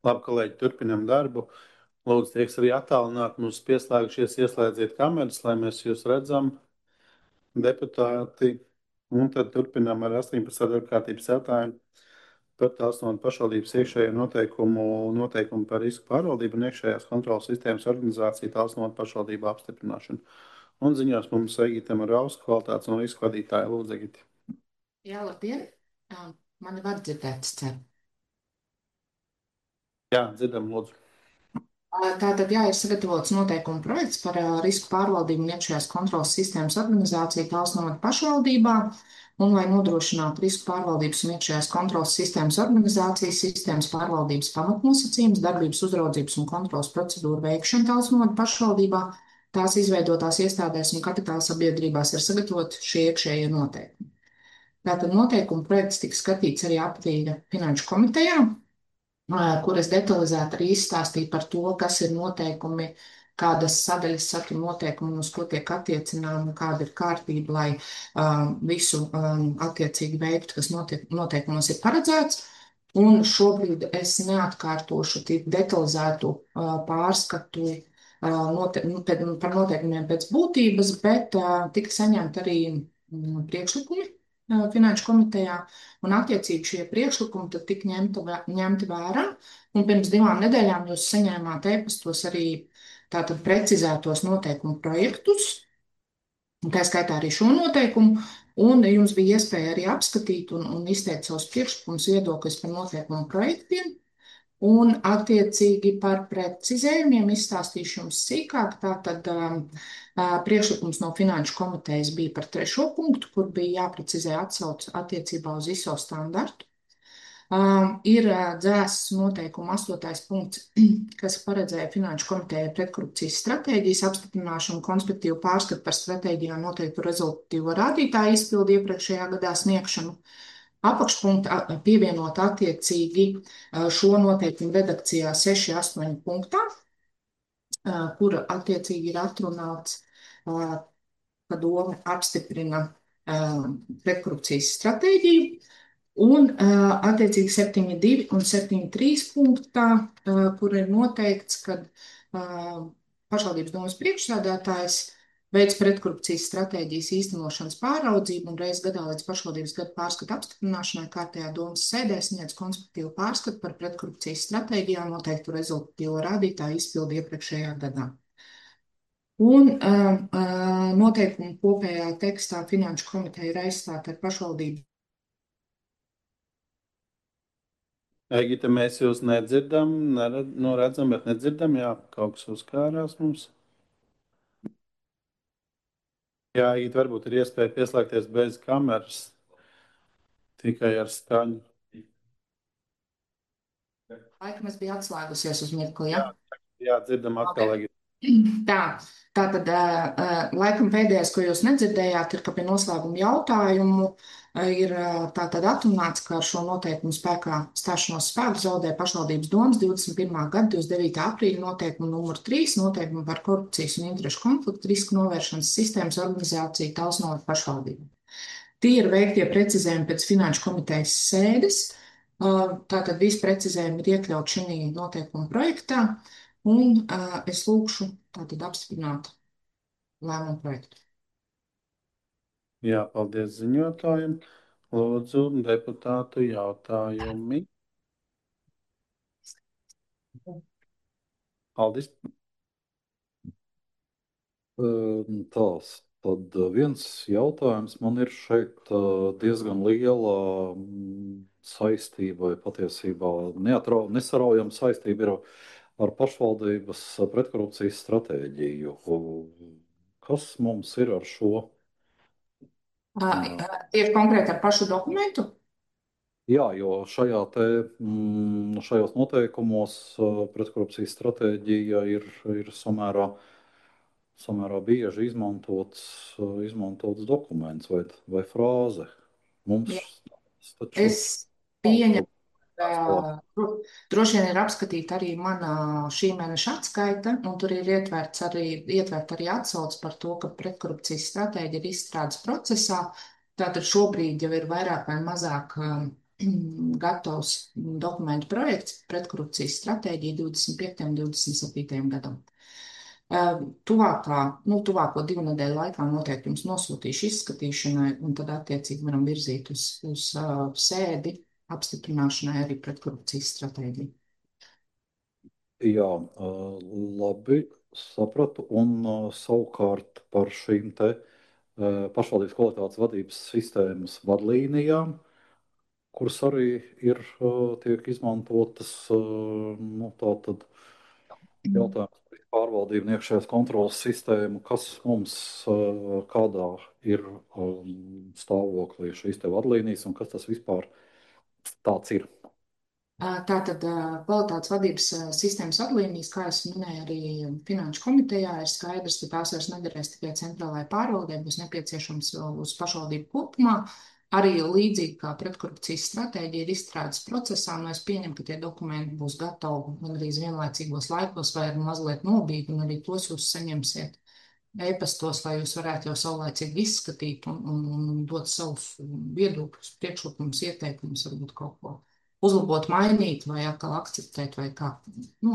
Labi, kolēģi, turpinam darbu. Lūdzu, tie, kas arī attālināti mums pieslēgušies, ieslēdziet kameras, lai mēs jūs redzam, deputāti. Un tad turpinām ar 18. darbkārtības jautājumu par Talsnotu pašvaldības iekšējo noteikumu par risku pārvaldību un iekšējās kontrolas sistēmas organizāciju Talsnotu pašvaldību apstiprināšanu. Un ziņās mums Egitam Rausku, kvalitātes un risku vadītāja. Lūdzu, Egiti. Jā, labdien! Mani var dzirdēt, es ceru. Jā, dzirdam, lūdzu. Tātad, jā, ir sagatavots noteikumu projekts par risku pārvaldību un iekšējās kontrolas sistēmas organizāciju Talsnotu pašvaldībā, un lai nodrošinātu risku pārvaldības un iekšējās kontrolas sistēmas organizācijas, sistēmas pārvaldības pamatnosacījums, darbības uzraudzības un kontrolas procedūru veikšanu Talsnotu pašvaldībā, tās izveidotās iestādēs un kapitāla sabiedrībās ir sagatavoti šie iekšējie noteikumi. Tātad noteikumu projekts tika skatīts arī aprīļa finanšu komitejā, kuras detalizēti arī izstāstīja par to, kas ir noteikumi, kādas sadaļas satura noteikumi, uz ko tiek attiecināma, kāda ir kārtība, lai visu attiecīgi veiktu, kas noteikumos ir paredzēts. Un šobrīd es neatkārtošu tik detalizētu pārskatu par noteikumiem pēc būtības, bet tika saņemt arī priekšlikumi finanšu komitejā, un attiecīgi šie priekšlikumi tad tika ņemti vērā. Un pirms 2 nedēļām jūs saņēmāt e-pastos arī tātad precizētos noteikumu projektus, un tā skaitā arī šo noteikumu, un jums bija iespēja arī apskatīt un izteikt savus priekšlikumus, viedokļus par noteikumu projektiem. Un attiecīgi par precizējumiem izstāstīšu jums sīkāk. Tātad priekšlikums no Finanšu komitejas bija par 3. punktu, kur bija jāprecizē atsauce attiecībā uz ISO standartu. Ir dzēsts noteikuma 8. punkts, kas paredzēja Finanšu komitejai pretkorupcijas stratēģijas apstiprināšanu, konspektīvu pārskatu par stratēģijā noteiktu rezultatīvo rādītāju izpildu iepriekšējā gadā sniegšanu. Apakšpunkta pievienot attiecīgi šo noteikumu redakcijā 6.8. punktā, kura attiecīgi ir atrunāts, ka doma apstiprina pretkorupcijas stratēģiju. Un attiecīgi 7.2 un 7.3 punktā, kur ir noteikts, ka pašvaldības domas priekšsēdētājs veids pretkorupcijas stratēģijas īstenošanas pāraudzību un reiz gadā līdz pašvaldības gada pārskata apstiprināšanai kārtējā domas sēdē sniedz konspektīvu pārskatu par pretkorupcijas stratēģijā noteiktu rezultatīvo rādītāju izpildi iepriekšējā gadā. Un noteikumu kopējā tekstā Finanšu komiteja ir aizstāta ar pašvaldību. Egita, mēs jūs nedzirdam, redzam, bet nedzirdam. Jā, kaut kas uzkārās mums. Jā, Egita, varbūt ir iespēja pieslēgties bez kameras, tikai ar skaņu. Laikam es biju atslēgusies uz mirkli, Jā, ja? jā, dzirdam atkal, Egita. Tātad laikam pēdējais, ko jūs nedzirdējāt, ir, ka pie noslēguma jautājumu ir tātad atrunāts, ka ar šo noteikumu spēkā stāšanos spēku zaudē pašvaldības domas 21. gada 29. aprīļa noteikumu numur 3, noteikumu par korupcijas un interešu konfliktu risku novēršanas sistēmas organizāciju Talsnotu pašvaldību. Tie ir veiktie precizējumi pēc Finanšu komitejas sēdes. Tātad visi precizējumi ir iekļauti šī noteikuma projektā. Un es lūkšu tātad apstiprināt lēmumu projektu. Jā, paldies ziņotājiem. Lūdzu, deputātu jautājumi. Aldis. Tad viens jautājums man ir šeit diezgan liela saistība, vai patiesībā nesaraujama saistība ir ar pašvaldības pretkorupcijas stratēģiju. Kas mums ir ar šo? Tieši konkrēti ar pašu dokumentu? Jā, jo šajos noteikumos pretkorupcijas stratēģija ir samērā bieži izmantots dokuments vai frāze. Jā. Mums taču Es nav pieņemu, kaut kāds droši vien ir apskatīta arī mana šī mēneša atskaita, un tur ir ietvert arī atsauce par to, ka pretkorupcijas stratēģija ir izstrādes procesā. Tātad šobrīd jau ir vairāk vai mazāk gatavs dokumentu projekts pretkorupcijas stratēģija 25. un 27. gadam. Tuvāko 2 nedēļu laikā noteikti jums nosūtīšu izskatīšanai, un tad attiecīgi varam virzīt uz sēdi apstiprināšanai arī pretkorupcijas stratēģiju. Jā, labi, sapratu. Un savukārt par šīm te pašvaldības kvalitātes vadības sistēmas vadlīnijām, kuras arī ir tiek izmantotas, nu, tātad jautājums par pārvaldību un iekšējās kontrolas sistēmu, kas mums kādā ir stāvoklī šīs te vadlīnijas un kas tas vispār tāds ir. Tātad kvalitātes vadības sistēmas vadlīnijas, kā es minēju, arī Finanšu komitejā ir skaidrs, ka tās vairs nederēs tikai centrālajai pārvaldē, būs nepieciešams uz pašvaldību kopumā. Arī līdzīgi kā pretkorupcijas stratēģija ir izstrādes procesā, un es pieņemu, ka tie dokumenti būs gatavi gandrīz vienlaicīgos laikos vai mazliet nobīgi, un arī tos jūs saņemsiet e-pastos, lai jūs varētu jau saulēcīgi izskatīt un dot savus viedokļus, priekšlikumus, ieteikumus, varbūt kaut ko uzlabot, mainīt vai atkal akceptēt vai kā,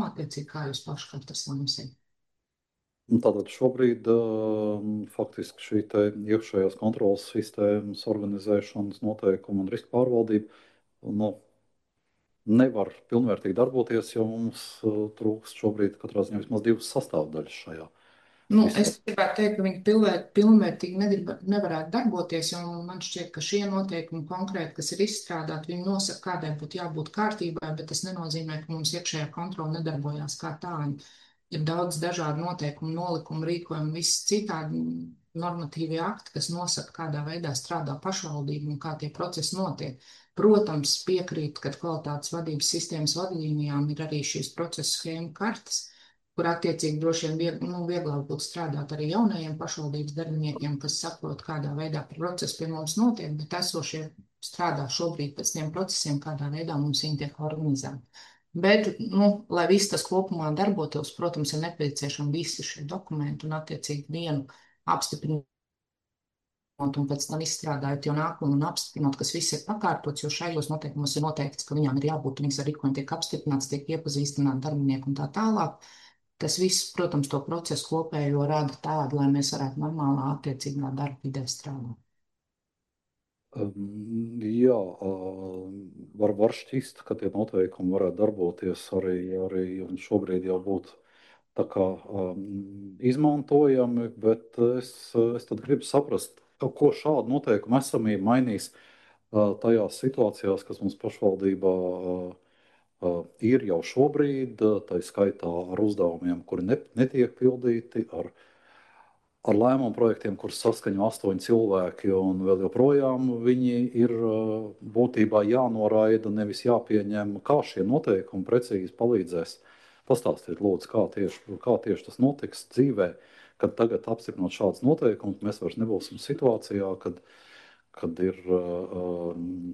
attiecīgi kā jūs paši katrs lemsiet. Tātad šobrīd faktiski šī te iekšējās kontrolas sistēmas organizēšanas noteikuma un riska pārvaldība nevar pilnvērtīgi darboties, jo mums trūkst šobrīd katrā ziņā vismaz 2 sastāvdaļas šajā. Es gribētu teikt, ka viņi pilnvērtīgi nevarētu darboties, jo man šķiet, ka šie noteikumi konkrēti, kas ir izstrādāti, viņi nosaka, kādai būtu jābūt kārtībai, bet tas nenozīmē, ka mums iekšējā kontrola nedarbojās kā tāda. Ir daudz dažādu noteikumu, nolikumu, rīkojumu, viss citādi normatīvie akti, kas nosaka, kādā veidā strādā pašvaldība un kā tie procesi notiek. Protams, piekrīt, ka kvalitātes vadības sistēmas vadlīnijām ir arī šīs procesa schēma kartes, kur attiecīgi droši vien vieglāk būtu strādāt arī jaunajiem pašvaldības darbiniekiem, kas saprot, kādā veidā process pie mums notiek, bet esošie strādā šobrīd pēc tiem procesiem, kādā veidā mums viņi tiek organizēti. Bet, lai viss tas kopumā darbotos, protams, ir nepieciešami visi šie dokumenti un attiecīgi vienu apstiprināt un pēc tam izstrādājot jau nākotnē un apstiprinot, kas viss ir pakārtots, jo šajos noteikumos ir noteikts, ka viņām ir jābūt, viņas ar rīkojumu tiek apstiprināts, tiek iepazīstināti darbinieki un tā tālāk. Tas viss, protams, to procesu kopējo rada tādu, lai mēs varētu normālā attiecīgā darba vidē strādāt. Jā, var šķist, ka tie noteikumi varētu darboties arī un šobrīd jau būt tā kā izmantojami, bet es tad gribu saprast, ko šādu noteikumu esamība mainīs tajās situācijās, kas mums pašvaldībā ir jau šobrīd, tā skaitā ar uzdevumiem, kuri netiek pildīti, ar lēmumu projektiem, kurus saskaņo 8 cilvēki, un vēl joprojām viņi ir būtībā jānoraida, nevis jāpieņem. Kā šie noteikumi precīzi palīdzēs? Pastāstiet, lūdzu, kā tieši tas notiks dzīvē, kad tagad apstiprinot šādus noteikumus, mēs vairs nebūsim situācijā, kad ir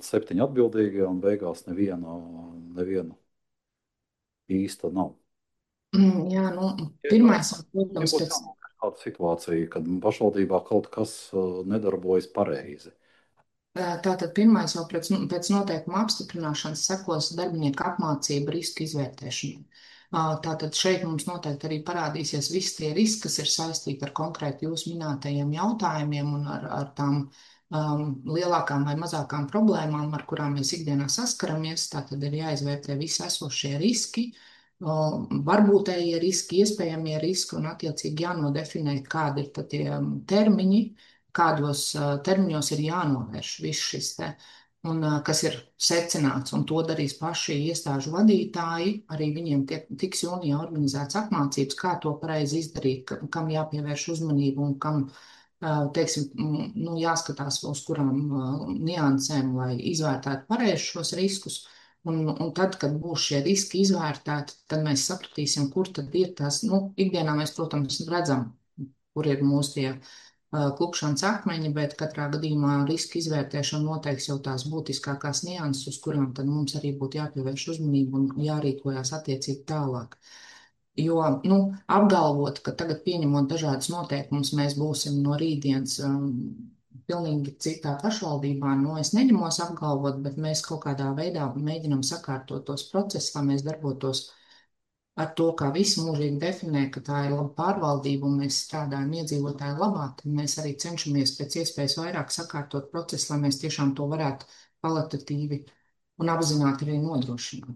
7 atbildīgie un beigās neviena īsta nav. Jā, pirmais, protams, Tāda situācija, kad pašvaldībā kaut kas nedarbojas pareizi. Tātad pirmais jau pēc noteikuma apstiprināšanas sekos darbinieku apmācība riska izvērtēšanai. Tātad šeit mums noteikti arī parādīsies visi tie riski, kas ir saistīti ar konkrēti jūs minētajiem jautājumiem un ar tām lielākām vai mazākām problēmām, ar kurām mēs ikdienā saskaramies. Tātad ir jāizvērtē visi esošie riski, varbūtējie riski, iespējamie riski un attiecīgi jānodefinē, kādi ir tie termiņi, kādos termiņos ir jānovērš viss šis te, un kas ir secināts, un to darīs paši iestāžu vadītāji. Arī viņiem tiks jūnijā organizēts apmācības, kā to pareizi izdarīt, kam jāpievērš uzmanību un kam, teiksim, jāskatās uz kurām niansēm, lai izvērtētu pareizi šos riskus. Un tad, kad būs šie riski izvērtēti, tad mēs sapratīsim, kur tad ir tās, ikdienā mēs, protams, redzam, kur ir mūsu tie klupšanas akmeņi, bet katrā gadījumā riska izvērtēšana noteiks jau tās būtiskākās nianses, uz kurām tad mums arī būtu jāpievērš uzmanību un jārīkojās attiecīgi tālāk. Jo, apgalvot, ka tagad pieņemot dažādas noteikumus, mēs būsim no rītdienas pilnīgi citā pašvaldībā. Nu, es neņemos apgalvot, bet mēs kaut kādā veidā mēģinam sakārtot tos procesus, lai mēs darbotos ar to, kā visi mūžīgi definē, ka tā ir laba pārvaldība un mēs strādājam iedzīvotāju labā, tad mēs arī cenšamies pēc iespējas vairāk sakārtot procesu, lai mēs tiešām to varētu kvalitatīvi un apzināti arī nodrošināt.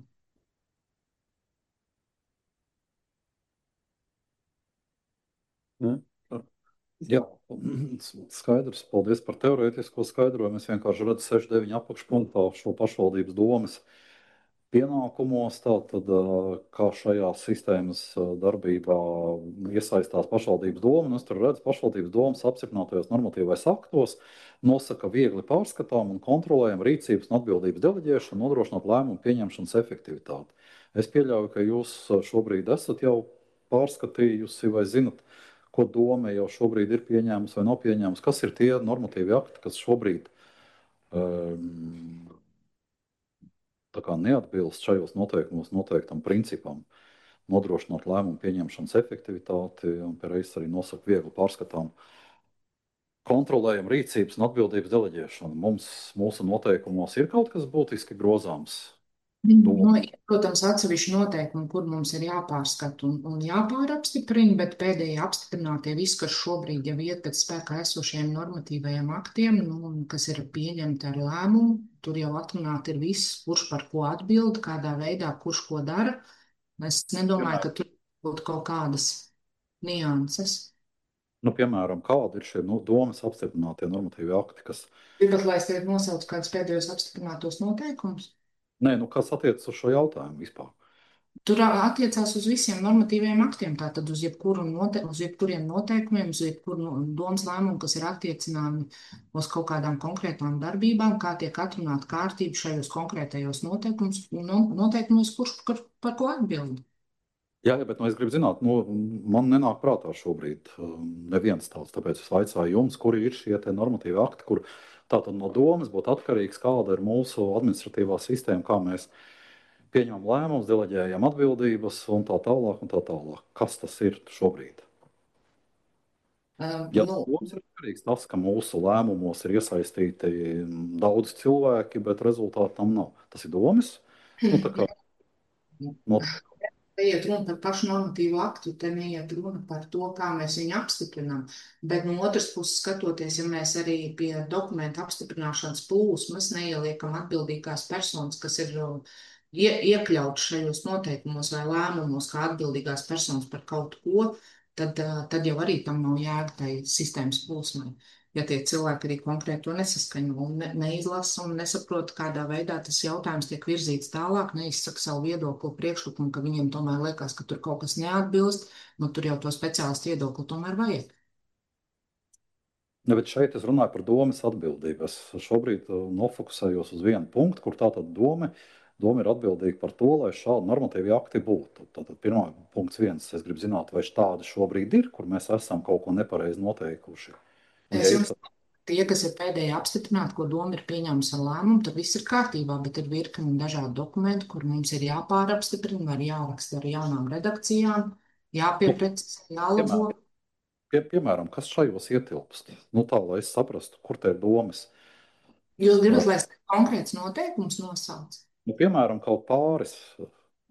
Ne? Jā, skaidrs. Paldies par teorētisko skaidrojumu. Es vienkārši redzu 6.9. apakšpunktā šo pašvaldības domas pienākumos, tātad kā šajā sistēmas darbībā iesaistās pašvaldības doma. Un es tur redzu pašvaldības domas apstiprinātajos normatīvais aktos, nosaka viegli pārskatām un kontrolējam rīcības un atbildības deleģēšanu, nodrošinot lēmumu pieņemšanas efektivitāti. Es pieļauju, ka jūs šobrīd esat jau pārskatījusi vai zinat, ko doma jau šobrīd ir pieņēmusi vai nav pieņēmusi. Kas ir tie normatīvi akti, kas šobrīd tā kā neatbilst šajos noteikumos noteiktam principam, nodrošinot lēmumu pieņemšanas efektivitāti un pēc arī nosaka viegli pārskatām kontrolējam rīcības un atbildības deleģēšanu. Mums, mūsu noteikumos ir kaut kas būtiski grozāms. Nu, ir, protams, atsevišķi noteikumi, kur mums ir jāpārskata un jāpārapstiprina, bet pēdējie apstiprinātie viss, kas šobrīd jau iet pēc spēkā esošiem normatīvajiem aktiem, nu, un kas ir pieņemti ar lēmumu, tur jau atrunāti ir viss, kurš par ko atbild, kādā veidā, kurš ko dara. Es nedomāju, ka tur būtu kaut kādas nianses. Nu, piemēram, kādi ir šie domas apstiprinātie normatīvi akti, kas... Gribat, lai es tev nosaucu kādus pēdējos apstiprinātos noteikumus? Nē, nu kas attiecas uz šo jautājumu vispār? Tur attiecās uz visiem normatīviem aktiem, tātad uz jebkuriem noteikumiem, uz jebkuru domas lēmumu, kas ir attiecināmi uz kaut kādām konkrētām darbībām, kā tiek atrunāta kārtība šajos konkrētajos noteikumos, kurš par ko atbild. Jā, bet es gribu zināt, man nenāk prātā šobrīd neviens tāds, tāpēc es vaicāju jums, kuri ir šie te normatīvi akti, kur tātad no domas būtu atkarīgs, kāda ir mūsu administratīvā sistēma, kā mēs pieņemam lēmumus, deleģējam atbildības un tā tālāk un tā tālāk. Kas tas ir šobrīd? Ja domas ir atkarīgs tas, ka mūsu lēmumos ir iesaistīti daudz cilvēki, bet rezultāti tam nav. Tas ir domas? Nu, tā kā noteikti. Te iet runa par pašu normatīvu aktu, te neiet runa par to, kā mēs viņu apstiprinām. Bet no otras puses skatoties, ja mēs arī pie dokumentu apstiprināšanas plūsmas neieliekam atbildīgās personas, kas ir iekļauts šajos noteikumos vai lēmumos kā atbildīgās personas par kaut ko, tad jau arī tam nav jēga tai sistēmas plūsmai. Ja tie cilvēki arī konkrēti to nesaskaņo un neizlasa un nesaprot, kādā veidā tas jautājums tiek virzīts tālāk, neizsaka savu viedokli, priekšlikumu, ka viņiem tomēr liekas, ka tur kaut kas neatbilst, nu tur jau to speciālistu viedokli tomēr vajag. Ja, bet šeit es runāju par domas atbildību. Es šobrīd nofokusējos uz vienu punktu, kur tātad doma ir atbildīga par to, lai šādi normatīvi akti būtu. Tātad pirmā punkts viens, es gribu zināt, vai tādi šobrīd ir, kur mēs esam kaut ko nepareizi noteikuši. Tie, kas ir pēdējie apstiprināti, ko doma ir pieņēmusi ar lēmumu, tad viss ir kārtībā, bet ir virkni dažādu dokumentu, kur mums ir jāpārapstiprina, var jāraksta ar jaunām redakcijām, jāpieprecizē, jālabo. Piemēram, kas šajos ietilpst? Nu tā, lai es saprastu, kur te ir domas. Jūs gribat, lai es konkrēts noteikums nosauc? Nu, piemēram, kaut pāris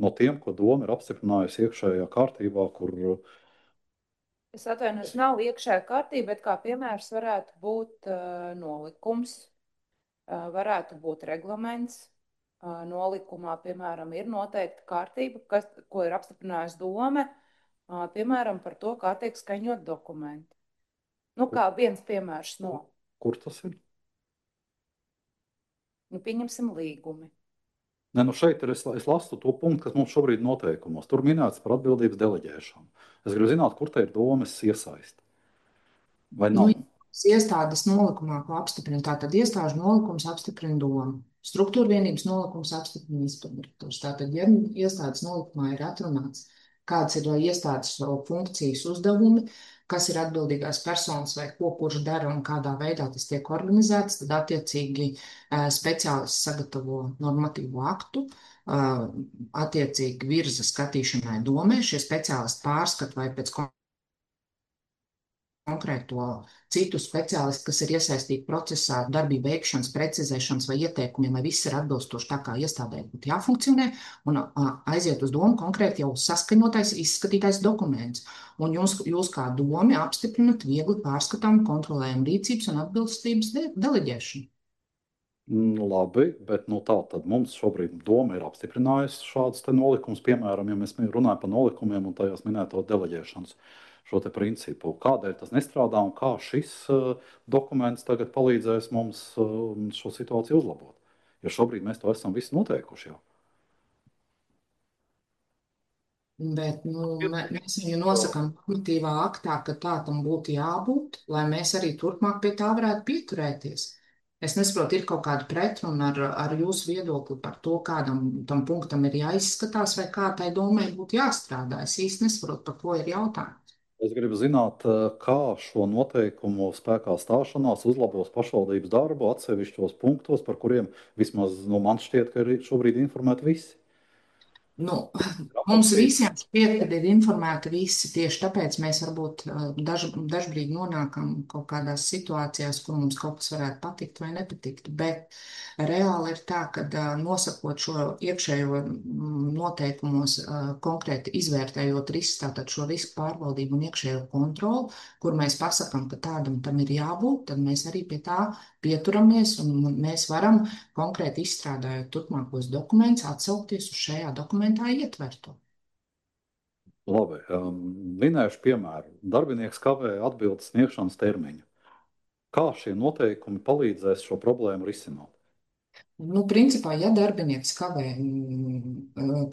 no tiem, ko doma ir apstiprinājusi iekšējā kārtībā, kur... Es atvainojos, nav iekšējā kārtība, bet kā piemērs varētu būt nolikums, varētu būt reglaments. Nolikumā, piemēram, ir noteikta kārtība, ko ir apstiprinājusi doma, piemēram, par to, kā tiek skaņot dokumenti. Nu, kā viens piemērs no. Kur tas ir? Nu, pieņemsim līgumi. Ne, nu šeit ir, es lasu to punktu, kas mums šobrīd noteikumos. Tur minēts par atbildības deleģēšanu. Es gribu zināt, kur te ir domas iesaist. Vai nav? Nu, iestādes nolikumā, ko apstiprina, tātad iestāžu nolikums apstiprina doma. Struktūra vienības nolikums apstiprina izpilddirektors. Tātad, ja iestādes nolikumā ir atrunāts, kādas ir iestādes funkcijas uzdevumi, kas ir atbildīgās personas vai ko kurš dara un kādā veidā tas tiek organizēts, tad attiecīgi speciālists sagatavo normatīvo aktu, attiecīgi virza skatīšanai domē, šie speciālisti pārskata vai pēc konkrēto citu speciālistu, kas ir iesaistīti procesā, darbību veikšanas, precizēšanas vai ieteikumiem, lai viss ir atbilstoši tā, kā iestādē būtu jāfunkcionē, un aiziet uz domu konkrēti jau saskaņotais, izskatītais dokuments. Un jūs kā domi apstiprinat viegli pārskatāmu kontrolējumu rīcības un atbilstības deleģēšanu. Labi, bet tā tad mums šobrīd doma ir apstiprinājusi šādus nolikumus, piemēram, ja mēs runājam par nolikumiem un tajos minēto deleģēšanas šo te principu. Kādēļ tas nestrādā un kā šis dokuments tagad palīdzēs mums šo situāciju uzlabot? Jo šobrīd mēs to esam visi noteikuši jau. Bet mēs viņu nosakām normatīvā aktā, ka tā tam būtu jābūt, lai mēs arī turpmāk pie tā varētu pieturēties. Es nesaprotu, ir kaut kāda pretruna ar jūsu viedokli par to, kādam tam punktam ir jāizskatās vai kā tai domai būtu jāstrādā. Es īsti nesaprotu, par ko ir jautājums. Es gribu zināt, kā šo noteikumu spēkā stāšanās uzlabos pašvaldības darbu atsevišķos punktos, par kuriem vismaz man šķiet, ka ir šobrīd informēti visi. Mums visiem šķiet, ka ir informēti visi. Tieši tāpēc mēs varbūt dažbrīd nonākam kaut kādās situācijās, kur mums kaut kas varētu patikt vai nepatikt. Bet reāli ir tā, ka nosakot šo iekšējo noteikumos, konkrēti izvērtējot risku, tātad šo risku pārvaldību un iekšējo kontroli, kur mēs pasakām, ka tādam tam ir jābūt, tad mēs arī pie tā pieturamies un mēs varam konkrēti izstrādājot turpmākos dokumentus, atsaukties uz šajā dokumentā ietverto. Labi, minēšu piemēru. Darbinieks kavē atbildes sniegšanas termiņu. Kā šie noteikumi palīdzēs šo problēmu risināt? Principā, ja darbinieks kavē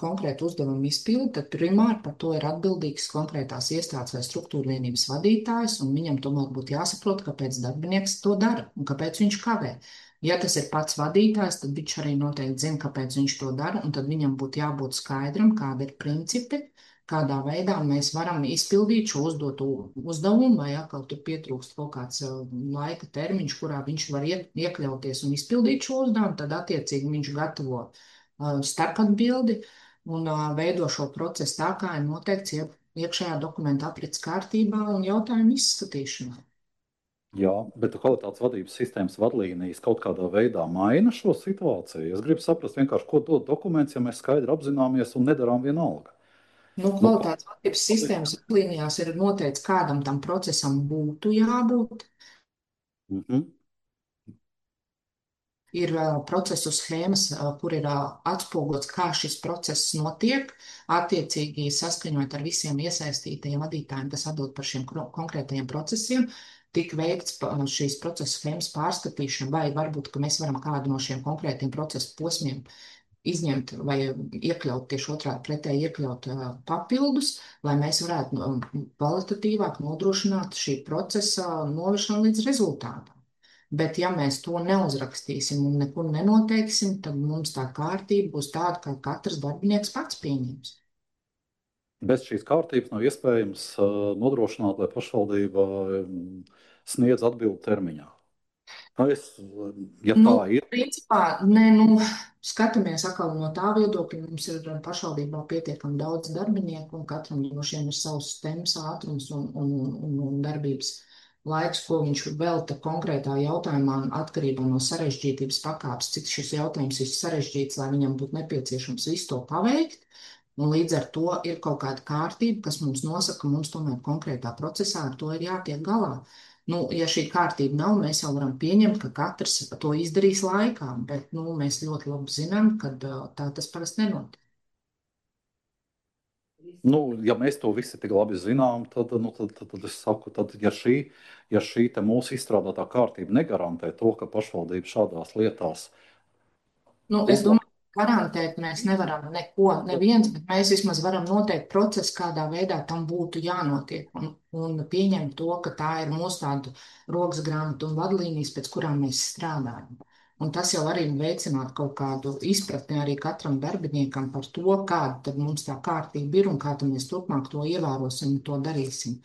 konkrētu uzdevumu izpildi, tad primāri par to ir atbildīgs konkrētās iestādes vai struktūra vienības vadītājs, un viņam tomēr būtu jāsaprot, kāpēc darbinieks to dara un kāpēc viņš kavē. Ja tas ir pats vadītājs, tad viņš arī noteikti zina, kāpēc viņš to dara, un tad viņam būtu jābūt skaidram, kāda ir principi, kādā veidā mēs varam izpildīt šo uzdoto uzdevumu, vai atkal tur pietrūkst kaut kāds laika termiņš, kurā viņš var iekļauties un izpildīt šo uzdevumu, tad attiecīgi viņš gatavo starpatbildi un veido šo procesu tā, kā ir noteikts iekšējā dokumenta aprits kārtībā un jautājumu izskatīšanā. Jā, bet kvalitātes vadības sistēmas vadlīnijas kaut kādā veidā maina šo situāciju. Es gribu saprast vienkārši, ko dod dokuments, ja mēs skaidri apzināmies un nedarām vienalga. Kvalitātes vadības sistēmas vadlīnijās ir noteikts, kādam tam procesam būtu jābūt. Ir procesu schēmas, kur ir atspoguļots, kā šis process notiek, attiecīgi saskaņot ar visiem iesaistītajiem vadītājiem, kas atbild par šiem konkrētajiem procesiem, tik veikts šīs procesa schēmas pārskatīšana, vai varbūt, ka mēs varam kādu no šiem konkrētiem procesu posmiem izņemt vai iekļaut tieši otrādi pretēji iekļaut papildus, lai mēs varētu kvalitatīvāk nodrošināt šī procesa novešanu līdz rezultātam. Bet ja mēs to neuzrakstīsim un nekur nenoteiksim, tad mums tā kārtība būs tāda, kā katrs darbinieks pats pieņems. Bez šīs kārtības nav iespējams nodrošināt, lai pašvaldība sniedz atbildi termiņā. Ja tā ir. Principā, skatāmies atkal no tā viedokļa, mums ir pašvaldībā pietiekami daudz darbinieku, un katram no šiem ir savs temps, ātrums un darbības laiks, ko viņš velta konkrētā jautājumā, atkarībā no sarežģītības pakāpes, cik šis jautājums ir sarežģīts, lai viņam būtu nepieciešams visu to paveikt. Un līdz ar to ir kaut kāda kārtība, kas mums nosaka, ka mums tomēr konkrētā procesā ar to ir jātiek galā. Ja šī kārtība nav, mēs jau varam pieņemt, ka katrs to izdarīs laikā, bet mēs ļoti labi zinām, ka tā tas parasti nenotiek. Ja mēs to visi tik labi zinām, tad es saku, ja šī mūsu izstrādātā kārtība negarantē to, ka pašvaldība šādās lietās. Es domāju, garantēt mēs nevaram neko, neviens, bet mēs vismaz varam noteikt procesu, kādā veidā tam būtu jānotiek un pieņemt to, ka tā ir mūsu tāda rokas grāmata un vadlīnijas, pēc kurām mēs strādājam. Un tas jau arī veicinātu kaut kādu izpratni arī katram darbiniekam par to, kāda tad mums tā kārtība ir un kā tad mēs turpmāk to ievērosim un to darīsim.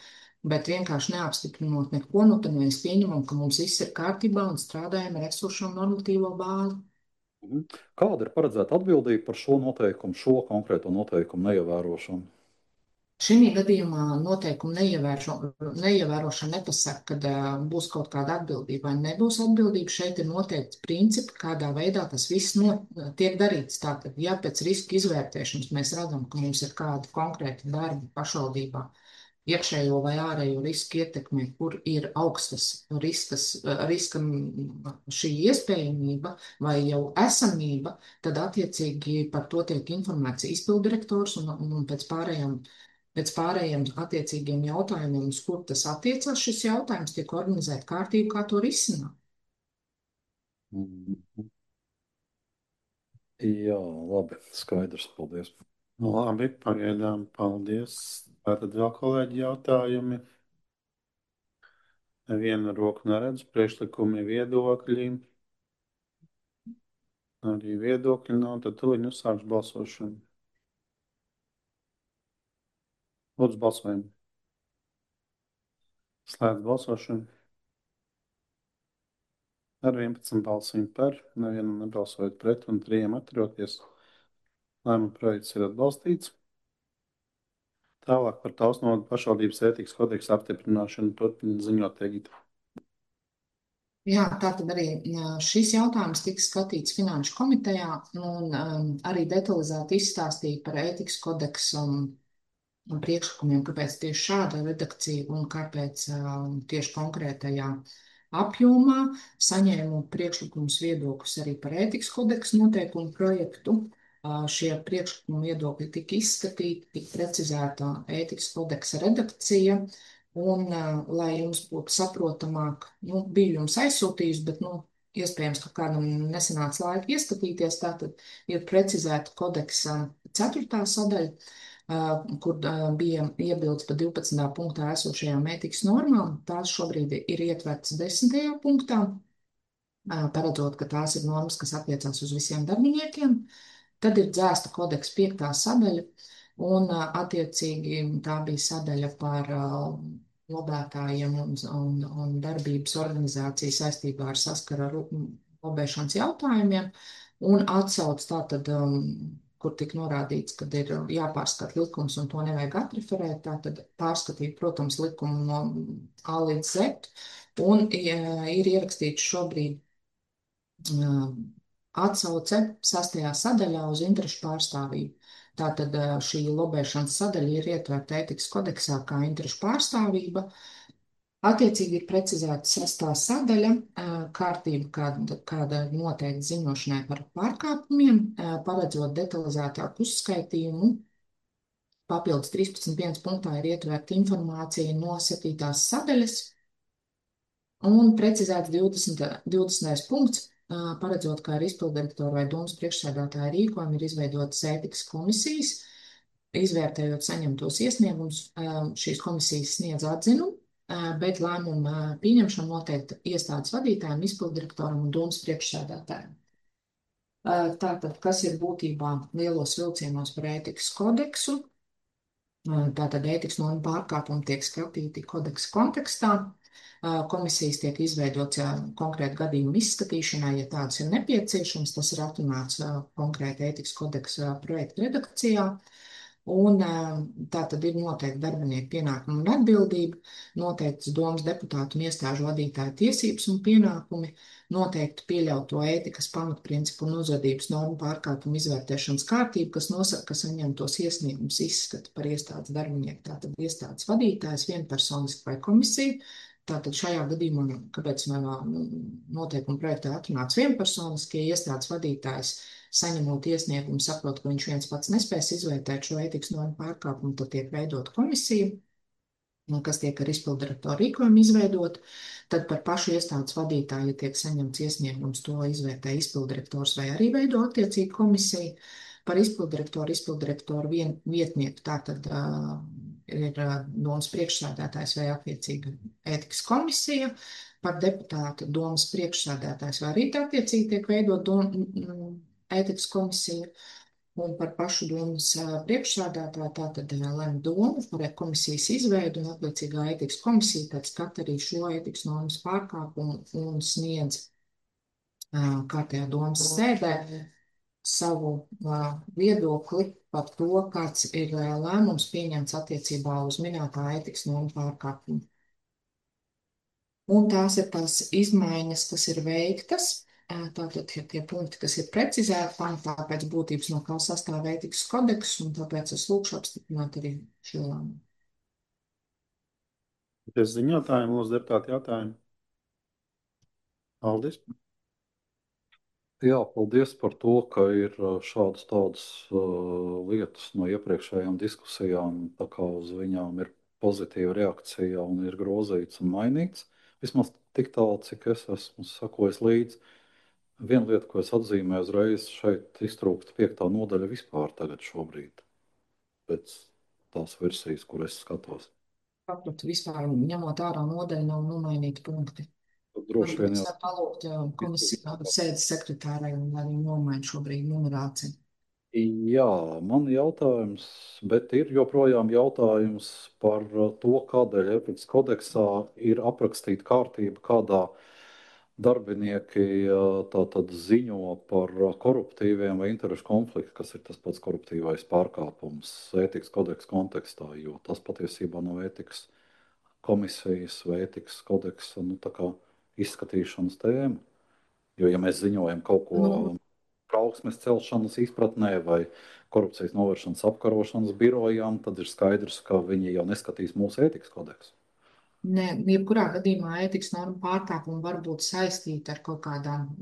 Bet vienkārši neapstiprinot neko, tad mēs pieņemam, ka mums viss ir kārtībā un strādājam ar esošo normatīvo bāzi. Kāda ir paredzēta atbildība par šo konkrēto noteikumu neievērošanu? Šī gadījumā noteikumu neievērošana nepasaka, ka būs kaut kāda atbildība vai nebūs atbildība. Šeit ir noteikti principi, kādā veidā tas viss tiek darīts. Tātad, ja pēc riska izvērtēšanas mēs redzam, ka mums ir kādi konkrēti darbi pašvaldībā, iekšējo vai ārējo risku ietekmi, kur ir augstas riska šī iespējamība vai jau esamība, tad attiecīgi par to tiek informēts izpildirektors un pēc pārējiem attiecīgiem jautājumiem, uz kur tas attiecas, šis jautājums tiek organizēta kārtība, kā to risināt. Mhm. Jā, labi, skaidrs, paldies. Labi, pagaidām, paldies. Tātad vēl kolēģi jautājumi. Nevienu roku neredzu, priekšlikumi, viedokļi. Arī viedokļi nav, tad tuliņ uzsākšu balsošanu. Lūdzu, balsojam. Slēdz balsošanu. Ar 11 balsīm par, nevienam nebalsojot pret un 3 atturoties. Lēmuma projekts ir atbalstīts. Tālāk par Tausnodu pašvaldības ētikas kodeksa apstiprināšanu turpina ziņot Egita. Jā, tātad arī šis jautājums tika skatīts Finanšu komitejā un arī detalizēti izstāstīja par ētikas kodeksu un priekšlikumiem, kāpēc tieši šāda redakcija un kāpēc tieši konkrētajā apjomā. Saņēmu priekšlikumus viedokļus arī par ētikas kodeksu noteikumu projektu. Šie priekšlikumi viedokļi tika izskatīti, tika precizēta ētikas kodeksa redakcija. Un, lai jums būtu saprotamāk, biju jums aizsūtījusi, bet, iespējams, ka kādam nesanāca laika ieskatīties, tātad ir precizēta kodeksa 4. sadaļa, kur bija iebildes par 12. punktā esošajām ētikas normām. Tās šobrīd ir ietvertas 10. punktā, paredzot, ka tās ir normas, kas attiecās uz visiem darbiniekiem. Tad ir dzēsta kodeksa 5. sadaļa, un attiecīgi tā bija sadaļa par lobētājiem un darbības organizāciju saistībā ar saskara ar lobēšanas jautājumiem, un atsauc tātad, kur tika norādīts, ka ir jāpārskata likums un to nevajag atreferēt, tātad pārskatīt, protams, likumu no A līdz Z, un ir ierakstīts šobrīd atsauce 6. sadaļā uz interešu pārstāvību. Tātad šī lobēšanas sadaļa ir ietverta ētikas kodeksā kā interešu pārstāvība. Attiecīgi ir precizēta 6. sadaļa, kārtība, kāda noteikti ziņošanai par pārkāpumiem, paredzot detalizētāku uzskaitījumu. Papildus 13.1. punktā ir ietverta informācija no 7. sadaļas un precizēts 20. punkts, paredzot, kā ar izpildirektoru vai domas priekšsēdētāju rīkojumu ir izveidotas ētikas komisijas, izvērtējot saņemtos iesniegumus. Šīs komisijas sniedz atzinumu, bet lēmumu pieņemšanu noteikti iestādes vadītājiem, izpildirektoram un domas priekšsēdētājiem. Tātad, kas ir būtībā lielos vilcienos par ētikas kodeksu? Tātad ētikas normu pārkāpumi tiek skatīti kodeksa kontekstā. Komisijas tiek izveidots konkrēti gadījumu izskatīšanai, ja tādas ir nepieciešams. Tas ir atrunāts konkrēti ētikas kodeksa projekta redakcijā. Un tā tad ir noteikti darbinieku pienākumi un atbildība, noteikts domas deputātu un iestāžu vadītāju tiesības un pienākumi, noteikti pieļauto ētikas pamatprincipu un uzvedības normu pārkāpumu izvērtēšanas kārtību, kas nosaka, ka saņemtos iesniegumus izskata par iestādes darbinieku, tātad iestādes vadītājs, vienpersoniski vai komisija. Tātad šajā gadījumā, kāpēc noteikuma projektā atrunāts vienpersoniski, ja iestādes vadītājs saņemot iesniegumu, saprot, ka viņš viens pats nespēs izvērtēt šo ētikas normu pārkāpumu, tad tiek veidota komisija, kas tiek ar izpildirektoru rīkojumu izveidot. Tad par pašu iestādes vadītāju, ja tiek saņemts iesniegums, to izvērtē izpildirektors vai arī veido attiecīgi komisija. Par izpildirektoru vietnieku tātad ir domas priekšsēdētājs vai attiecīga ētikas komisija. Par deputātu domas priekšsēdētājs vai arī attiecīgi tiek veidot ētikas komisija. Un par pašu domas priekšsēdētāju tātad lemj doma par komisijas izveidu un attiecīgā ētikas komisija tad skata arī šo ētikas normas pārkāpumu un sniedz kārtējā domas sēdē savu viedokli par to, kāds ir lēmums pieņemts attiecībā uz minētā ētikas normu pārkāpumu. Un tās ir tās izmaiņas, kas ir veiktas. Tātad ir tie punkti, kas ir precizēti, pamatā pēc būtības no kā sastāv ētikas kodeks, un tāpēc es lūkšu apstiprināt arī šo lēmumu. Es ziņotāju, lūdzu, deputāti jautājumu. Aldis? Jā, paldies par to, ka ir šādas tādas lietas no iepriekšējām diskusijām, tā kā uz viņām ir pozitīva reakcija un ir grozīts un mainīts. Vismaz tik tālu, cik es esmu sakojis līdzi. Viena lieta, ko es atzīmēju uzreiz, šeit iztrūkst 5. nodaļa vispār tagad šobrīd, pēc tās versijas, kur es skatos. Tāpat vispār ņemot ārā nodaļu nav nomainīti punkti. Droši vien Es jau varu palūgt komisijā sēdes sekretārai, lai viņi nomaina šobrīd numerāciju. Jā, man jautājums, bet ir joprojām jautājums par to, kādēļ ētikas kodeksā ir aprakstīta kārtība, kādā darbinieki tātad ziņo par koruptīviem vai interešu konfliktu, kas ir tas pats koruptīvais pārkāpums ētikas kodeksa kontekstā, jo tas patiesībā nav ētikas komisijas vai ētikas kodeksa tā kā izskatīšanas tēma. Jo, ja mēs ziņojam kaut ko trauksmes celšanas izpratnē vai korupcijas novēršanas apkarošanas birojām, tad ir skaidrs, ka viņi jau neskatīs mūsu ētikas kodeksu. Nē, jebkurā gadījumā ētikas norma pārkāpumi var būt saistīti ar kaut kādām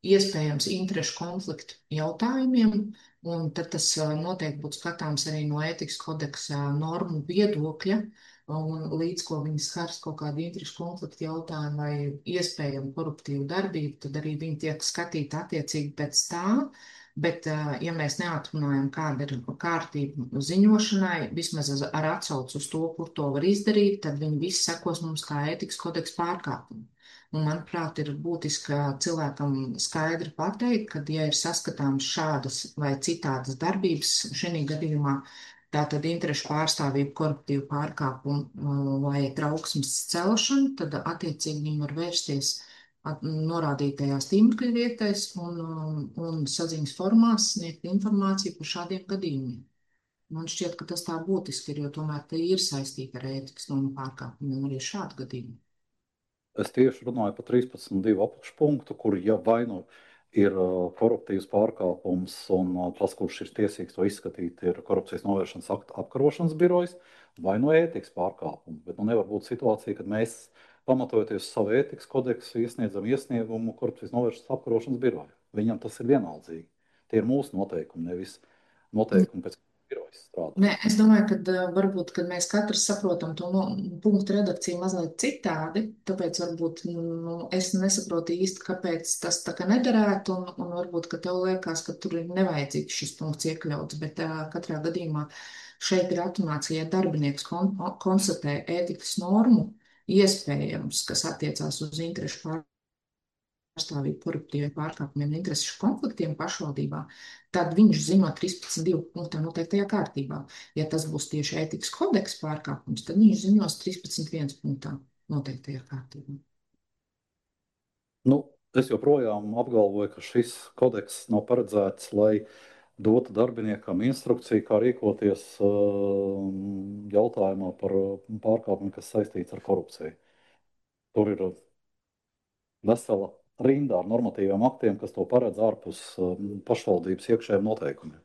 iespējams interešu konfliktu jautājumiem, un tad tas noteikti būtu skatāms arī no ētikas kodeksa normu viedokļa, un līdz ko viņi skars kaut kādu interešu konfliktu jautājumu vai iespējamu koruptīvu darbību, tad arī viņi tiek skatīti attiecīgi pēc tā. Bet, ja mēs neatrunājam, kāda ir kārtība ziņošanai, vismaz ar atsaucu uz to, kur to var izdarīt, tad viņi visi sekos mums kā ētikas kodeksa pārkāpumi. Un, manuprāt, ir būtiski cilvēkam skaidri pateikt, ka, ja ir saskatāms šādas vai citādas darbības, šī gadījumā tātad interešu pārstāvība, koruptīva pārkāpuma vai trauksmes celšana, tad attiecīgi viņi var vērsties norādītajās tīmekļa vietēs un saziņas formās sniegt informāciju par šādiem gadījumiem. Man šķiet, ka tas tā būtiski ir, jo tomēr te ir saistīta ar ētikas normu pārkāpumiem arī šādu gadījumu. Es tieši runāju par 13.2 apakšpunktu, kur ja vai nu ir koruptīvs pārkāpums un tas, kurš ir tiesīgs to izskatīt, ir korupcijas novēršanas apkarošanas birojas, vai no ētikas pārkāpumu. Bet nevar būt situācija, kad mēs, pamatojoties uz savu ētikas kodeksu, iesniedzam iesniegumu korupcijas novēršanas apkarošanas biroju. Viņam tas ir vienaldzīgi. Tie ir mūsu noteikumi, nevis noteikumi pēc birojas strādā. Nē, es domāju, ka varbūt, kad mēs katrs saprotam to punktu redakciju mazliet citādi, tāpēc varbūt es nesaprotu īsti, kāpēc tas tā kā nederētu, un varbūt, ka tev liekas, ka tur ir nevajadzīgs šis punkts iekļauts, bet katrā gadījumā šeit ir atrunāts, ja darbinieks konstatē ētikas normu, iespējams, kas attiecās uz interešu pārstāvību koruptīviem pārkāpumiem un interešu konfliktiem pašvaldībā, tad viņš ziņo 13.2 punktā noteiktajā kārtībā. Ja tas būs tieši ētikas kodeksa pārkāpums, tad viņš ziņos 13.1 punktā noteiktajā kārtībā. Es joprojām apgalvoju, ka šis kodeks nav paredzēts, lai dotu darbiniekam instrukciju, kā rīkoties jautājumā par pārkāpumu, kas saistīts ar korupciju. Tur ir vesela rinda ar normatīviem aktiem, kas to paredz ārpus pašvaldības iekšējiem noteikumiem.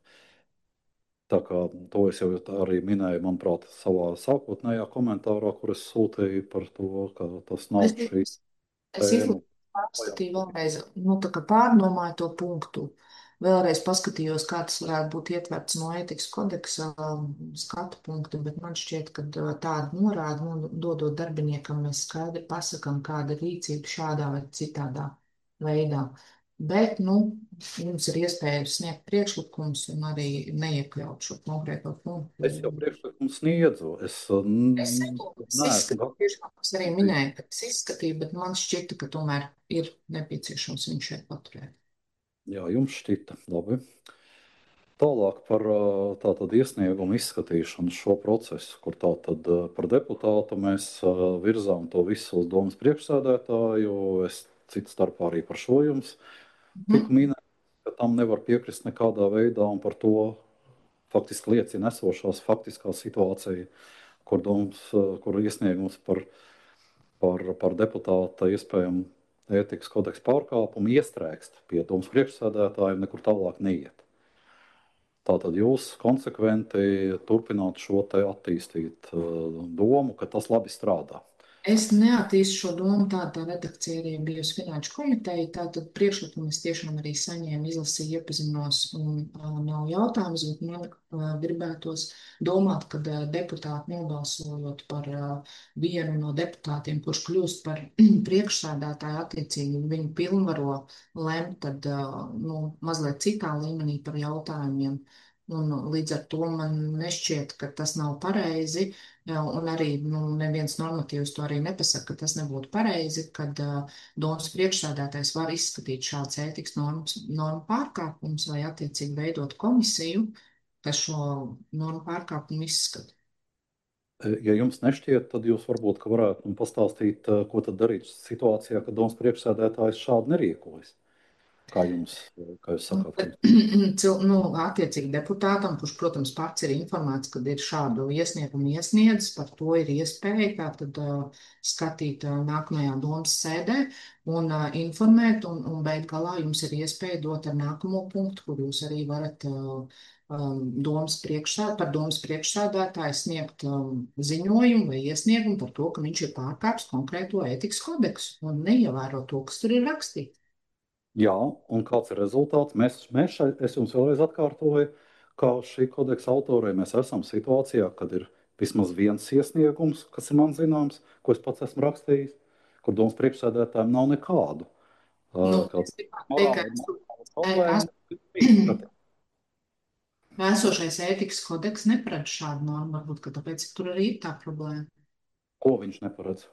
Tā kā to es jau arī minēju, manuprāt, savā sākotnējā komentārā, kur es sūtīju par to, ka tas nav šīs tēma. Pārskatīju vēlreiz, tā kā pārdomāju to punktu. Vēlreiz paskatījos, kā tas varētu būt ietverts no ētikas kodeksa skatu punkta, bet man šķiet, ka tāda norāda, dodot darbiniekam, mēs skaidri pasakam, kāda ir rīcība šādā vai citādā veidā. Bet, jums ir iespēja sniegt priekšlikumus un arī neiekļaut šo konkrēto punktu. Es jau priekšlikumu sniedzu. Es arī minēju, ka es izskatīju, bet man šķita, ka tomēr ir nepieciešams viņu šeit paturēt. Jā, jums šķita. Labi. Tālāk par tātad iesniegumu izskatīšanu šo procesu, kur tātad par deputātu mēs virzām to visu uz domas priekšsēdētāju. Es citu starpā arī par šo jums tiku minēju, ka tam nevar piekrist nekādā veidā, un par to faktiski liecina esošās faktiskā situācija, kur iesniegums par deputāta iespējamu ētikas kodeksa pārkāpumu iestrēgst pie domas priekšsēdētāja un nekur tālāk neiet. Tātad jūs konsekventi turpināt šo te attīstīt domu, ka tas labi strādā. Es neattīstu šo domu, tā redakcija arī bijusi Finanšu komiteja, tātad priekšlikumu es tiešām arī saņēmu, izlasīju, iepazinos un nav jautājums, bet man gribētos domāt, ka deputāti nobalsojot par vienu no deputātiem, kurš kļūst par priekšsēdētāju attiecīgi, viņu pilnvaro lemt tad, mazliet citā līmenī par jautājumiem. Un līdz ar to man nešķiet, ka tas nav pareizi. Jā, un arī neviens normatīvs to arī nepasaka, ka tas nebūtu pareizi, kad domas priekšsēdētājs var izskatīt šāds ētikas normu pārkāpums vai attiecīgi veidot komisiju, kas šo normu pārkāpumu izskata. Ja jums nešķiet, tad jūs varbūt varētu pastāstīt, ko tad darīt situācijā, kad domas priekšsēdētājs šādi nerīkojas. Kā jūs sakāt? Attiecīgi deputātam, kurš, protams, pats ir informēts, kad ir šādu iesniegumu iesniedzis, par to ir iespēja tātad skatīt nākamajā domas sēdē un informēt, un beig galā jums ir iespēja dot ar nākamo punktu, kur jūs arī varat par domas priekšsēdētāju sniegt ziņojumu vai iesniegumu par to, ka viņš ir pārkāpis konkrēto ētikas kodeksu un neievēro to, kas tur ir rakstīts. Jā, un kāds ir rezultāts? Es jums vēlreiz atkārtoju, ka šī kodeksa autorē mēs esam situācijā, kad ir vismaz viens iesniegums, kas ir man zināms, ko es pats esmu rakstījis, kur domas priekšsēdētājiem nav nekādu. Esošais ētikas kodeks neparedz šādu normu, varbūt, ka tāpēc tur arī ir tā problēma. Ko viņš neparedz?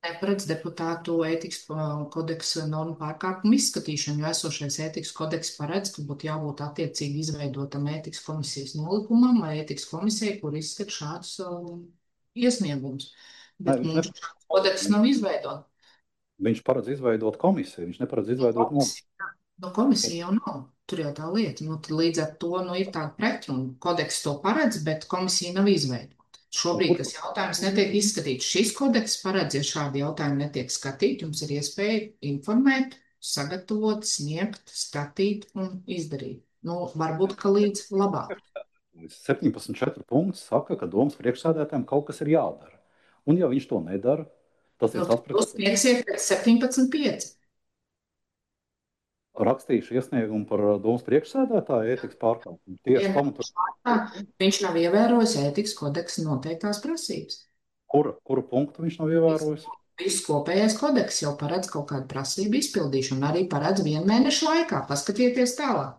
Neparedz deputātu ētikas kodeksa normu pārkāpumu izskatīšanu, jo esošais ētikas kodeks paredz, ka būtu jābūt attiecīgi izveidotam ētikas komisijas nolikumam vai ētikas komisijai, kur izskat šādus iesniegumus. Bet mums šāds kodeks nav izveidot. Viņš paredz izveidot komisiju, viņš neparedz izveidot komisiju. Komisija jau nav. Tur jau tā lieta. Līdz ar to ir tāda pretruna. Kodeks to paredz, bet komisija nav izveidota. Šobrīd tas jautājums netiek izskatīts. Šis kodeks paredz, ja šādi jautājumi netiek skatīti, jums ir iespēja informēt, sagatavot, sniegt, skatīt un izdarīt. Varbūt, ka līdz labāk. 17.4 punkts saka, ka domas priekšsēdētājiem kaut kas ir jādara. Un ja viņš to nedara, tas ir tas, kas sniegsiet pēc 17.5. Rakstīšu iesniegumu par domas priekšsēdētāju ētikas pārkāpumu. Tieši pamatot. Viņš nav ievērojis ētikas kodeksa noteiktās prasības. Kuru punktu viņš nav ievērojis? Viss kopējais kodeks jau paredz kaut kādu prasību izpildīšanu, arī paredz 1 mēnešu laikā. Paskatieties tālāk.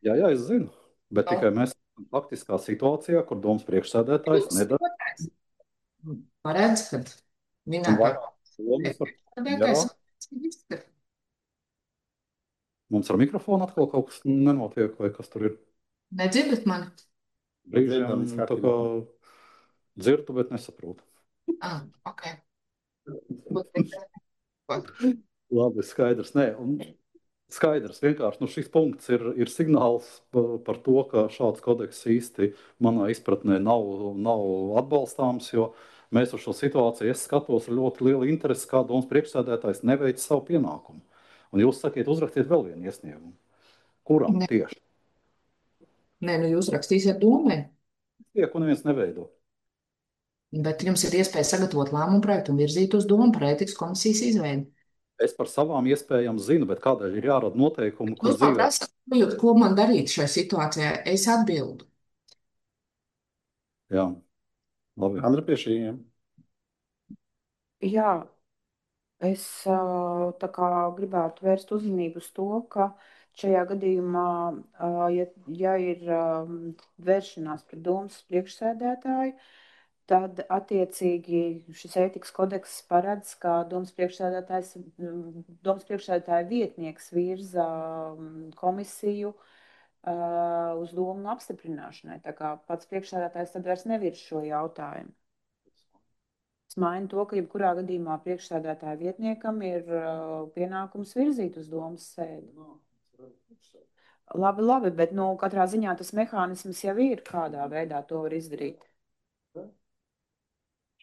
Jā, es zinu. Bet tikai mēs esam faktiskā situācijā, kur domas priekšsēdētājs nedara. Paredz, ka minētā priekšsēdētājs izskata. Mums ar mikrofonu atkal kaut kas nenotiek, vai kas tur ir? Nedzirdat mani? Brīžiem tā kā dzirdu, bet nesaprotu. Ok. Labi, skaidrs. Nē, skaidrs. Vienkārši šis punkts ir signāls par to, ka šāds kodeks īsti manā izpratnē nav atbalstāms, jo mēs uz šo situāciju, es skatos ar ļoti lielu interesi, kā domas priekšsēdētājs neveic savu pienākumu. Un jūs sakiet, uzrakstiet vēl vienu iesniegumu. Kuram tieši? Nē, jūs rakstīsiet domai. Tiek un neviens neveido. Bet jums ir iespēja sagatavot lēmumu projektu un virzīt uz domu par ētikas komisijas izveidi. Es par savām iespējām zinu, bet kādēļ ir jārada noteikumi, kur dzīvē? Ko man darīt šajā situācijā? Es atbildu. Jā, labi. Andra pie šījiem. Jā. Es gribētu vērst uzmanību uz to, ka šajā gadījumā, ja ir vēršanās pret domas priekšsēdētāju, tad attiecīgi šis ētikas kodeks paredz, ka domas priekšsēdētāja vietnieks virza komisiju uz domu apstiprināšanai. Tā kā pats priekšsēdētājs tad vairs nevirz šo jautājumu. Es mainu to, ka jebkurā gadījumā priekšsēdētāja vietniekam ir pienākums virzīt uz domas sēdi. Labi, labi, bet nu, katrā ziņā tas mehānisms jau ir, kādā veidā to var izdarīt.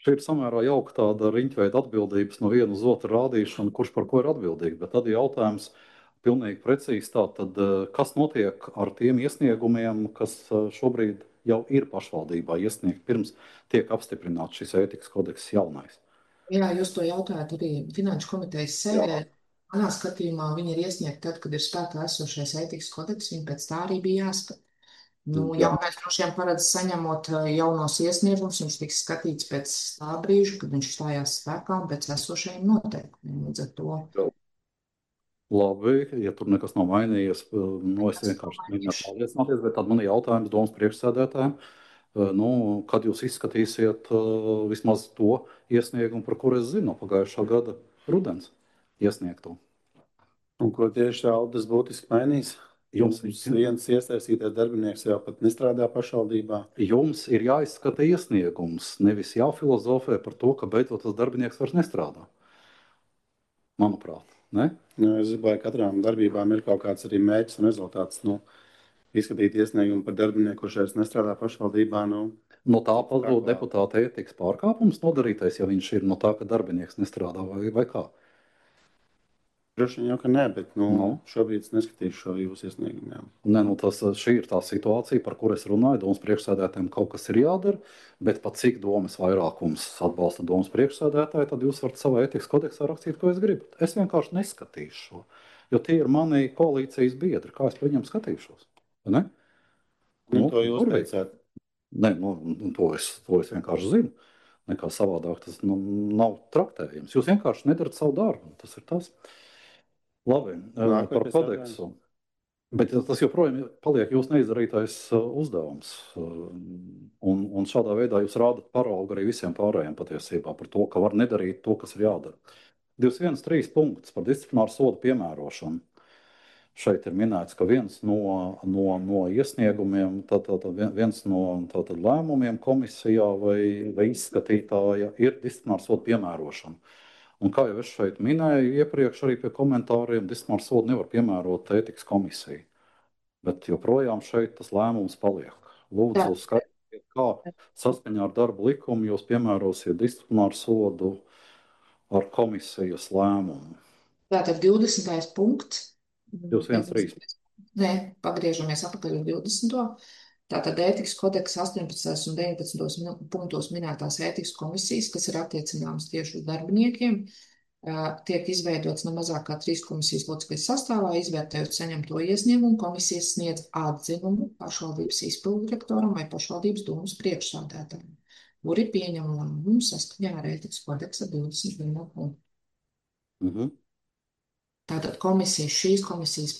Šī ir samērā jauka tāda riņķveida atbildības no viena uz otru rādīšana, kurš par ko ir atbildīgs. Bet tad ir jautājums pilnīgi precīzi tā, tad, kas notiek ar tiem iesniegumiem, kas šobrīd jau ir pašvaldībā iesniegt, pirms tiek apstiprināts šis ētikas kodeks jaunais. Jā, jūs to jautājat arī Finanšu komitejas sēdē. Manā skatījumā viņi ir iesniegti tad, kad ir spēkā esošais ētikas kodeks, viņi pēc tā arī bija jāskat. Nu, Jā. jaunais droši vien paredz saņemot jaunos iesniegumus, viņš tiks skatīts pēc tā brīža, kad viņš stājās spēkā un pēc esošajiem noteikumiem. Līdz ar to Labi, ja tur nekas nav mainījies, nu, es vienkārši mēģināšu pārliecināties, bet tad man ir jautājums domas priekšsēdētājiem. Nu, kad jūs izskatīsiet vismaz to iesniegumu, par kuru es zinu no pagājušā gada rudens iesniegto? Un ko tieši Aldis būtiski mainīs? Jums Viens iesaistītais darbinieks jau pat nestrādā pašvaldībā. Jums ir jāizskata iesniegums, nevis jāfilozofē par to, ka beidzot tas darbinieks vairs nestrādā. Manuprāt, ne? Nu, es domāju, ka katrām darbībām ir kaut kāds arī mērķis un rezultāts. Nu, izskatīt iesniegumu par darbinieku, kurš vairs nestrādā pašvaldībā. Nu, No tā pazūd deputāta ētikas pārkāpums nodarītais, ja viņš ir no tā, ka darbinieks nestrādā vai kā? droši vien jau, ka nē, bet šobrīd es neskatīšu šo jūsu iesniegumu. Jā. Nē, nu šī ir tā situācija, par kuru es runāju. Domas priekšsēdētājiem kaut kas ir jādara, bet pat cik domas vairākums atbalsta domas priekšsēdētāju, tad jūs varat savā ētikas kodeksā rakstīt, ko jūs gribat. Es vienkārši neskatīšu šo, jo tie ir mani koalīcijas biedri. Kā es par viņiem skatīšos? Ne? Nu, to jūs teicāt. Nē, to es vienkārši zinu. Nekā savādāk tas nav traktējams. Jūs vienkārši nedarat savu darbu. Tas ir tas. Labi, par kodeksu. Bet tas joprojām paliek jūsu neizdarītais uzdevums. Un šādā veidā jūs rādat paraugu arī visiem pārējiem patiesībā par to, ka var nedarīt to, kas ir jādara. 213 punkts par disciplināru sodu piemērošanu. Šeit ir minēts, ka viens no iesniegumiem, viens no lēmumiem komisijā vai izskatītāja ir disciplināru sodu piemērošana. Un kā jau es šeit minēju, iepriekš arī pie komentāriem, disciplināru sodu nevar piemērot ētikas komisija. Bet joprojām šeit tas lēmums paliek. Lūdzu, skaidrojiet, kā saskaņā ar darba likumu jūs piemērosiet disciplināru sodu ar komisijas lēmumu. Tātad 20. punkts. 213. Nē, pagriežamies atpakaļ uz 20. Tātad ētikas kodeksa 18. un 19. punktos minētās ētikas komisijas, kas ir attiecināmas tieši uz darbiniekiem, tiek izveidots ne mazāk kā 3 komisijas locekļu sastāvā, izvērtējot saņemto iesniegumu, komisijas sniedz atzinumu pašvaldības izpildirektoram vai pašvaldības domas priekšsādātājiem, kuri pieņem lēmumu saskaņā ar ētikas kodeksa 21. punktu. Tātad šīs komisijas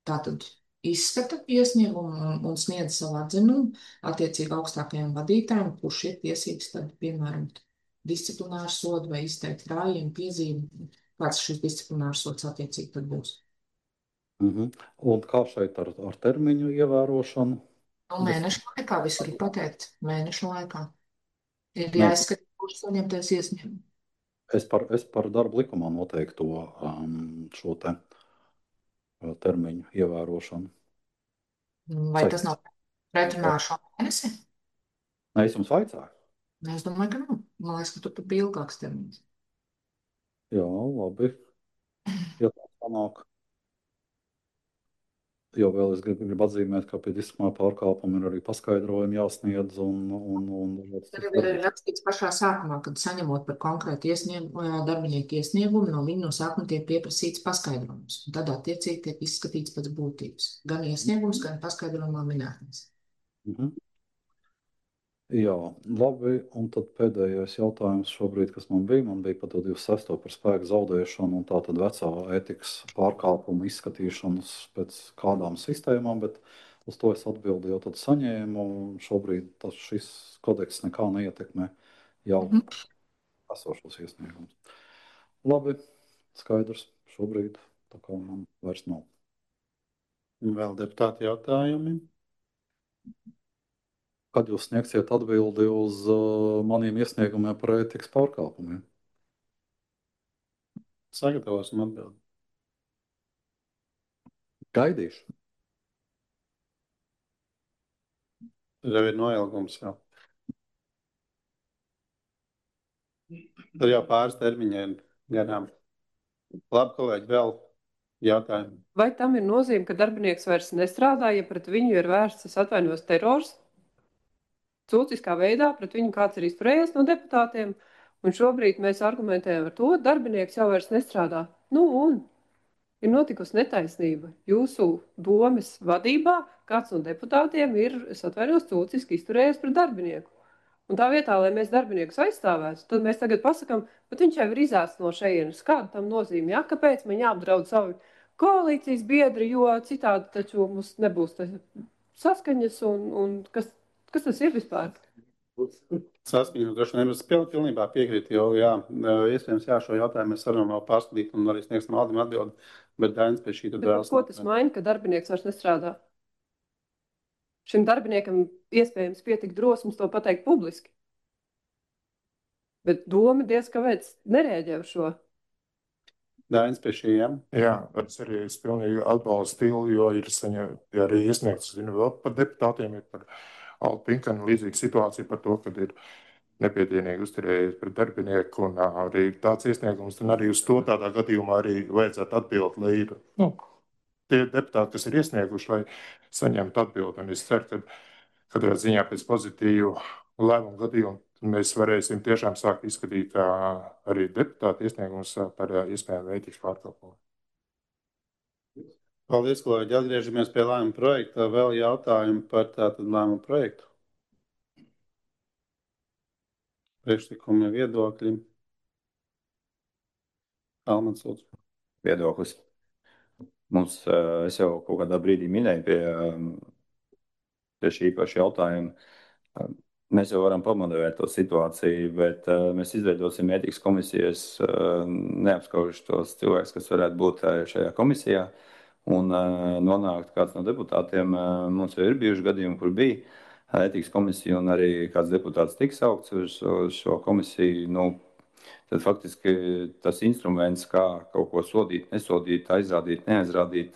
tātad izskata iesniegumu un sniedz savu atzinumu attiecīgi augstākajam vadītājam, kurš ir tiesīgs tad, piemēram, disciplināru sodu vai izteikt rājienu piezīmi, kāds šis disciplinārs sods attiecīgi tad būs. Un kā šeit ar termiņu ievērošanu? Mēnešu laikā visur ir pateikts. Mēnešu laikā ir jāizskata, kurš saņemtais iesniegumu. Es par darba likumā noteikto šo termiņu ievērošanu. Vai tas nav pretrunā ar šo mēnesi? Nē, es jums vaicāju. Es domāju, ka nav. Man liekas, ka tur bija ilgāks termiņš. Jā, labi. Ja tā sanāk. Jo vēl es gribu atzīmēt, ka pie disciplināra pārkāpuma ir arī paskaidrojumi jāsniedz. Tad ir arī rakstīts pašā sākumā, kad saņemot par konkrētu darbinieku iesniegumu, no viņa no sākuma tiek pieprasīts paskaidrojums. Un tad attiecīgi tiek izskatīts pēc būtības. Gan iesniegums, gan paskaidrojumā minētnes. Jā, labi. Un tad pēdējais jautājums šobrīd, kas man bija par 26. par spēku zaudēšanu un tā tad vecā ētikas pārkāpumu izskatīšanas pēc kādām sistēmām, bet uz to es atbildi jau tad saņēmu. Šobrīd šis kodeks nekā neietekmē jau esošos iesniegumus. Labi, skaidrs šobrīd, tā kā man vairs nav. Vēl deputāti jautājumi? Kad jūs sniegsiet atbildi uz maniem iesniegumiem par ētikas pārkāpumiem? Sagatavosim atbildi. Gaidīšu. Tad jau ir noilgums jau. Tad jau pāris termiņiem garām. Labi, kolēģi, vēl jautājumi. Vai tam ir nozīme, ka darbinieks vairs nestrādā, ja pret viņu ir vērsts, es atvainojos, terors? Cūciskā veidā pret viņu kāds ir izturējies no deputātiem, un šobrīd mēs argumentējam ar to, darbinieks jau vairs nestrādā. Nu, un ir notikusi netaisnība. Jūsu domes vadībā kāds no deputātiem ir, es atvainojos, cūciski izturējies pret darbinieku. Un tā vietā, lai mēs darbiniekus aizstāvētu, tad mēs tagad pasakām, bet viņš jau ir izēsts no šejienes. Kāda tam nozīme? Ja? Kāpēc man jāapdraud savi koalīcijas biedri, jo citādi taču mums nebūs saskaņas un kas tas ir vispār? Saskaņot, droši vien es pilnībā piekrītu, jo, jā, iespējams, jā, šo jautājumu mēs varam vēl pārskatīt un arī sniegsim Aldim atbildi, bet Dainis pie šī tad vēlas. Ko tas maina, ka darbinieks vairs nestrādā? Šim darbiniekam iespējams pietika drosmes to pateikt publiski. Bet doma diezgan kāpēc nereaģē uz šo. Dainis pie šī, jā? Jā, es pilnīgi atbalstu stilu, jo ir arī iesniegts, zinu, vēl par deputātiem, ir par Altu Pinkanu līdzīga situācija par to, kad ir nepiedienīgi uzturējies pret darbinieku un arī tāds iesniegums, un arī uz to tādā gadījumā arī vajadzētu atbild, lai ir, tie deputāti, kas ir iesnieguši, lai saņemtu atbildi, un es ceru, ka katrā ziņā pēc pozitīvu lēmumu gadījumu mēs varēsim tiešām sākt izskatīt arī deputātu iesniegumus par iespējamu ētikas pārkāpumu. Paldies, kolēģi. Atgriežamies pie lēmuma projekta. Vēl jautājumi par tātad lēmumu projektu? Priekšlikumi, viedokļi. Almans, lūdzu. Viedoklis. Mums, es jau kaut kādā brīdī minēju pie šī paša jautājuma. Mēs jau varam pamodelēt to situāciju, bet mēs izveidosim ētikas komisijas, neapskaužu tos cilvēkus, kas varētu būt šajā komisijā, un nonākt kāds no deputātiem. Mums jau ir bijuši gadījumi, kur bija ētikas komisija, un arī kāds deputāts tiks saukts uz šo komisiju. Tad faktiski tas instruments, kā kaut ko sodīt, nesodīt, aizrādīt, neaizrādīt,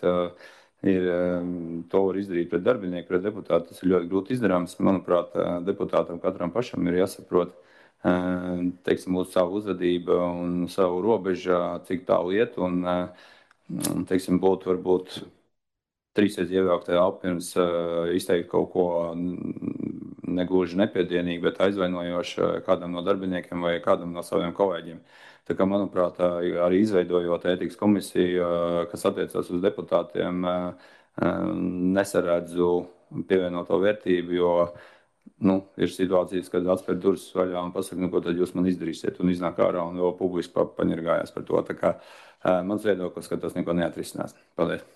to var izdarīt pret darbinieku, pret deputātu. Tas ir ļoti grūti izdarāms. Manuprāt, deputātam katram pašam ir jāsaprot, teiksim, uz savu uzvedību un savu robežu, cik tālu iet, un, teiksim, būtu varbūt trīsreiz ievilkt elpu pirms izteikt kaut ko negluži nepiedienīgi, bet aizvainojoši kādam no darbiniekiem vai kādam no saviem kolēģiem. Tā kā, manuprāt, arī izveidojot ētikas komisiju, kas attiecas uz deputātiem, nesaredzu pievienoto vērtību, jo ir situācijas, kad atspēr durvis vaļā un pasaka, ko tad jūs man izdarīsiet, un iznāk ārā un vēl publiski paņirgājās par to. Tā kā mans viedoklis, ka tas neko neatrisinās. Paldies.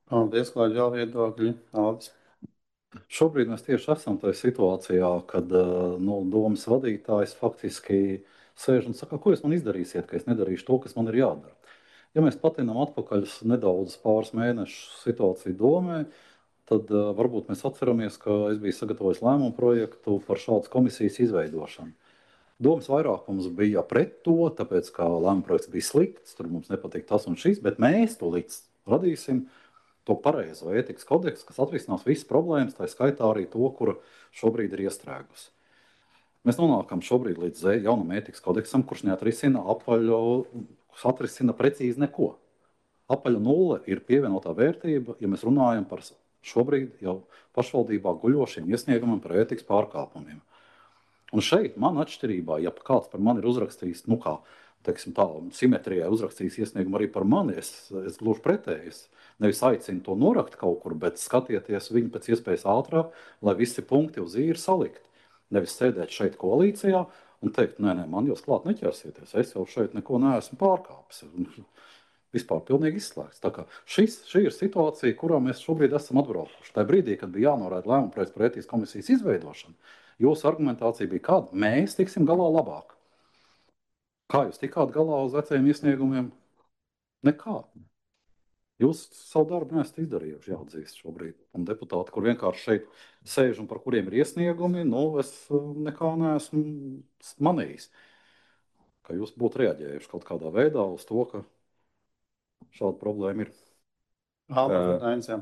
Paldies, kolēģi, vēl viedokļi. Aldis. Šobrīd mēs tieši esam tajā situācijā, kad domas vadītājs faktiski sēž un saka, ko jūs man izdarīsiet, ka es nedarīšu to, kas man ir jādara. Ja mēs patinām atpakaļ nedaudz pāris mēnešu situāciju domē, tad varbūt mēs atceramies, ka es biju sagatavojis lēmumu projektu par šādas komisijas izveidošanu. Domas vairākums bija pret to, tāpēc, ka lēmuma projekts bija slikts, tur mums nepatīk tas un šis, bet mēs to radīsim to pareizo ētikas kodeksu, kas atrisinās visas problēmas, tā skaitā arī to, kura šobrīd ir iestrēgusi. Mēs nonākam šobrīd līdz jaunam ētikas kodeksam, kurš neatrisina atrisina precīzi neko. Apaļa nulle ir pievienotā vērtība, ja mēs runājam par šobrīd jau pašvaldībā guļošiem iesniegumiem par ētikas pārkāpumiem. Un šeit man atšķirībā, ja kāds par mani ir uzrakstījis, simetrijai uzrakstījis iesniegumu arī par mani, es gluži pretēji. Es nevis aicinu to norakt kaut kur, bet skatieties viņu pēc iespējas ātrāk, lai visi punkti uz īri salikt. Nevis sēdēt šeit koalīcijā un teikt, nē, man jūs klāt neķersieties, es jau šeit neko neesmu pārkāpis. Vispār pilnīgi izslēgts. Tā kā šī ir situācija, kurā mēs šobrīd esam atbraukuši. Tajā brīdī, kad bija jānoraida lēmuma projekts par ētikas komisijas izveidošanu, jūsu argumentācija bija kāda? Mēs tiksim galā labāk. Kā jūs tikāt galā uz vecajiem iesniegumiem? Nekā. Jūs savu darbu neesat izdarījuši, jāatzīst šobrīd. Un deputāti, kur vienkārši šeit sēž un par kuriem ir iesniegumi, es nekā neesmu manījis. Ka jūs būtu reaģējuši kaut kādā veidā uz to, ka šāda problēma ir. Alberts Dainis, jā.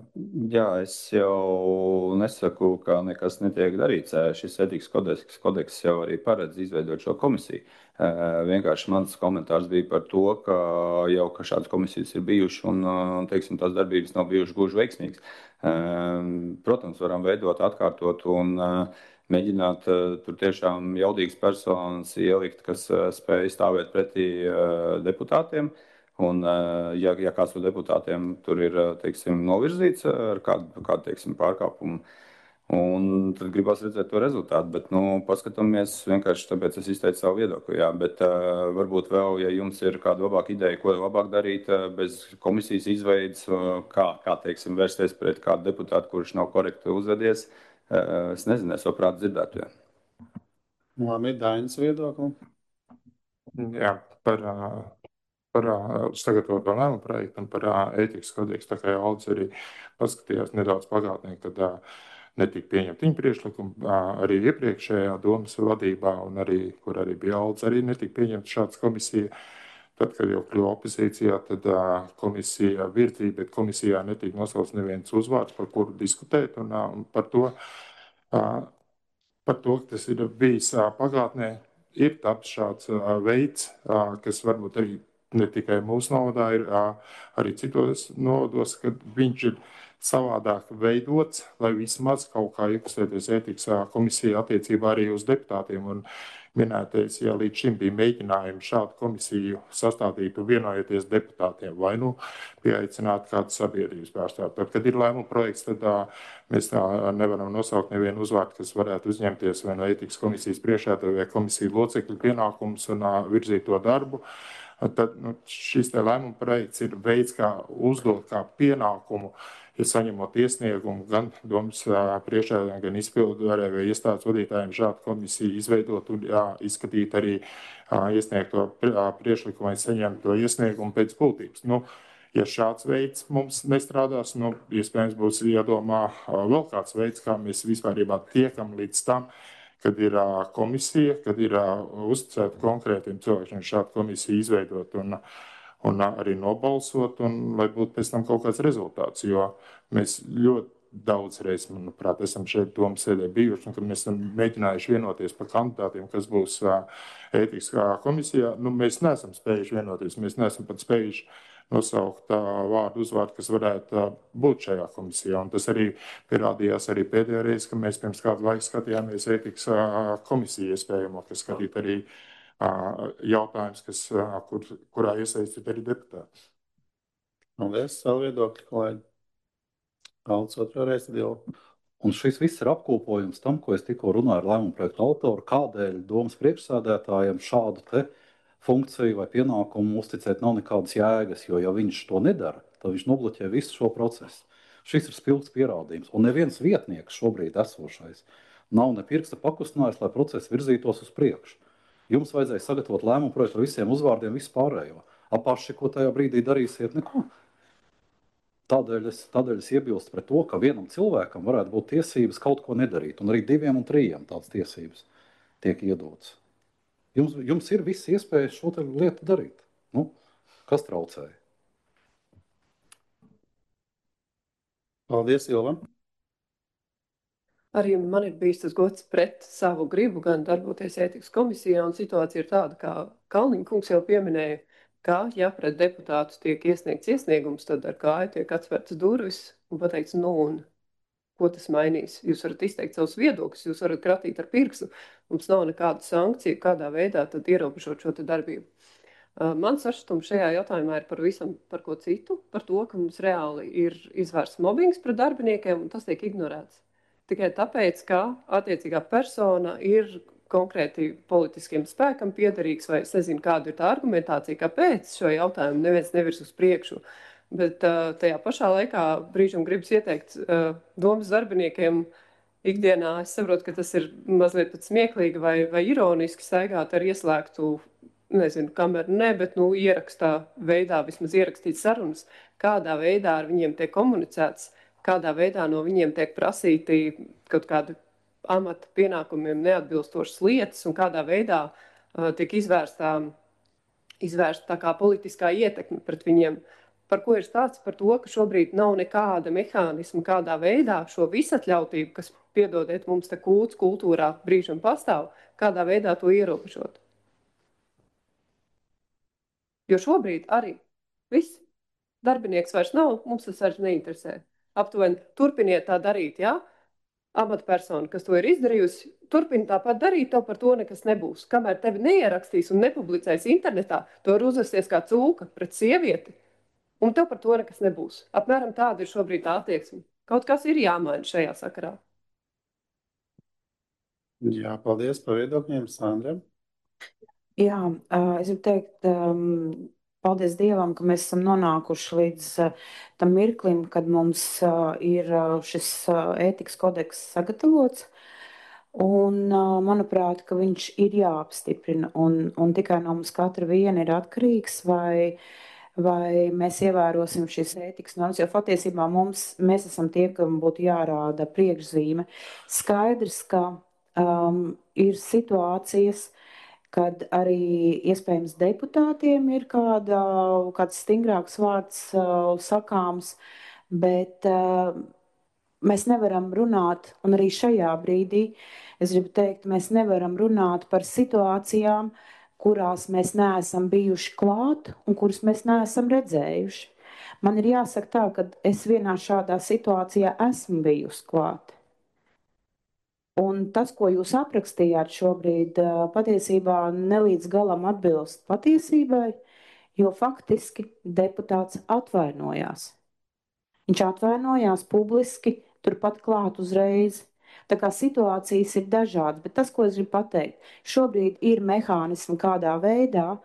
Jā, es jau nesaku, ka nekas netiek darīts. Šis etikas kodeks jau arī paredz izveidot šo komisiju. Vienkārši mans komentārs bija par to, ka jau šādas komisijas ir bijušas un, teiksim, tās darbības nav bijušas gluži veiksmīgas. Protams, varam veidot, atkārtot un mēģināt tur tiešām jaudīgas personas ielikt, kas spēj stāvēt pretī deputātiem. Un, ja kāds no deputātiem tur ir, teiksim, novirzīts ar kādu teiksim, pārkāpumu, un tad gribas redzēt to rezultātu. Bet, paskatāmies vienkārši tāpēc es izteicu savu viedokli. Jā, bet varbūt vēl, ja jums ir kāda labāka ideja, ko labāk darīt bez komisijas izveidas, kā teiksim, vērsties pret kādu deputātu, kurš nav korekti uzvedies, es nezinu, es labprāt dzirdētu. Jā. Labi, Dainis viedokli. Jā, par sagatavoto lēmumu projektu un par ētikas kodeksu. Tā kā jau Aldis arī paskatījās nedaudz pagātnē, kad netika pieņemti viņa priekšlikumi, arī iepriekšējā domas vadībā, un arī, kur arī bija Aldis, arī netika pieņemta šāds komisija. Tad, kad jau kļuva opozīcijā, tad komisija virzīja, bet komisijā netika nosaukts neviens uzvārds, par kuru diskutēt, un par to, ka tas ir bijis pagātnē, ir taps šāds veids, kas varbūt arī ne tikai mūsu novadā, ir arī citos novados, kad viņš ir savādāk veidots, lai vismaz kaut kā iekustēties ētikas komisija attiecībā arī uz deputātiem. Un minētais, ja līdz šim bija mēģinājumi šādu komisiju sastādīt un vienojoties deputātiem, vai pieaicināt kādu sabiedrības pārstāvu. Tad, kad ir lēmuma projekts, tad mēs nevaram nosaukt nevienu uzvārdu, kas varētu uzņemties vai no ētikas komisijas priekšētāja vai komisiju locekļu pienākumus un virzīt to darbu. Tad šis lēmuma projekts ir veids, kā uzdot kā pienākumu, ja saņemot iesniegumu gan domas priekšētājiem, gan izpildvarē vai iestādes vadītājiem šādu komisiju izveidot un izskatīt arī iesniegto priekšlikumu vai saņemt to iesniegumu pēc būtības. Ja šāds veids mums nestrādās, iespējams būs jādomā vēl kāds veids, kā mēs vispārībā tiekam līdz tam, kad ir komisija, kad ir uzticēta konkrētiem cilvēkiem šādu komisiju izveidot un arī nobalsot, un lai būtu pēc tam kaut kāds rezultāts. Jo mēs ļoti daudz reizes, manuprāt, esam šeit domas sēdē bijuši, un kad mēs esam mēģinājuši vienoties par kandidātiem, kas būs ētikas komisijā, mēs neesam spējuši vienoties, mēs neesam pat spējuši nosaukt vārdu uzvārdu, kas varētu būt šajā komisijā. Un tas arī pierādījās arī pēdējā reize, ka mēs pirms kādu laiku skatījāmies ētikas komisiju iespējamo, kas skatīt arī jautājums, kurā iesaistīt arī deputāti. Paldies, savu viedokļu, kolēģi. Aldis otro reizi jau. Un šis viss ir apkopojums tam, ko es tikko runāju ar lēmumu projektu autoru, kādēļ domas priekšsēdētājiem šādu te funkciju vai pienākumu uzticēt nav nekādas jēgas, jo ja viņš to nedara, tad viņš nobloķē visu šo procesu. Šis ir spilgts pierādījums, un neviens vietnieks šobrīd esošais nav ne pirksta pakustinājis, lai process virzītos uz priekšu. Jums vajadzēja sagatavot lēmumu projektu ar visiem uzvārdiem, visu pārējo. Apaši, ko tajā brīdī darīsiet, neko. Tādēļ es iebilstu pret to, ka vienam cilvēkam varētu būt tiesības kaut ko nedarīt, un arī 2 un 3 tādas tiesības tiek iedotas. Jums ir visas iespējas šo lietu darīt. Kas traucēja? Paldies, Ilva. Arī man ir bijis tas gods pret savu gribu gan darboties ētikas komisijā, un situācija ir tāda, kā Kalniņa kungs jau pieminēja, ka, ja pret deputātu tiek iesniegts iesniegums, tad ar kāju tiek atvērtas durvis un pateikts, un ko tas mainīs. Jūs varat izteikt savus viedokļus, jūs varat kratīt ar pirkstu. Mums nav nekāda sankcija, kādā veidā tad ierobežot šo darbību. Mans sašutums šajā jautājumā ir par ko citu, par to, ka mums reāli ir izvērsts mobbings pret darbiniekiem, un tas tiek ignorēts. Tikai tāpēc, ka attiecīgā persona ir konkrēti politiskiem spēkam piederīgs, vai es nezinu, kāda ir tā argumentācija, kāpēc šo jautājumu neviens nevirs uz priekšu. Bet tajā pašā laikā brīžam gribas ieteikt domas darbiniekiem ikdienā. Es saprotu, ka tas ir mazliet pat smieklīgi vai ironiski staigāt ar ieslēgtu, nezinu, kameru bet ierakstā veidā, vismaz ierakstīt sarunas, kādā veidā ar viņiem tiek komunicēts, kādā veidā no viņiem tiek prasīti kaut kādi amata pienākumiem neatbilstošas lietas un kādā veidā tiek izvērsta tā kā politiskā ietekme pret viņiem. par ko ir stāsts par to, ka šobrīd nav nekāda mehānisma, kādā veidā šo visatļautību, kas, piedodiet, mums te kūts kultūrā brīžam pastāv, kādā veidā to ierobežot. Jo šobrīd arī viss darbinieks vairs nav, mums tas vairs neinteresē. Aptuveni turpiniet tā darīt, jā? Amatpersona, kas to ir izdarījusi, turpina tāpat darīt, tev par to nekas nebūs. Kamēr tevi neierakstīs un nepublicēs internetā, to var uzvesties kā cūka pret sievieti, un tev par to nekas nebūs. Apmēram tāda ir šobrīd tā attieksme. Kaut kas ir jāmaina šajā sakarā. Jā, paldies par viedokļiem, Sandra. Jā, es gribu teikt, paldies Dievam, ka mēs esam nonākuši līdz tam mirklim, kad mums ir šis ētikas kodeks sagatavots. Un, manuprāt, ka viņš ir jāapstiprina, un tikai no mums katra viena ir atkarīgs, vai mēs ievērosim šīs ētikas normas, jo patiesībā mēs esam tie, kam būtu jārāda priekšzīme. Skaidrs, ka ir situācijas, kad arī iespējams deputātiem ir kāds stingrāks vārds sakāms, bet mēs nevaram runāt, un arī šajā brīdī, es gribu teikt, mēs nevaram runāt par situācijām, kurās mēs neesam bijuši klāt un kuras mēs neesam redzējuši. Man ir jāsaka tā, ka es vienā šādā situācijā esmu bijusi klāt. Un tas, ko jūs aprakstījāt šobrīd, patiesībā nelīdz galam atbilst patiesībai, jo faktiski deputāts atvainojās. Viņš atvainojās publiski, turpat klāt uzreiz. Tā kā situācijas ir dažādas, bet tas, ko es gribu pateikt, šobrīd ir mehānismi, kādā veidā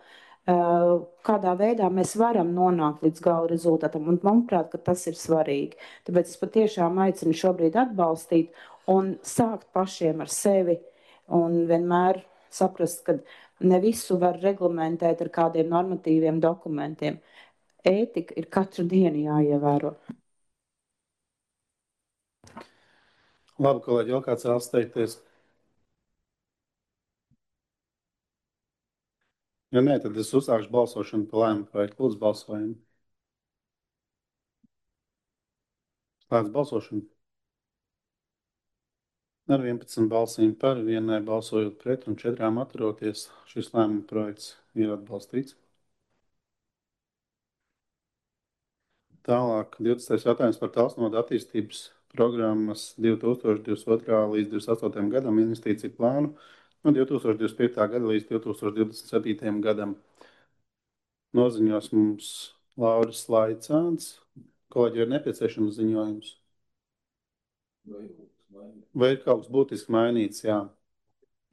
mēs varam nonākt līdz gala rezultātam, un manuprāt, ka tas ir svarīgi. Tāpēc es patiešām aicinu šobrīd atbalstīt un sākt pašiem ar sevi un vienmēr saprast, ka ne visu var reglamentēt ar kādiem normatīviem dokumentiem. Ētika ir katru dienu jāievēro. Labi, kolēģi, vēl kāds vēlas teikties? Ja nē, tad es uzsākšu balsošanu par lēmumu projektu. Lūdzu, balsojumu. Slēdz balsošanu. Ar 11 balsīm par, vienai balsojot pret un 4 atturoties, šis lēmuma projekts ir atbalstīts. Tālāk, 20. jautājums par Tālsnoda attīstības programmas 2022. līdz 2028. gadam investīciju plānu no 2025. gada līdz 2027. gadam. Noziņos mums Lauris Laicāns. Kolēģi, ir nepieciešams ziņojums? Vai ir kaut kas būtiski mainīts, jā,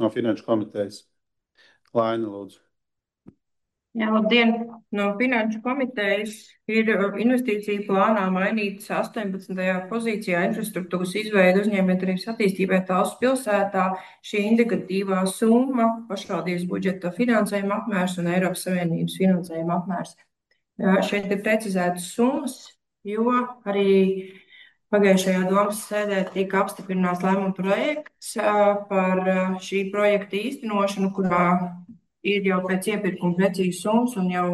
no Finanšu komitejas? Laina, lūdzu. Jā, labdien! No Finanšu komitejas ir investīciju plānā mainīts 18. pozīcijā infrastruktūras izveida uzņēmējdarbības attīstībai Talsu pilsētā. Šī indikatīvā summa, pašvaldības budžeta finansējuma apmērs un Eiropas Savienības finansējuma apmērs. Šeit ir precizētas summas, jo arī pagājušajā domas sēdē tika apstiprināts lēmuma projekts par šī projekta īstenošanu, kurā ir jau pēc iepirkuma precīzi summas un jau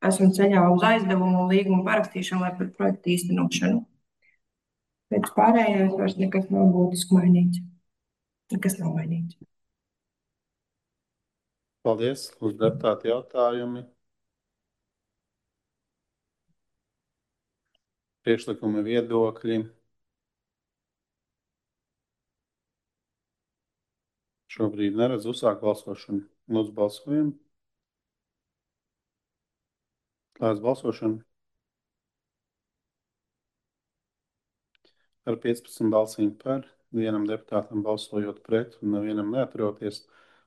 esam ceļā uz aizdevumu un līgumu parakstīšanu, lai par projektu īstenošanu. Pēc pārējais vairs nekas nav būtiski mainīts. Nekas nav mainīts. Paldies. Uz deputāti jautājumi. Priekšlikumi, viedokļi. Šobrīd neredz uzsākt balsošanu. Lūdzu, balsojam. Slēdz balsošanu. Ar 15 balsīm par, vienam deputātam balsojot pret un nevienam neaturoties,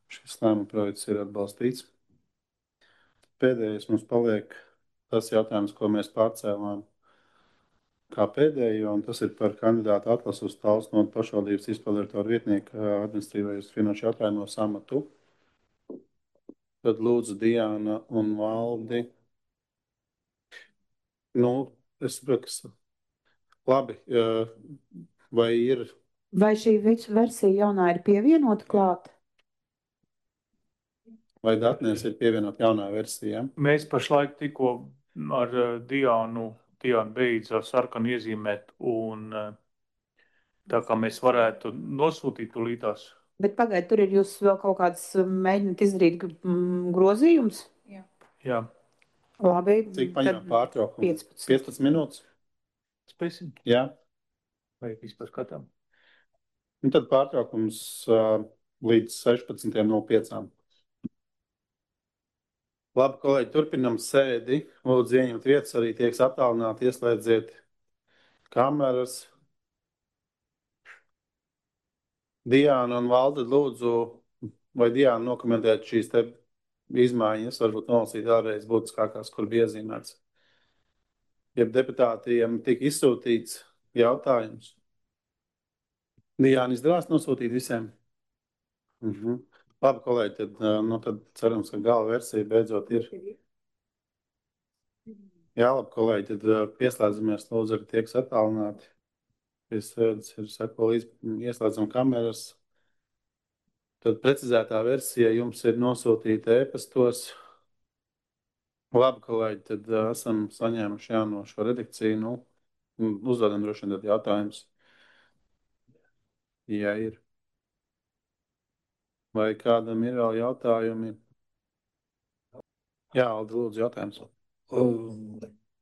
šis lēmuma projekts ir atbalstīts. Pēdējais mums paliek tas jautājums, ko mēs pārcēlām kā pēdējo, un tas ir par kandidātu atlasu uz Tālsnoda pašvaldības izpildirektora vietnieka administratīvajos finanšu jautājumos amatu. Tad lūdzu Diana un Valdi. Es saprotu, ka labi, vai ir... Vai šī versija jaunā ir pievienota klāt? Vai datnēs ir pievienot jaunā versija? Mēs pašlaik tikko ar Diānu beidz ar sarkanu iezīmēt, un tā kā mēs varētu nosūtīt tūlītās. Bet pagaid, tur ir jūs vēl kaut kāds mēģināt izdarīt grozījums? Jā. Labi. Cik paņem pārtraukumu? 15 minūtes? Spēsim? Jā. Vai vispār skatām? Un tad pārtraukums līdz 16:05. Labi, kolēģi, turpinam sēdi. Lūdzu, ieņemt vietas, arī tieks attālināti, ieslēdziet kameras. Diāna un Valde, lūdzu, vai Diāna nokomentēt šīs te izmaiņas, varbūt nolasīt vēlreiz būtiskākās, kur bija iezīmēts. Ja deputātiem tika izsūtīts jautājums. Diāna izdevās nosūtīt visiem? Labi, kolēģi, tad cerams, ka gala versija beidzot ir. Jā, labi, kolēģi, tad pieslēdzamies, lūdzu, arī tieks attālināti. Piesēdz ir seko līdz, ieslēdzam kameras. Tad precizētā versija jums ir nosūtīta e-pastos. Labi, kolēģi, tad esam saņēmuši jauno šo redakciju. Uzdodam droši vien tad jautājums. Ja ir. Vai kādam ir vēl jautājumi? Jā, Aldi, lūdzu, jautājums.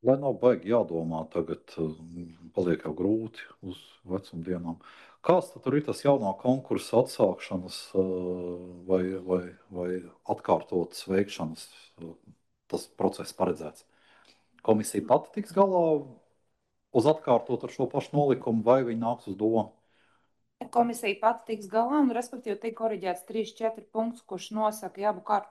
Lai nav baigi jādomā tagad, paliek jau grūti uz vecumdienām. Kāds tad tur ir tas jaunā konkursa atsākšanas vai atkārtotas veikšanas tas process paredzēts? Komisija pati tiks galā uz atkārtot ar šo pašu nolikumu, vai viņi nāks uz domu? Komisija pati tiks galā, un respektīvi tiek koriģēts 3-4 punktus, kurš nosaka, ja abu kārtu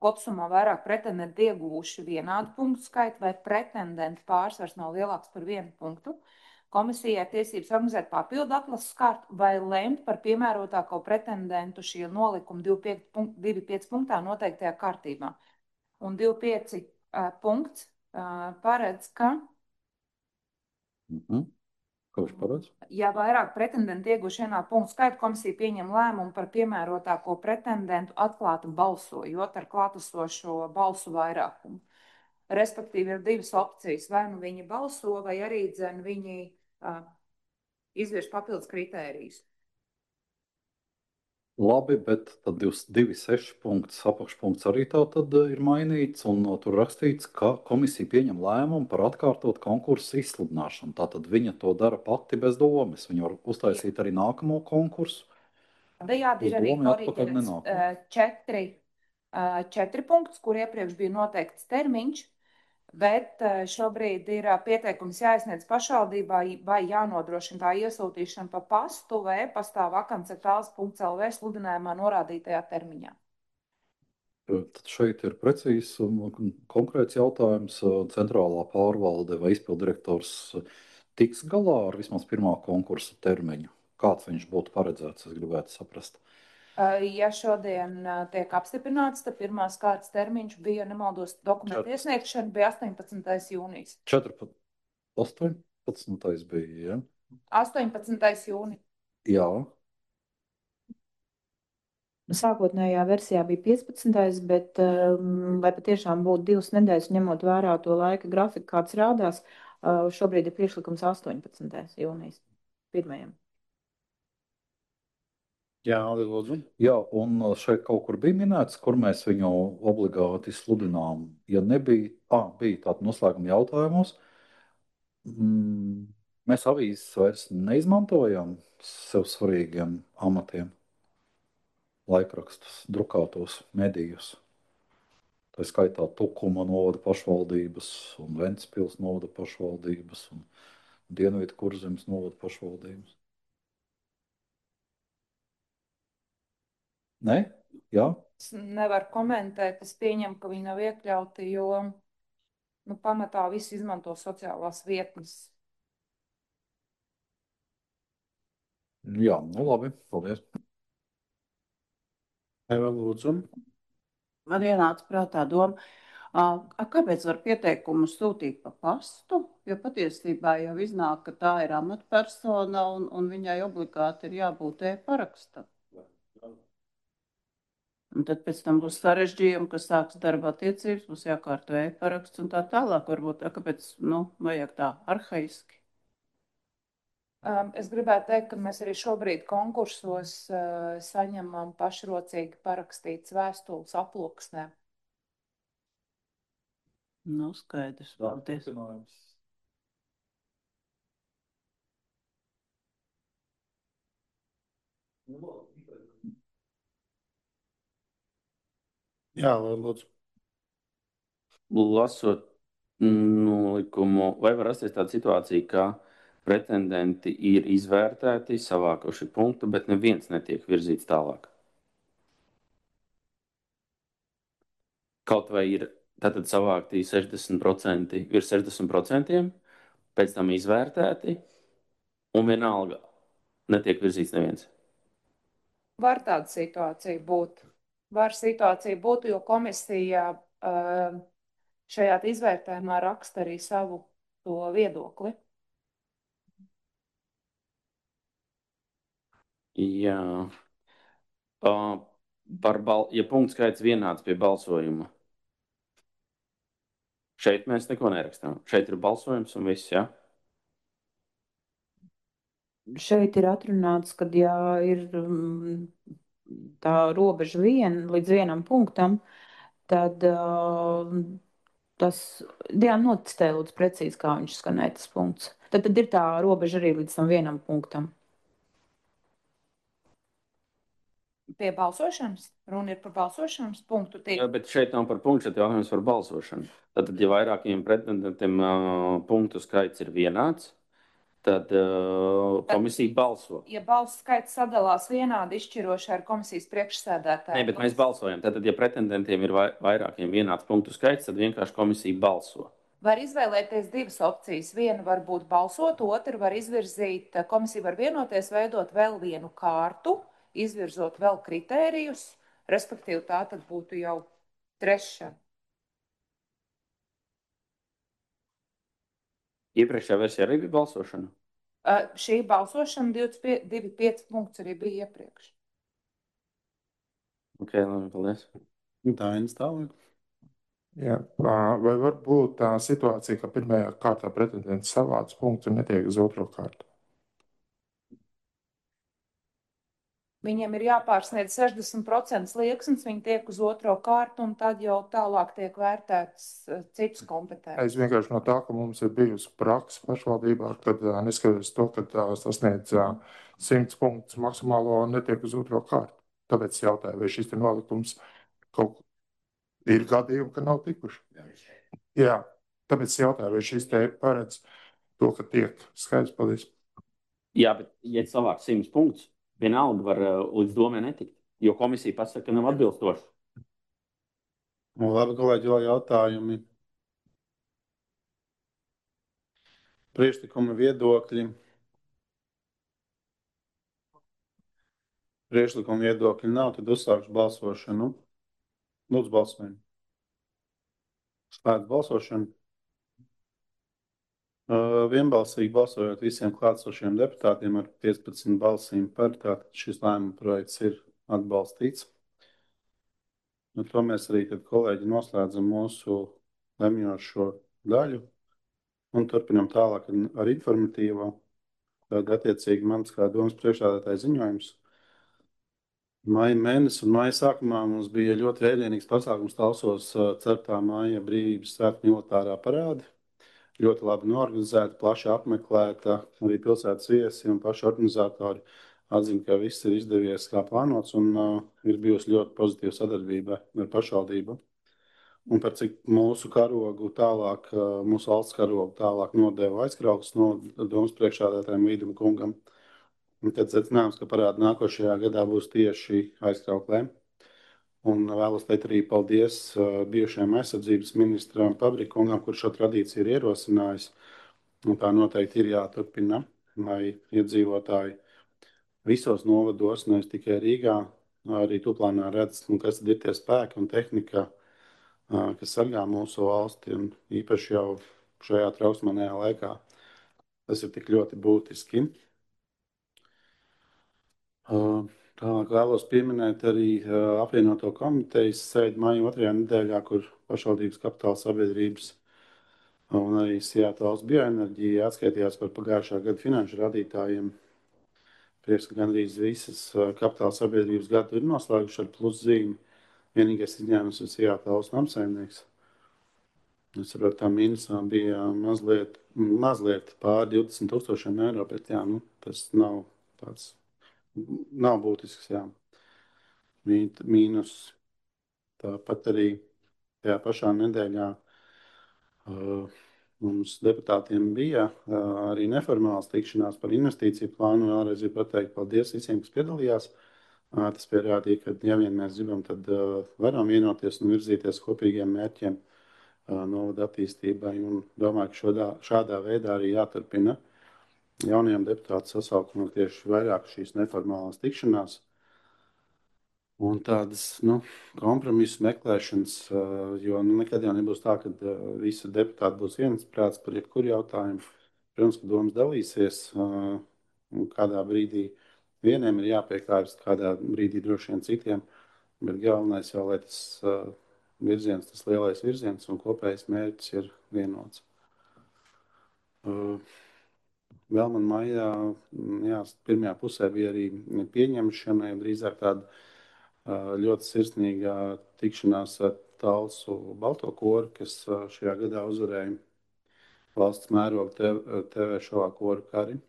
kopsumā vairāk pretendenti ieguvuši vienādu punktu skaitu vai pretendentu pārsvars nav lielāks par 1 punktu. Komisijai tiesības organizēt papildu atlases kārtu vai lemt par piemērotāko pretendentu šie nolikumi 2.5 punktā noteiktajā kārtībā. Un 2.5 punkts paredz, ka Ko viņš paredz? Ja vairāk pretendentu ieguvuši vienādu punktu skaitu, komisija pieņem lēmumu par piemērotāko pretendentu atklāti balsojot ar klātesošo balsu vairākumu. Respektīvi ir divas opcijas. Vai nu viņi balso, vai arī viņi izvirš papildus kritērijus. Labi, bet tad 2.6 punkts, apakšpunkts arī tā tad ir mainīts, un tur rakstīts, ka komisija pieņem lēmumu par atkārtot konkursu izsludināšanu. Tātad viņa to dara pati bez domas. Viņa var uztaisīt arī nākamo konkursu. Tādējādi ir arī koriģēts 4 punktus, kur iepriekš bija noteikts termiņš, bet šobrīd ir pieteikums jāiesniedz pašvaldībā vai jānodrošina tā iesūtīšana pa pastu vai e-pastā vakance.ls.lv sludinājumā norādītajā termiņā. Tad šeit ir precīzs un konkrēts jautājums. Centrālā pārvalde vai izpildirektors tiks galā ar vismaz pirmā konkursa termiņu? Kāds viņš būtu paredzēts, es gribētu saprast. Ja šodien tiek apstiprināts, tad pirmās kārtas termiņš bija, nemaldos, dokumentu iesniegšana bija 18. jūnijas. 18. bija, ja? 18. jūnija. Jā. Sākotnējā versijā bija 15. bet lai patiešām būtu 2 nedēļas, ņemot vērā to laika grafiku, kāds rādās, šobrīd ir priekšlikums 18. jūnijas pirmajam. Jā, lūdzu. Jā, un šeit kaut kur bija minēts, kur mēs viņu obligāti sludinām. Ja nebija, bija tāda noslēguma jautājumos, mēs avīzes vairs neizmantojam sev svarīgiem amatiem, laikrakstus, drukātos medijus. Tā skaitā Tukuma novada pašvaldības un Ventspils novada pašvaldības un Dienvidu Kurzemes novada pašvaldības. Ne? Jā? Es nevaru komentēt, es pieņemu, ka viņi nav iekļauti, jo pamatā visi izmanto sociālās vietnes. Jā, labi, paldies. Eva, lūdzu. Man ienāca prātā doma, kāpēc var pieteikumu sūtīt pa pastu, jo patiesībā jau iznāk, ka tā ir amatpersona un viņai obligāti ir jābūt e-parakstam. Un tad pēc tam būs sarežģījumi, ka sāks darba attiecības, būs jākārto e-paraksts un tā tālāk. Varbūt, kāpēc, vajag tā arhaiski. Es gribētu teikt, ka mēs arī šobrīd konkursos saņemam pašrocīgi parakstītas vēstules aploksnēm. Skaidrs, paldies. Jā, lūdzu. Lasot nolikumu, vai var rasties tāda situācija, ka pretendenti ir izvērtēti, savākuši punktu, bet neviens netiek virzīts tālāk? Kaut vai ir tātad savākti 60%, virs 60%, pēc tam izvērtēti, un vienalga netiek virzīts neviens. Var tāda situācija būt. Jo komisija šajā izvērtējumā raksta arī savu to viedokli. Jā. Ja punktu skaits vienāds pie balsojuma, šeit mēs neko nerakstām. Šeit ir balsojums un viss, jā? Šeit ir atrunāts, ka ja ir tā robeža līdz vienam punktam, tad tas, Diana, notestē lūdzu precīzi, kā viņš skanēja tas punkts. Tad ir tā robeža arī līdz tam vienam punktam. Pie balsošanas? Runa ir par balsošanas punktu. Jā, bet šeit nav par punktu, šeit jautājums par balsošanu. Tad, ja vairākiem pretendentiem punktu skaits ir vienāds, tad komisija balso. Ja balsu skaits sadalās vienādi izšķiroši ar komisijas priekšsēdētāju. Nē, bet mēs balsojam. Tad, ja pretendentiem ir vairākiem vienāds punktu skaits, tad vienkārši komisija balso. Var izvēlēties divas opcijas. Viena var būt balsot, otra var izvirzīt, komisija var vienoties, veidot vēl vienu kārtu, izvirzot vēl kritērijus, respektīvi tā tad būtu jau trešā. Iepriekšējā versijā arī bija balsošana? Šī balsošana 2,5 punkts arī bija iepriekš. Ok, labi, paldies. Tā ir tālāk. Jā, vai var būt tā situācija, ka pirmajā kārtā pretendents savāc punktu un netiek uz otro kārtu? Viņiem ir jāpārsniedz 60% slieksnis, viņi tiek uz otro kārtu, un tad jau tālāk tiek vērtēts citas kompetences. Es vienkārši no tā, ka mums ir bijusi praksa pašvaldībā, kad neskatoties to, ka sasniedz 100 punktus maksimālo un netiek uz otro kārtu. Tāpēc jautāju, vai šis nolikums kaut ir gadījumi, ka nav tikuši. Jā, tāpēc jautāju, vai šis te paredz to, ka tiek skaidrs, paldies. Jā, bet ja savāk 100 punktus, vienalga var līdz domē netikt, jo komisija pasaka, ka nav atbilstoši. Labi, kolēģi, vēl jautājumi. Priekšlikumi, viedokļi. Priekšlikumi, viedokļi nav, tad uzsākšu balsošanu. Lūdzu, balsojam. Slēdz balsošanu. Vienbalsīgi balsojot visiem klātsošiem deputātiem ar 15 balsīm par, tātad šis lēmuma projekts ir atbalstīts. To mēs arī tad, kolēģi, noslēdzam mūsu lemjošo daļu un turpinam tālāk ar informatīvo. Tad attiecīgi mans kā domas priekšsēdētāja ziņojums. Maija mēnesis un maija sākumā mums bija ļoti vērienīgs pasākums Talsos 4. maija brīvības svētku militārā parāde. Ļoti labi norganizēta, plaši apmeklēta, arī pilsētas viesi un paši organizatori atzina, ka viss ir izdevies kā plānots un ir bijusi ļoti pozitīva sadarbība ar pašvaldību. Un par cik mūsu karogu tālāk, mūsu valsts karogu tālāk nodeva aizkrauklis no domas priekšsēdētājiem Vīdam kungam. Un tad secinājums, ka parāda nākošajā gadā būs tieši aizkrauklēm. Un vēlos teikt arī paldies bijušajam aizsardzības ministram Pabrikungam, kurš šo tradīciju ir ierosinājis. Un tā noteikti ir jāturpina, lai iedzīvotāji visos novados, nevis tikai Rīgā, arī Tuplānā redz, kas tad ir tie spēki un tehnika, kas sargā mūsu valsti, un īpaši jau šajā trausmanajā laikā. Tas ir tik ļoti būtiski. Tālāk vēlos pieminēt arī apvienoto komitejas sēdi maija 2. nedēļā, kur pašvaldības kapitāla sabiedrības un arī Seattle's bioenerģija atskaitījās par pagājušā gada finanšu rādītājiem. Prieks, ka gandrīz visas kapitāla sabiedrības gadu ir noslēguši ar pluszīmi. Vienīgais izņēmums ir Seattle's namsaimnieks. Es saprotu, tā mīnusā bija mazliet pār 20,000 eiro, bet jā, tas nav tāds, nav būtisks, jā, mīnus. Tāpat arī tajā pašā nedēļā mums deputātiem bija arī neformāls tikšanās par investīciju plānu. Vēlreiz ir pateikt paldies visiem, kas piedalījās. Tas pierādīja, ka, ja vien mēs gribam, tad varam vienoties un virzīties kopīgiem mērķiem novada attīstībai. Un domāju, ka šādā veidā arī jāturpina jaunajiem deputātu sasaukumam tieši vairāk šīs neformālās tikšanās un tādas kompromisu meklēšanas, jo nekad jau nebūs tā, ka visi deputāti būs viensprāts par jebkuru jautājumu. Protams, ka domas dalīsies, un kādā brīdī vieniem ir jāpiekārs, kādā brīdī droši vien citiem, bet galvenais jau, lai tas virziens, tas lielais virziens un kopējais mērķis ir vienots. Vēl man maijā, pirmajā pusē bija arī pieņemšana, drīzāk tāda ļoti sirsnīga tikšanās ar Talsu Balto koru, kas šajā gadā uzvarēja valsts mēroga TV šovā Koru kari.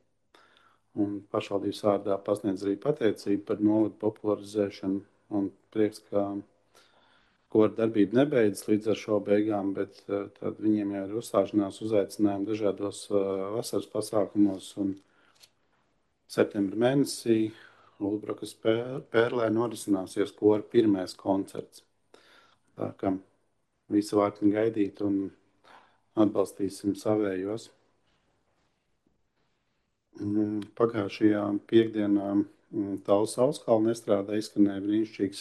Un pašvaldības vārdā pasniedz arī pateicību par novadu popularizēšanu un prieks, ka kora darbība nebeidzas līdz ar šo beigām, bet tad viņiem jau ir uzstāšanās uzaicinājumi dažādos vasaras pasākumos. Un septembra mēnesī Ulbrukas pērlē norisināsies kora pirmais koncerts. Tā kā visi vārtni gaidīt un atbalstīsim savējos. Pagājušajā piekdienā Talsu Auskalna estrādē izskanēja brīnišķīgs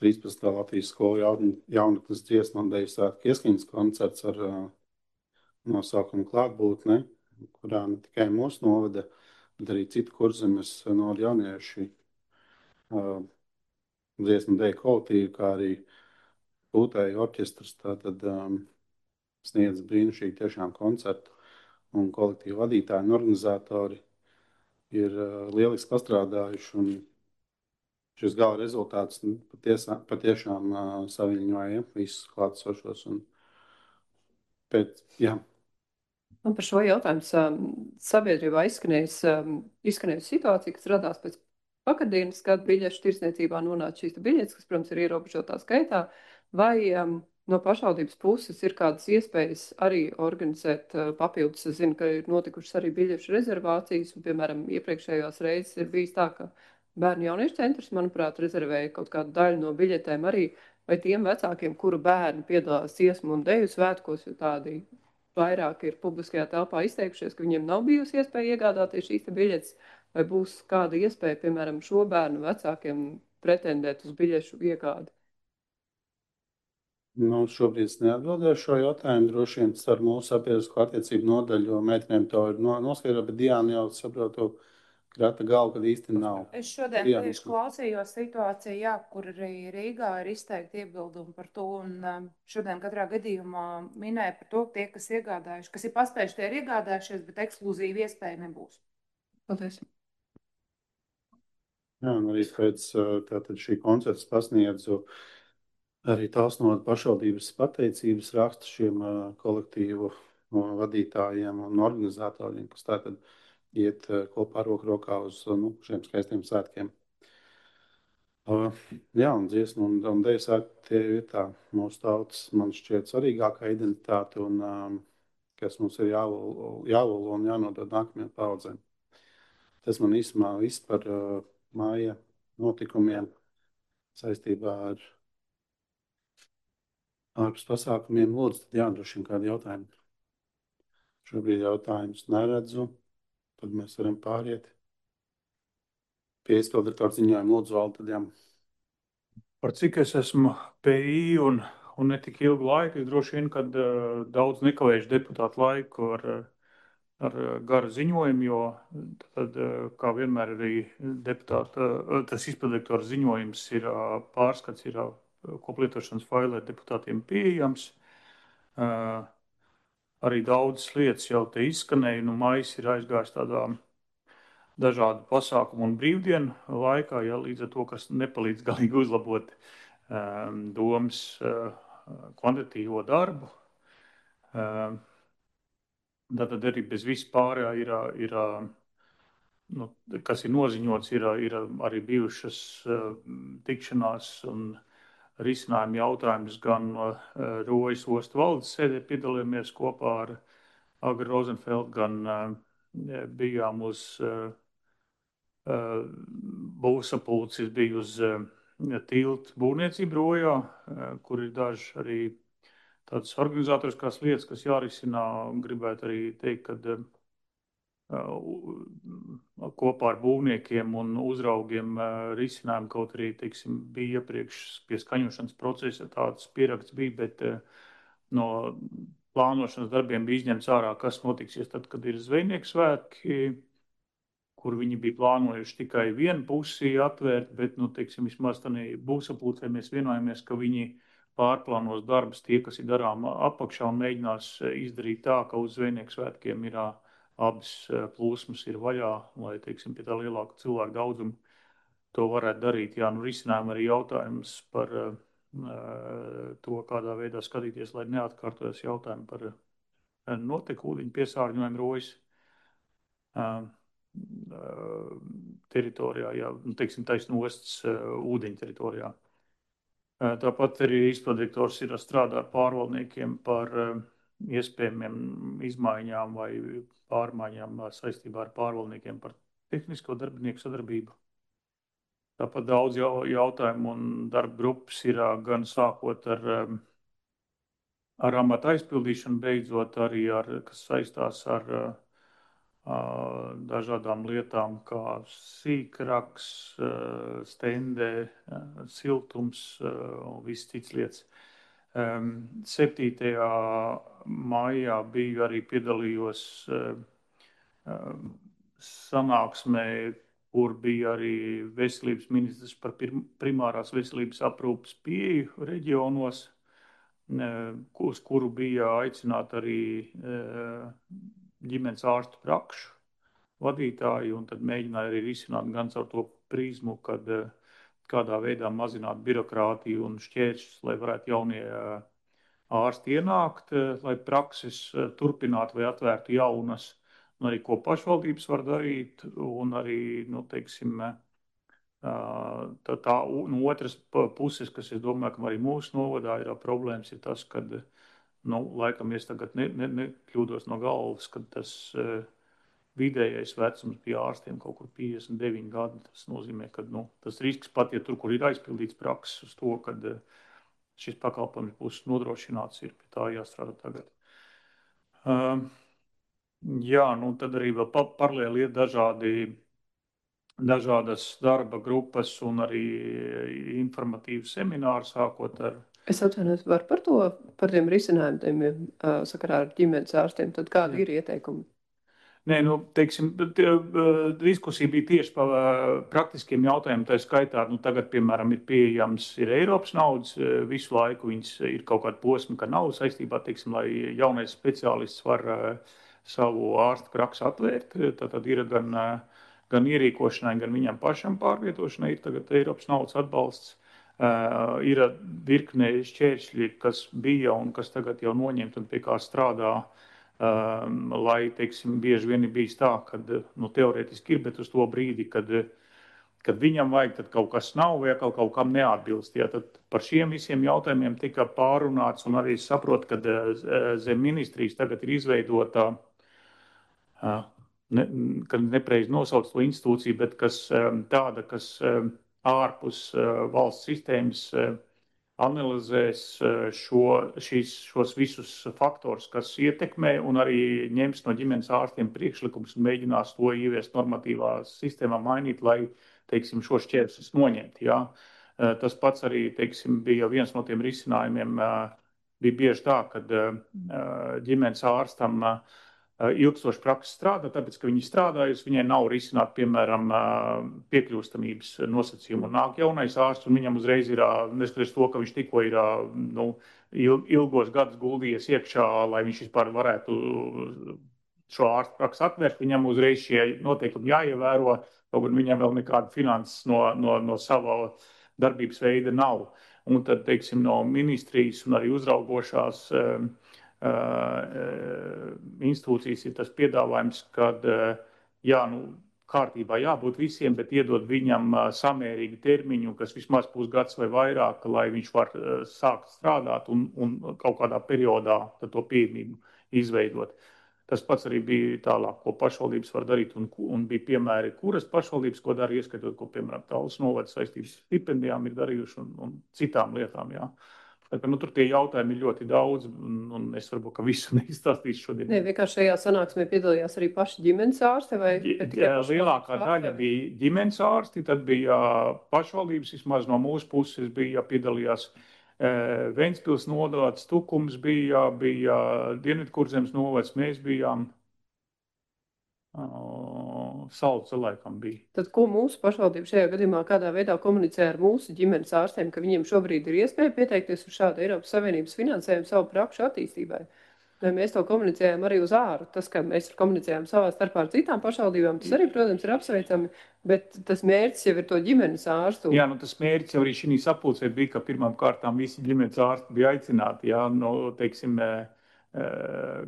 13. Latvijas skolu jaunatnes dziesmu un deju svētku ieskaņas koncerts ar nosaukumu Klātbūtne, kurā ne tikai mūsu novada, bet arī citu Kurzemes novada jaunieši dziesmu deju kolektīvi, kā arī pūtēju orķestrs tātad sniedz brīnišķīgi tiešām koncertu. Un kolektīvu vadītāji un organizatori ir lieliski pastrādājuši, un šis gala rezultāts patiešām saviņoja visus klātsošos. Man par šo jautājumu sabiedrībā izskanējusi situācija, kas radās pēc vakardienas, kad biļešu tirsniecībā nonāca šīs biļetes, kas, protams, ir ierobežotā skaitā, vai no pašvaldības puses ir kādas iespējas arī organizēt papildus. Es zinu, ka ir notikušas arī biļešu rezervācijas, un, piemēram, iepriekšējās reizes ir bijis tā, ka bērnu jauniešu centrs, manuprāt, rezervēja kaut kādu daļu no biļetēm arī, vai tiem vecākiem, kuru bērni piedalās dziesmu un deju svētkos, jo tādi vairāk ir publiskajā telpā izteikušies, ka viņiem nav bijusi iespēja iegādāties šīs biļetes, vai būs kāda iespēja, piemēram, šo bērnu vecākiem pretendēt uz biļešu iegādi? Šobrīd es neatbildēšu šo jautājumu. Droši vien ar mūsu sabiedrisko attiecību nodaļu, jo meitenēm to ir noskaidrot, bet Diana jau saprotu, krata galvu, kad īsti nav. Es šodien tieši klausījos situāciju, kur arī Rīgā ir izteikti iebildumi par to, un šodien katrā gadījumā minēja par to, tie, kas iegādājuši, kas ir paspējuši, tie ir iegādājušies, bet ekskluzīva iespēja nebūs. Paldies. Jā, un arī pēc tātad šī koncerts pasniedzu arī Talsnovada pašvaldības pateicības rakstu šiem kolektīvu vadītājiem un organizatoriem, kas tātad iet kopā roku rokā uz šiem skaistiem svētkiem. Jā, un dziesmu un deju svētki tie ir tā mūsu tautas, man šķiet, svarīgākā identitāte, un kas mums ir jālolo un jānodod nākamajām paudzēm. Tas man īsumā viss par māja notikumiem saistībā ar ārpus pasākumiem. Lūdzu, tad droši vien kādi jautājumi. Šobrīd jautājumus neredzu, tad mēs varam pāriet pie izpildirektora ziņojuma. Lūdzu, Valdi, tad Par cik es esmu PI un ne tik ilgu laiku, droši vien, kad daudz nekavējuši deputātu laiku ar ar garu ziņojumu, jo tad, kā vienmēr arī deputāta, tas izpildirektora ziņojums ir pārskats, ir koplietošanas failē deputātiem pieejams. Arī daudzas lietas jau te izskanēja, maijs ir aizgājis tādā dažādu pasākumu un brīvdienu laikā, ja līdz ar to, kas nepalīdz galīgi uzlabot domas kvantitīvo darbu. Tātad arī bez vispārējā ir kas ir noziņots, ir arī bijušas tikšanās un risinājuma jautājums gan Rojas ostu valdes sēdē piedalījāmies kopā ar Agri Rozenfeld, gan bijām uz būvsapulces, bija uz tiltu būvniecību Rojā, kur ir daži arī tādas organizatoriskās lietas, kas jārisina. Gribētu arī teikt, ka kopā ar būvniekiem un uzraugiem risinājumu, kaut arī, teiksim, bija iepriekš pie skaņošanas procesa tāds pieraksts bija, bet no plānošanas darbiem bija izņemts ārā, kas notiksies tad, kad ir zvejnieku svētki, kur viņi bija plānojuši tikai vienu pusi atvērt, bet, teiksim, vismaz tādā būvsapulcē mēs vienojamies, ka viņi pārplānos darbus tie, kas ir darām apakšā un mēģinās izdarīt tā, ka uz zvejnieku svētkiem ir abas plūsmas ir vaļā, lai, teiksim, pie tā lielāka cilvēku daudzumu to varētu darīt. Jā, risinājumi arī jautājums par to, kādā veidā skatīties, lai neatkārtojas jautājumi par notekūdeņu piesārņojumu Rojas teritorijā, jā, teiksim, taisn ostas ūdeņu teritorijā. Tāpat arī izpildirektors ir strādā ar pārvaldniekiem par iespējamiem izmaiņām vai pārmaiņām saistībā ar pārvaldniekiem par tehnisko darbinieku sadarbību. Tāpat daudz jautājumu un darba grupas ir gan sākot ar amata aizpildīšanu, beidzot arī kas saistās ar dažādām lietām, kā sīkraks, stendē, siltums un viss cits lietas. 7. maijā biju arī piedalījos sanāksmē, kur bija arī veselības ministrs par primārās veselības aprūpes pieeju reģionos, uz kuru bija aicināti arī ģimenes ārstu prakšu vadītāji, un tad mēģināja arī risināt gan caur to prizmu, kad kādā veidā mazināt birokrātiju un šķēršļus, lai varētu jaunie ārsti ienākt, lai prakses turpinātu vai atvērtu jaunas, un arī ko pašvaldības var darīt, un arī, teiksim, tā no otras puses, kas es domāju, ka arī mūsu novadā ir problēmas, ir tas, kad laikam es tagad nekļūdos no galvas, kad tas vidējais vecums pie ārstiem kaut kur 59 gadi. Tas nozīmē, ka tas risks pat, ja tur, kur ir aizpildīts prakses uz to, kad šis pakalpojums būs nodrošināts, ir pie tā jāstrādā tagad. Jā, tad arī vēl paralēli ir dažādas darba grupas un arī informatīvi semināri sākot ar. Es atvainojos, var par tiem risinājumiem sakarā ar ģimenes ārstiem, tad kādi ir ieteikumi? Nē, teiksim, diskusija bija tieši par praktiskiem jautājumiem, tā skaitā, tagad, piemēram, ir pieejams ir Eiropas naudas, visu laiku viņas ir kaut kāda posma, ka nav saistībā, teiksim, lai jaunais speciālists var savu ārstu praksu atvērt, tad ir gan ierīkošanai, gan viņam pašam pārvietošanai, ir tagad Eiropas naudas atbalsts. Ir virkne šķēršļi, kas bija un kas tagad jau noņemt un pie kā strādā, lai, teiksim, bieži vien ir bijis tā, kad, teorētiski ir, bet uz to brīdi, kad viņam vajag, tad kaut kas nav vai kaut kam neatbilst. Ja, tad par šiem visiem jautājumiem tika pārunāts un arī saprot, ka zem ministrijas tagad ir izveidota, kad nepreiz nosauc to institūciju, bet kas tāda, kas ārpus valsts sistēmas analizēs šos visus faktorus, kas ietekmē, un arī ņems no ģimenes ārstiem priekšlikums un mēģinās to ieviest normatīvā sistēmā mainīt, lai, teiksim, šo šķēršļus noņemt. Ja? Tas pats arī, teiksim, bija viens no tiem risinājumiem. Bija bieži tā, kad ģimenes ārstam ilgstoši prakses strādā, tāpēc, ka viņi strādājusi, viņai nav risināt, piemēram, piekļūstamības nosacījumu. Nāk jaunais ārsts, un viņam uzreiz ir, neskatoties to, ka viņš tikko ir ilgos gadus guldījies iekšā, lai viņš vispār varētu šo ārstu praksi atvērt, viņam uzreiz šie noteikumi jāievēro, kaut gan viņam vēl nekāda finanses no sava darbības veida nav. Un tad, teiksim, no ministrijas un arī uzraugošās institūcijas ir tas piedāvājums, kad kārtībā jābūt visiem, bet iedod viņam samērīgu termiņu, kas vismaz pusgads vai vairāk, lai viņš var sākt strādāt un kaut kādā periodā to pieejamību izveidot. Tas pats arī bija tālāk, ko pašvaldības var darīt, un bija piemēri, kuras pašvaldības, ko dara, ieskatot, ko, piemēram, Tallas novada saistības stipendijām ir darījuši un citām lietām, jā. Tur tie jautājumi ir ļoti daudz, un es varbūt, ka visu neizstāstīšu šodien. Ne, vienkārši šajā sanāksmē piedalījās arī paši ģimenes ārsti? Lielākā daļa bija ģimenes ārsti, tad bija pašvaldības, vismaz no mūsu puses bija piedalījās Ventspils novads, Tukums bija Dienvidkurzemes novads, mēs bijām Salce laikam bija. Tad ko mūsu pašvaldība šajā gadījumā kādā veidā komunicē ar mūsu ģimenes ārstiem, ka viņiem šobrīd ir iespēja pieteikties uz šādu Eiropas Savienības finansējumu savu prakšu attīstībai? Vai mēs to komunicējam arī uz āru? Tas, ka mēs komunicējam savā starpā ar citām pašvaldībām, tas arī, protams, ir apsveicami, bet tas mērķis jau ir to ģimenes ārstu. Jā, tas mērķis jau arī šī sapulcē bija, ka pirmām kārtām visi ģimenes ārsti bija aicināti, jā, teiksim,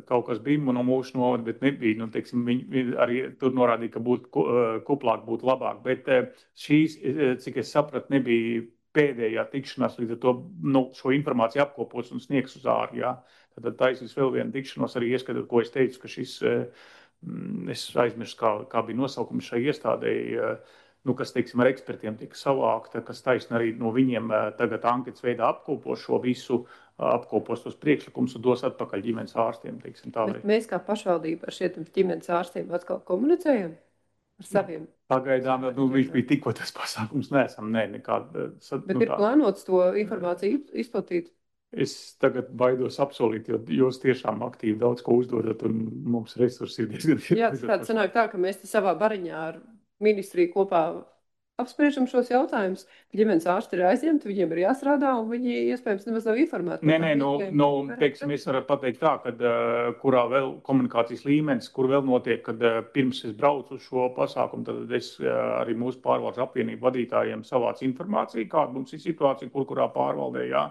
kaut kas bija no mūsu novada, bet nebija. Teiksim, viņi arī tur norādīja, ka būtu kuplāk, būtu labāk. Bet šīs, cik es sapratu, nebija pēdējā tikšanās, līdz ar to šo informāciju apkopos un sniegs uz āru. Jā. Tad taisīs vēl vienu tikšanos, arī ieskatot, ko es teicu, ka šis, es aizmirstu, kā bija nosaukums šai iestādēji, kas, teiksim, ar ekspertiem tika savākta, kas taisni arī no viņiem tagad anketas veidā apkopos šo visu, apkopos tos priekšlikumus un dos atpakaļ ģimenes ārstiem, teiksim tā. Bet mēs kā pašvaldība ar šiem ģimenes ārstiem atkal komunicējam ar saviem? Pagaidām, viņš bija tikko tas pasākums, nekāda. Bet ir plānots to informāciju izplatīt? Es tagad baidos apsolīt, jo jūs tiešām aktīvi daudz ko uzdodat un mums resursi ir diezgan. Jā, tas sanāk tā, ka mēs te savā bariņā ar ministriju kopā apspriežam šos jautājumus. Ģimenes ārsti ir aizņemti, viņiem ir jāstrādā, un viņi iespējams nemaz nav informēti. Teiksim, es varu pateikt tā, kad kurā vēl komunikācijas līmenis, kur vēl notiek, kad pirms es braucu uz šo pasākumu, tad es arī mūsu pārvaldes apvienību vadītājiem savācu informāciju, kāda mums ir situācija, kurā pārvaldē, jā.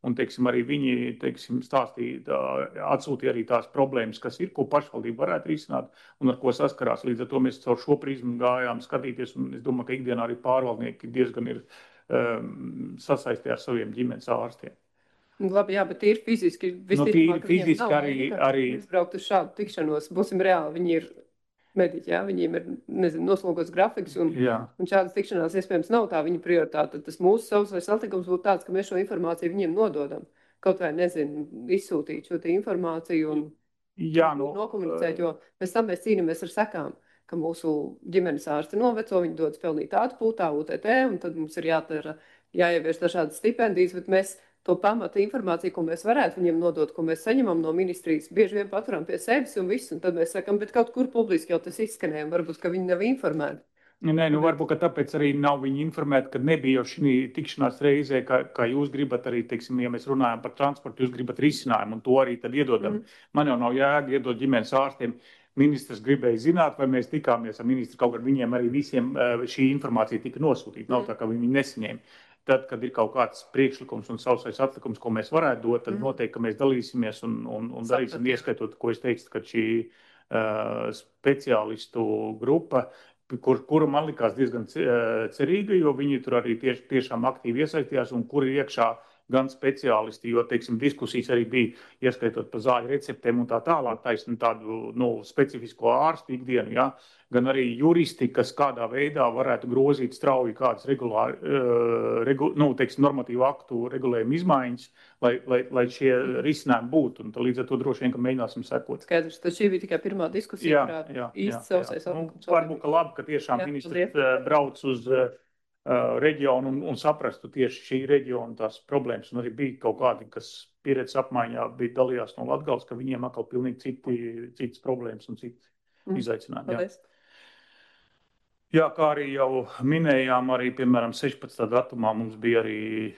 Un, teiksim, arī viņi, teiksim, stāstīja, atsūtīja arī tās problēmas, kas ir, ko pašvaldība varētu risināt un ar ko saskarās. Līdz ar to mēs caur šo prizmu gājām skatīties, un es domāju, ka ikdienā arī pārvaldnieki diezgan ir sasaistē ar saviem ģimenes ārstiem. Labi, jā, bet ir fiziski. Tīri fiziski arī. Izbraukt uz šādu tikšanos, būsim reāli, viņi ir mediķi, jā, viņiem ir, noslogots grafiks, un šādas tikšanās iespējams nav tā viņa prioritāte. Tad tas mūsu savsais satikums būtu tāds, ka mēs šo informāciju viņiem nododam. Kaut vai, izsūtīt šo te informāciju un nokomunicēt, jo pēc tam mēs cīnāmies ar sekām, ka mūsu ģimenes ārsti noveco, viņi dodas pelnīt atpūtā, UTT, un tad mums ir jāievieš dažādas stipendijas, bet mēs to pamata informāciju, ko mēs varētu viņiem nodot, ko mēs saņemam no ministrijas, bieži vien paturam pie sevis un viss, un tad mēs sakam, bet kaut kur publiski jau tas izskanēja, varbūt, ka viņi nav informēti. Varbūt, ka tāpēc arī nav viņi informēti, ka nebija jau šī tikšanās reizē, kā jūs gribat arī, teiksim, ja mēs runājam par transportu, jūs gribat risinājumu, un to arī tad iedodam. Man jau nav jēga iedot ģimenes ārstiem. Ministrs gribēja zināt, vai mēs tikāmies ar ministru, kaut gan viņiem arī visiem šī informācija tika nosūtīta, nav tā, ka viņi nesaņēma. Tad, kad ir kaut kāds priekšlikums un sausais atlikums, ko mēs varētu dot, tad noteikti, ka mēs dalīsimies un darīsim, ieskaitot, ko es teicu, ka šī speciālistu grupa, kura man likās diezgan cerīga, jo viņi tur arī tiešām aktīvi iesaistījās un kur ir iekšā gan speciālisti, jo, teiksim, diskusijas arī bija, ieskaitot par zāļu receptēm un tā tālāk, taisni tādu specifisko ārstu ikdienu, jā, gan arī juristi, kas kādā veidā varētu grozīt strauji kādas normatīvu aktu regulējumu izmaiņas, lai šie risinājumi būtu, un līdz ar to droši vien, ka mēģināsim sekot. Skaidrs, tad šī bija tikai pirmā diskusija, kurā īsti sausais atlikums. Varbūt, ka labi, ka tiešām ministrs brauc uz reģionu un saprastu tieši šī reģiona tās problēmas. Un arī bija kaut kādi, kas pieredzes apmaiņā bija dalījās no Latgales, ka viņiem atkal pilnīgi citas problēmas un citas izaicinājumi. Paldies. Jā, kā arī jau minējām, arī, piemēram, 16. datumā mums bija arī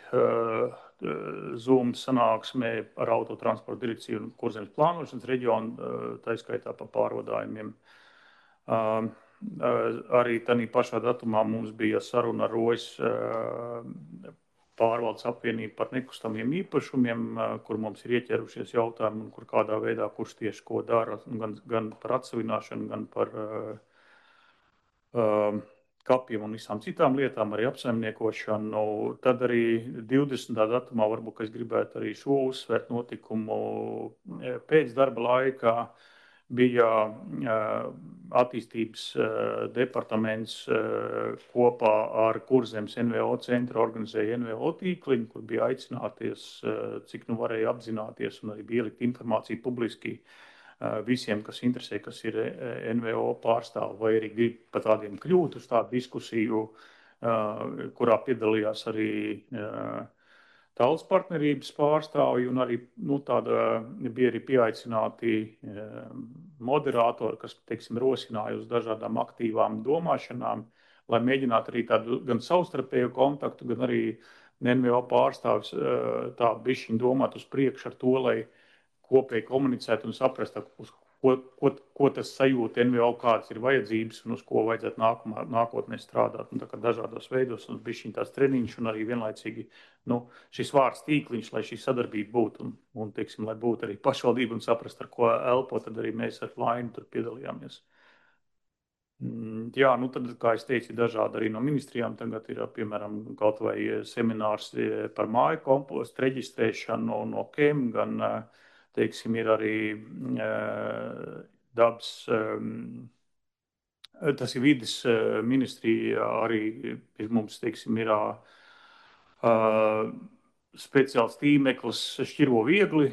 Zoom sanāksmē ar autotransporta direkciju un Kurzemes plānošanas reģionu, tā skaitā par pārvadājumiem. Arī tādā pašā datumā mums bija saruna ar Rojas pārvaldes apvienību par nekustamiem īpašumiem, kur mums ir ieķerušies jautājumi un kur kādā veidā, kurš tieši ko dara, gan par atsavināšanu, gan par kapiem un visām citām lietām, arī apsaimniekošanu. Tad arī 20. datumā varbūt es gribētu arī šo uzsvērt notikumu pēc darba laikā. Bija attīstības departaments kopā ar Kurzemes NVO centru organizēja NVO tīkliņu, kur bija aicināties, cik nu varēja apzināties un arī bija ielikt informāciju publiski visiem, kas interesē, kas ir NVO pārstāvi, vai arī grib pa tādiem kļūt uz tādu diskusiju, kurā piedalījās arī Tautas partnerības pārstāvji un arī bija arī pieaicināti moderatori, kas, teiksim, rosināja uz dažādām aktīvām domāšanām, lai mēģinātu arī tādu gan savstarpēju kontaktu, gan arī NVO pārstāvis tā bišķiņ domāt uz priekšu ar to, lai kopēji komunicēt un saprast, uz ko tas sajūta NVO, kādas ir vajadzības un uz ko vajadzētu nākotnē strādāt. Un tā kā dažādos veidos un bišķiņ tās treniņš un arī vienlaicīgi šis vārds tīkliņš, lai šī sadarbība būtu un teiksim, lai būtu arī pašvaldība un saprast, ar ko elpo, tad arī mēs ar Lainu tur piedalījāmies. Jā, tad, kā es teicu, dažādi arī no ministrijām tagad ir, piemēram, kaut vai seminārs par māju kompostu reģistrēšanu no KEM, gan teiksim, ir arī dabas, tas ir vides ministrija, arī mums, teiksim, ir speciāls tīmeklis Šķiro viegli,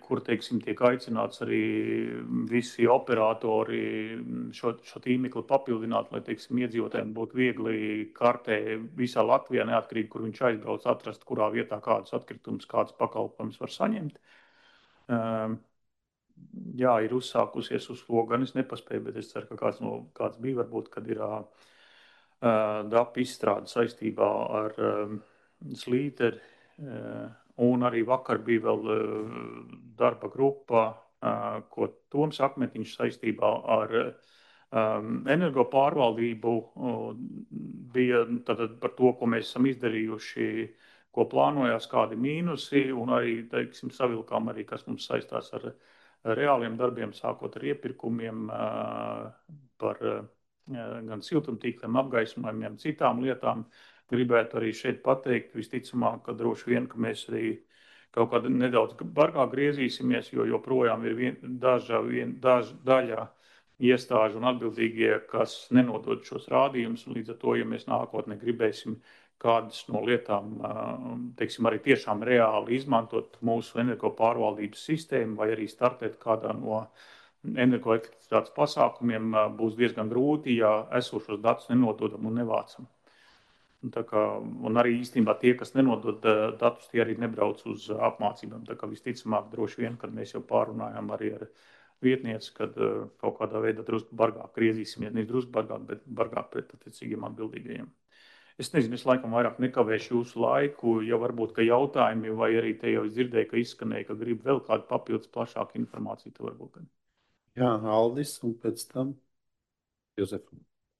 kur, teiksim, tiek aicināts arī visi operatori šo tīmekli papildināt, lai, teiksim, iedzīvotājiem būtu viegli kartē visā Latvijā, neatkarīgi, kur viņš aizbrauc, atrast, kurā vietā kādus atkritumus, kādus pakalpojumus var saņemt. Jā, ir uzsākusies uz to, gan es nepaspēju, bet es ceru, ka kāds bija varbūt, kad ir DAP izstrāde saistībā ar Slīteri, un arī vakar bija vēl darba grupa, ko Toms Akmetiņš saistībā ar energo pārvaldību bija tātad par to, ko mēs esam izdarījuši, ko plānojās, kādi mīnusi, un arī, teiksim, savilkām arī, kas mums saistās ar reāliem darbiem, sākot ar iepirkumiem, par gan siltumtīkliem, apgaismojumiem, citām lietām. Gribētu arī šeit pateikt, visticamāk, ka droši vien, ka mēs arī kaut kādā nedaudz bargāk griezīsimies, jo joprojām ir daļa iestāžu un atbildīgie, kas nenodod šos rādījumus, un līdz ar to, ja mēs nākotnē gribēsim kādas no lietām, teiksim, arī tiešām reāli izmantot mūsu energo pārvaldības sistēmu vai arī startēt kādā no energoefektivitātes pasākumiem, būs diezgan grūti, ja esošos datus nenododam un nevācam. Un arī īstenībā tie, kas nenodod datus, tie arī nebrauc uz apmācībām. Tā kā visticamāk droši vien, kad mēs jau pārunājām arī ar vietnieci, kad kaut kādā veidā drusku bargāk griezīsimies, ne drusku bargāk, bet bargāk pret attiecīgiem atbildīgajiem. Es nezinu, es laikam vairāk nekavēšu jūsu laiku, ja varbūt, ka jautājumi, vai arī te jau es dzirdēju, ka izskanēja, ka grib vēl kādu papildus plašāku informāciju, tad varbūt. Jā, Aldis, un pēc tam Jozef.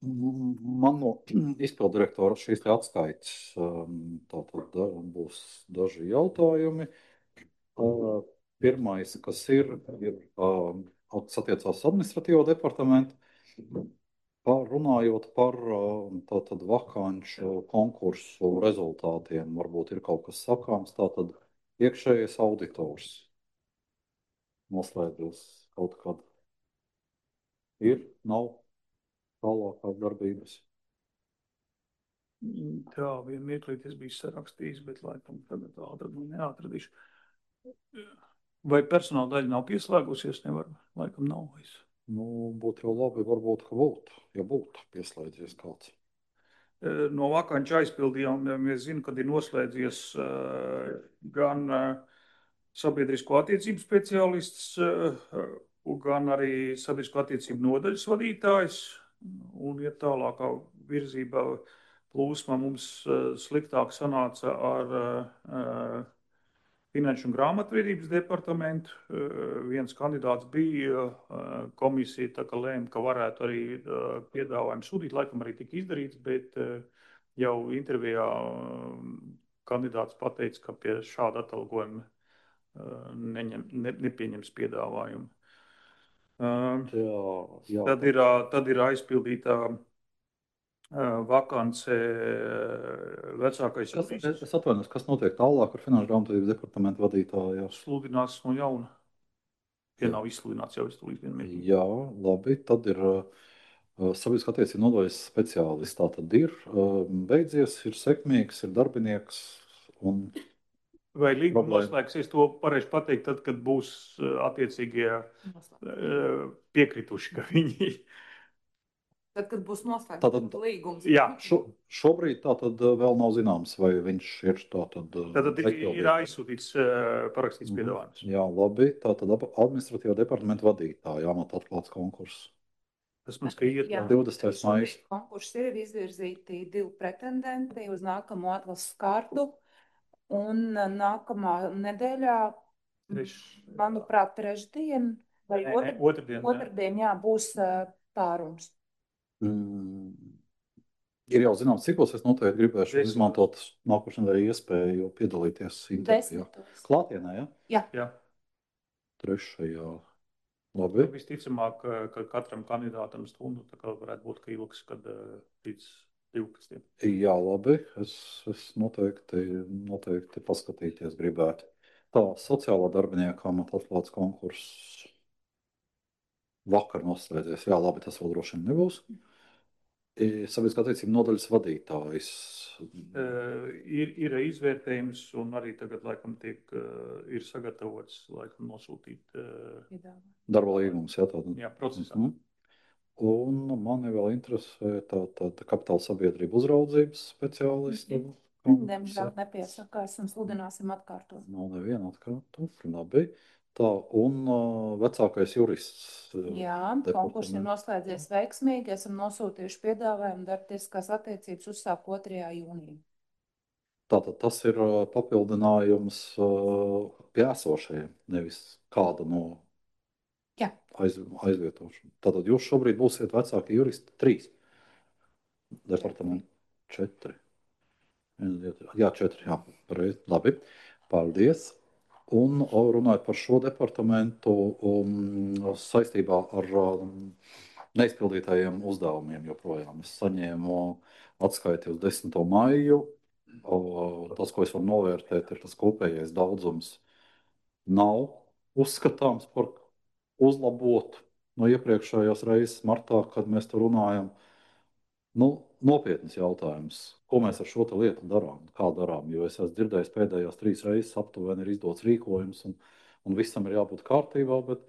Man no izpildirektora šīs te atskaites tātad būs daži jautājumi. Pirmais, kas ir attiecās administratīvo departamentu. Runājot par tātad vakanču konkursu rezultātiem, varbūt ir kaut kas sakāms, tātad iekšējais auditors noslēdzos kaut kad. Ir, nav tālākās darbības. Tā, vienu mirklīt es biju sarakstījis, bet laikam tagad neatradīšu. Vai personāla daļa nav pieslēgusies? Nevar, laikam nav vairs. Būtu jau labi, varbūt, ka būtu, ja būtu pieslēdzies kāds. No vakanču aizpildījumiem es zinu, kad ir noslēdzies gan sabiedrisko attiecību speciālists, gan arī sabiedrisko attiecību nodaļas vadītājs. Un iet tālākā virzībā plūsma mums sliktāk sanāca ar Finanšu un grāmatvedības departamentu. Viens kandidāts bija komisija, tā kā lēma, ka varētu arī piedāvājumu sūtīt, laikam arī tika izdarīts, bet jau intervijā kandidāts pateica, ka pie šāda atalgojuma nepieņems piedāvājumu. Tad ir aizpildītā vakance vecākais jurists. Es atvainojos, kas notiek tālāk ar Finanšu grāmatvedības departamentu vadītāju? Sludināts no jauna. Ja nav izsludināts jau iztūlīt vienmērīgi. Jā, labi. Tad ir sabiedriskā attiecību nodaļas speciālists. Tā tad ir beidzies, ir sekmīgs, ir darbinieks. Vai līguma noslēgsies, to varēšu pateikt tad, kad būs attiecīgie piekrituši, ka viņi... Tad, kad būs noslēgts līgums. Jā. Šobrīd tā tad vēl nav zināms, vai viņš ir tā tad... Tad ir aizsūtīts parakstīts piedāvājums. Jā, labi. Tā tad administratīvā departamenta vadītāja amata atklāts konkurss. Tas mums, ka iet 20. maijs. Konkurss ir izvirzīti 2 pretendenti uz nākamo atlases kārtu. Un nākamā nedēļā, manuprāt, trešdien vai otrdien, jā, būs pārunas. Ir jau zināms, cikos es noteikti gribēšu izmantot nākošajā nedēļā iespēju piedalīties intervijā. Klātienē, ja? Jā. Trešajā. Labi. Visticamāk, ka katram kandidātam stundu, tā kā varētu būt, ka ilgs, kad līdz 12. Jā, labi. Es noteikti paskatīties gribētu. Tā, sociālā darbinieka amata atklāts konkurss vakar noslēdzies. Jā, labi, tas vēl droši vien nebūs. Sabiedriskā attiecību nodaļas vadītājs. Ir izvērtējums un arī tagad, laikam, ir sagatavots, laikam, nosūtīt darba līgums, jā, tātad. Jā, procesā. Un mani vēl interesē tāda kapitāla sabiedrība uzraudzības speciālisti. Diemžēl nepiesaka, esam sludināsim atkārtot. Nav neviena atkārtot, labi. Tā, un vecākais jurists. Jā, konkurss ir noslēdzies veiksmīgi. Esam nosūtījuši piedāvājumu darbtiesiskās attiecības uzsākt 2. jūnijā. Tātad tas ir papildinājums pie esošajiem, nevis kāda no aizvietošana. Tātad jūs šobrīd būsiet vecākie juristi 3. Departamenti 4. Jā, 4, jā. Labi, paldies. Un runājot par šo departamentu saistībā ar neizpildītajiem uzdevumiem joprojām. Es saņēmu atskaiti uz 10. maiju. Tas, ko es varu novērtēt, ir tas kopējais daudzums nav uzskatāms par uzlabotu no iepriekšējās reizes martā, kad mēs tur runājam. Nopietnas jautājums, ko mēs ar šo lietu darām, kā darām, jo es esmu dzirdējis pēdējās 3 reizes aptuveni ir izdots rīkojums un visam ir jābūt kārtībā, bet...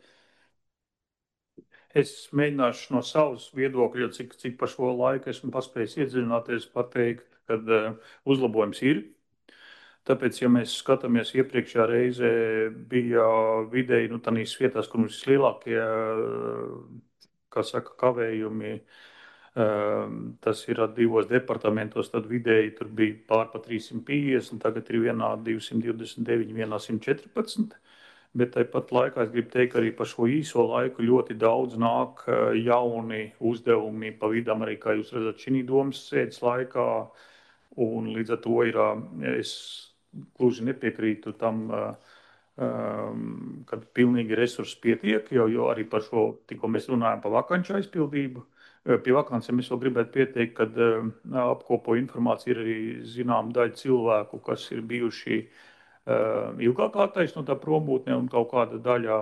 Es mēģināšu no savas viedokļa, cik pa šo laiku esmu paspējis iedziļināties, pateikt, kad uzlabojums ir. Tāpēc, ja mēs skatāmies iepriekšējā reizē, bija vidēji, tādīs vietās, kur mums vislielākie, kā saka, kavējumi, tas ir 2 departamentos, tad vidēji tur bija pārpa 350, tagad ir vienā 229, vienā 114. Bet tāpat laikā es gribu teikt, ka arī pa šo īso laiku ļoti daudz nāk jauni uzdevumi pa vidam, arī kā jūs redzat šī domas sēdes laikā. Un līdz ar to es gluži nepiekrītu tam, kad pilnīgi resursi pietiek, jo arī par šo, tikko mēs runājam par vakanču aizpildību. Pie vakancēm es vēl gribētu pieteikt, kad apkopo informāciju ir arī zinām daļa cilvēku, kas ir bijuši ilgāk attaisnotā prombūtnē un kaut kāda daļa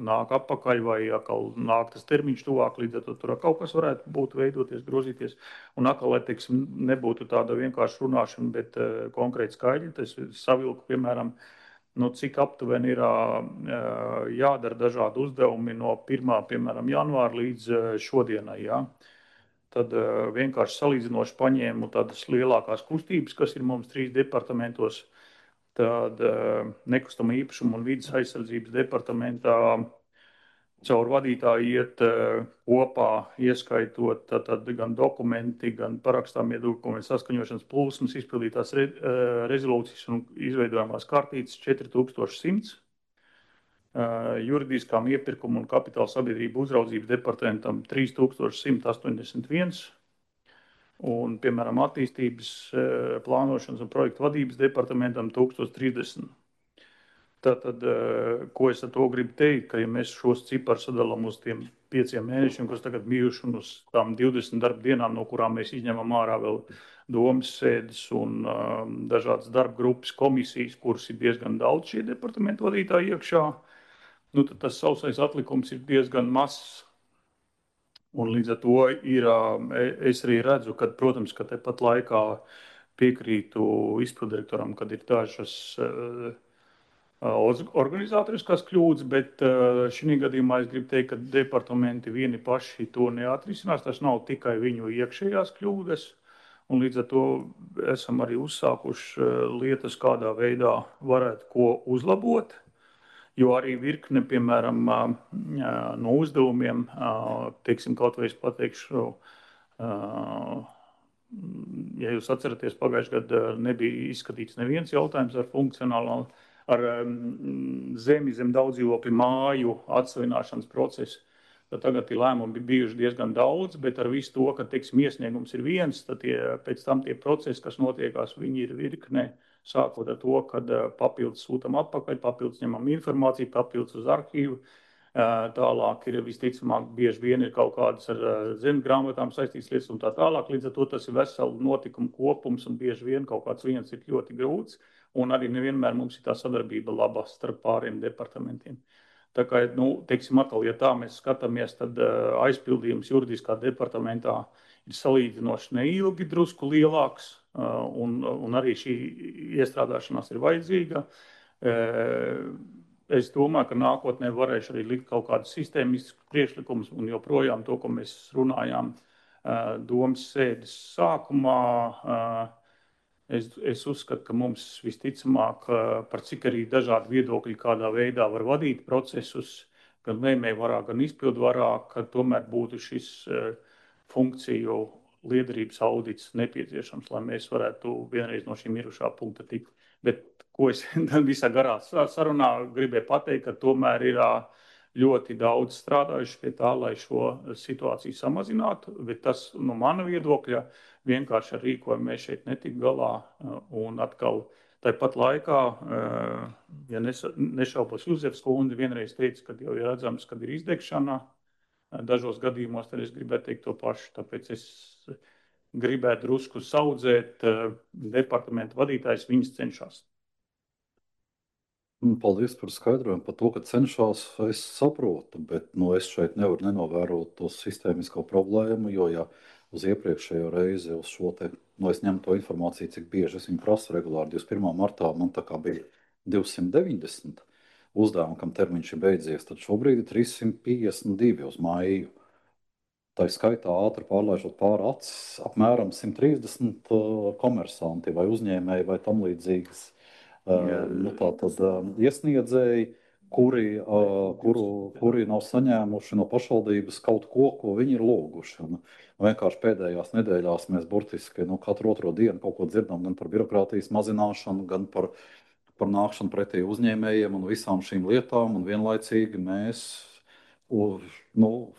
nāk atpakaļ vai atkal nāk tas termiņš tuvāk, līdz ar to tur kaut kas varētu būt veidoties, grozīties. Un atkal, lai, teiksim, nebūtu tāda vienkārši runāšana, bet konkrēti skaidri, tas savilku, piemēram, cik aptuveni ir jādara dažādi uzdevumi no 1. piemēram, janvāra līdz šodienai. Ja? tad vienkārši salīdzinoši paņēmu tādas lielākās kustības, kas ir mums 3 departamentos. Tad nekustamo īpašumu un vidas aizsardzības departamentā caur vadītāju iet kopā, ieskaitot tad gan dokumenti, gan parakstāmie dokumenti, saskaņošanas plūsmas, izpildītās rezolūcijas un izveidojamās kārtītes 4100. Juridiskām iepirkumu un kapitāla sabiedrību uzraudzības departamentam 3181. Un, piemēram, attīstības plānošanas un projektu vadības departamentam 1030. Tātad, ko es ar to gribu teikt, ka ja mēs šos ciparus sadalām uz tiem 5 mēnešiem, kas tagad bijuši un uz tām 20 darba dienām, no kurām mēs izņemam ārā vēl domas sēdes un dažādas darba grupas komisijas, kuras ir diezgan daudz šie departamentu vadītāji iekšā, nu, tad tas sausais atlikums ir diezgan mazs. Un līdz ar to ir, es arī redzu, ka, protams, ka tepat laikā piekrītu izpildirektoram, kad ir dažas organizatoriskās kļūdas, bet šī gadījumā es gribu teikt, ka departamenti vieni paši to neatrisinās. Tas nav tikai viņu iekšējās kļūdas, un līdz ar to esam arī uzsākuši lietas, kādā veidā varētu ko uzlabot. Jo arī virkne, piemēram, no uzdevumiem, teiksim, kaut vai es pateikšu, ja jūs atceraties, pagājušajā gadā nebija izskatīts neviens jautājums ar funkcionālu, ar zemi zem daudzdzīvokļu māju atsavināšanas procesu. Tad tagad lēmumi bijuši diezgan daudz, bet ar visu to, ka, teiksim, iesniegums ir viens, tad pēc tam tie procesi, kas notiekās, viņi ir virkne. Sākot ar to, kad papildus sūtam atpakaļ, papildus ņemam informāciju, papildus uz arhīvu. Tālāk ir visticamāk bieži vien ir kaut kādas ar zemes grāmatām saistītas lietas un tā tālāk. Līdz ar to tas ir veselu notikumu kopums un bieži vien kaut kāds viens ir ļoti grūts. Un arī nevienmēr mums ir tā sadarbība laba starp pāriem departamentiem. Tā kā, nu, teiksim atkal, ja tā mēs skatāmies, tad aizpildījums juridiskā departamentā ir salīdzinoši neilgi, drusku lielāks. Un arī šī iestrādāšanās ir vajadzīga. Es domāju, ka nākotnē varēšu arī likt kaut kādus sistēmiskus priekšlikumus un joprojām to, ko mēs runājām domas sēdes sākumā. Es uzskatu, ka mums visticamāk, par cik arī dažādi viedokļi kādā veidā var vadīt procesus, gan lēmēju varā, gan izpildu varā, ka tomēr būtu šis funkciju liederības audits nepieciešams, lai mēs varētu vienreiz no šī mirušā punkta tikt. Bet, ko es visā garā sarunā gribēju pateikt, ka tomēr ir ļoti daudz strādājuši pie tā, lai šo situāciju samazinātu, bet tas no mana viedokļa vienkārši ar rīkojumu mēs šeit netik galā. Un atkal tāpat laikā, ja nešaubos, Juzefs kundze vienreiz teica, ka jau ir redzams, kad ir izdegšana. Dažos gadījumos tad es gribētu teikt to pašu, tāpēc es gribētu drusku saudzēt departamentu vadītājs, viņas cenšas. Paldies par skaidrojumu par to, ka cenšas, es saprotu, bet es šeit nevaru nenovērot to sistēmisko problēmu, jo ja uz iepriekšējo reizi uz šo te, es ņemu to informāciju, cik bieži es viņu prasu regulāri, 21. martā man tā kā bija 290 uzdevumu, kam termiņš ir beidzies, tad šobrīd ir 352 uz maiju. Tā ir skaitā ātri pārlaižot pāri acis apmēram 130 komersanti vai uzņēmēji vai tam līdzīgas iesniedzēji, kuri nav saņēmuši no pašvaldības kaut ko viņi ir lūguši. Vienkārši pēdējās nedēļās mēs burtiski katru otro dienu kaut ko dzirdam gan par birokrātijas mazināšanu, gan par nākšanu pretī uzņēmējiem un visām šīm lietām, un vienlaicīgi mēs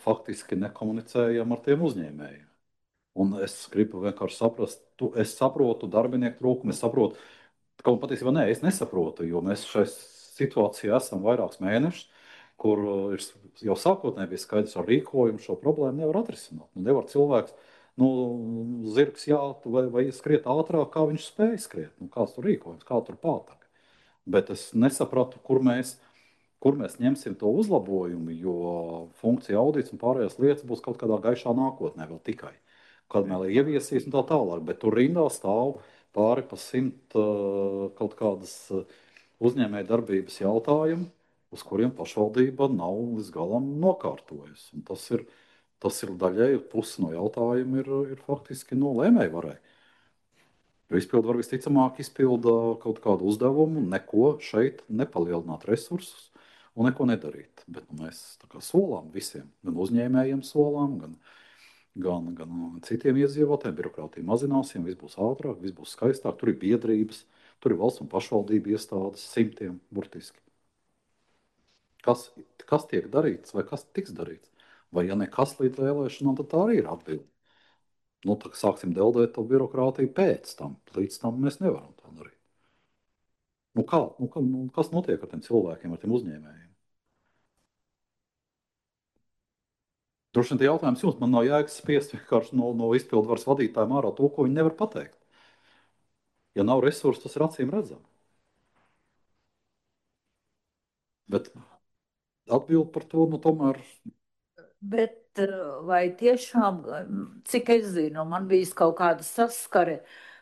faktiski nekomunicējam ar tiem uzņēmējiem. Un es gribu vienkārši saprast, es saprotu darbinieku trūkumu, es saprotu, kaut patiesībā es nesaprotu, jo mēs šai situācijā esam vairākus mēnešus, kur jau sākotnēji bija skaidrs ar rīkojumu šo problēmu nevar atrisināt. Nevar cilvēks, zirgs vai skriet ātrāk, kā viņš spēja skriet, kāds tur rīkojums, kā tur pātāk. Bet es nesapratu, kur mēs ņemsim to uzlabojumu, jo funkcija audits un pārējās lietas būs kaut kādā gaišā nākotnē vēl tikai. Kad mēs ieviesīs un tā tālāk, bet tur rindā stāv pāri pa 100 kaut kādas uzņēmēja darbības jautājumi, uz kuriem pašvaldība nav līdz galam nokārtojusi. Un tas ir Tas ir daļēji pusi no jautājuma ir faktiski no lēmējvarai. Jo izpildu var visticamāk izpilda kaut kādu uzdevumu, neko šeit nepalielināt resursus un neko nedarīt. Bet mēs tā kā solām visiem, gan uzņēmējiem solām, gan citiem iedzīvotājiem, birokrātija mazināsim, viss būs ātrāk, viss būs skaistāk, tur ir biedrības, tur ir valsts un pašvaldību iestādes, simtiem burtiski. Kas tiek darīts vai kas tiks darīts? Vai ja nekas līdz vēlēšanām, tad tā arī ir atbilde. Nu, tā sāksim deldēt to birokrātiju pēc tam. Līdz tam mēs nevaram tā darīt. Kas notiek ar tiem cilvēkiem, ar tiem uzņēmējiem? Droši vien tie jautājums jums, man nav jēgas spiest vienkārši no izpildu varas vadītājiem ārā to, ko viņi nevar pateikt. Ja nav resursu, tas ir acīm redzami. Bet atbildi par to, tomēr. Bet vai tiešām, cik es zinu, man bijis kaut kāda saskare,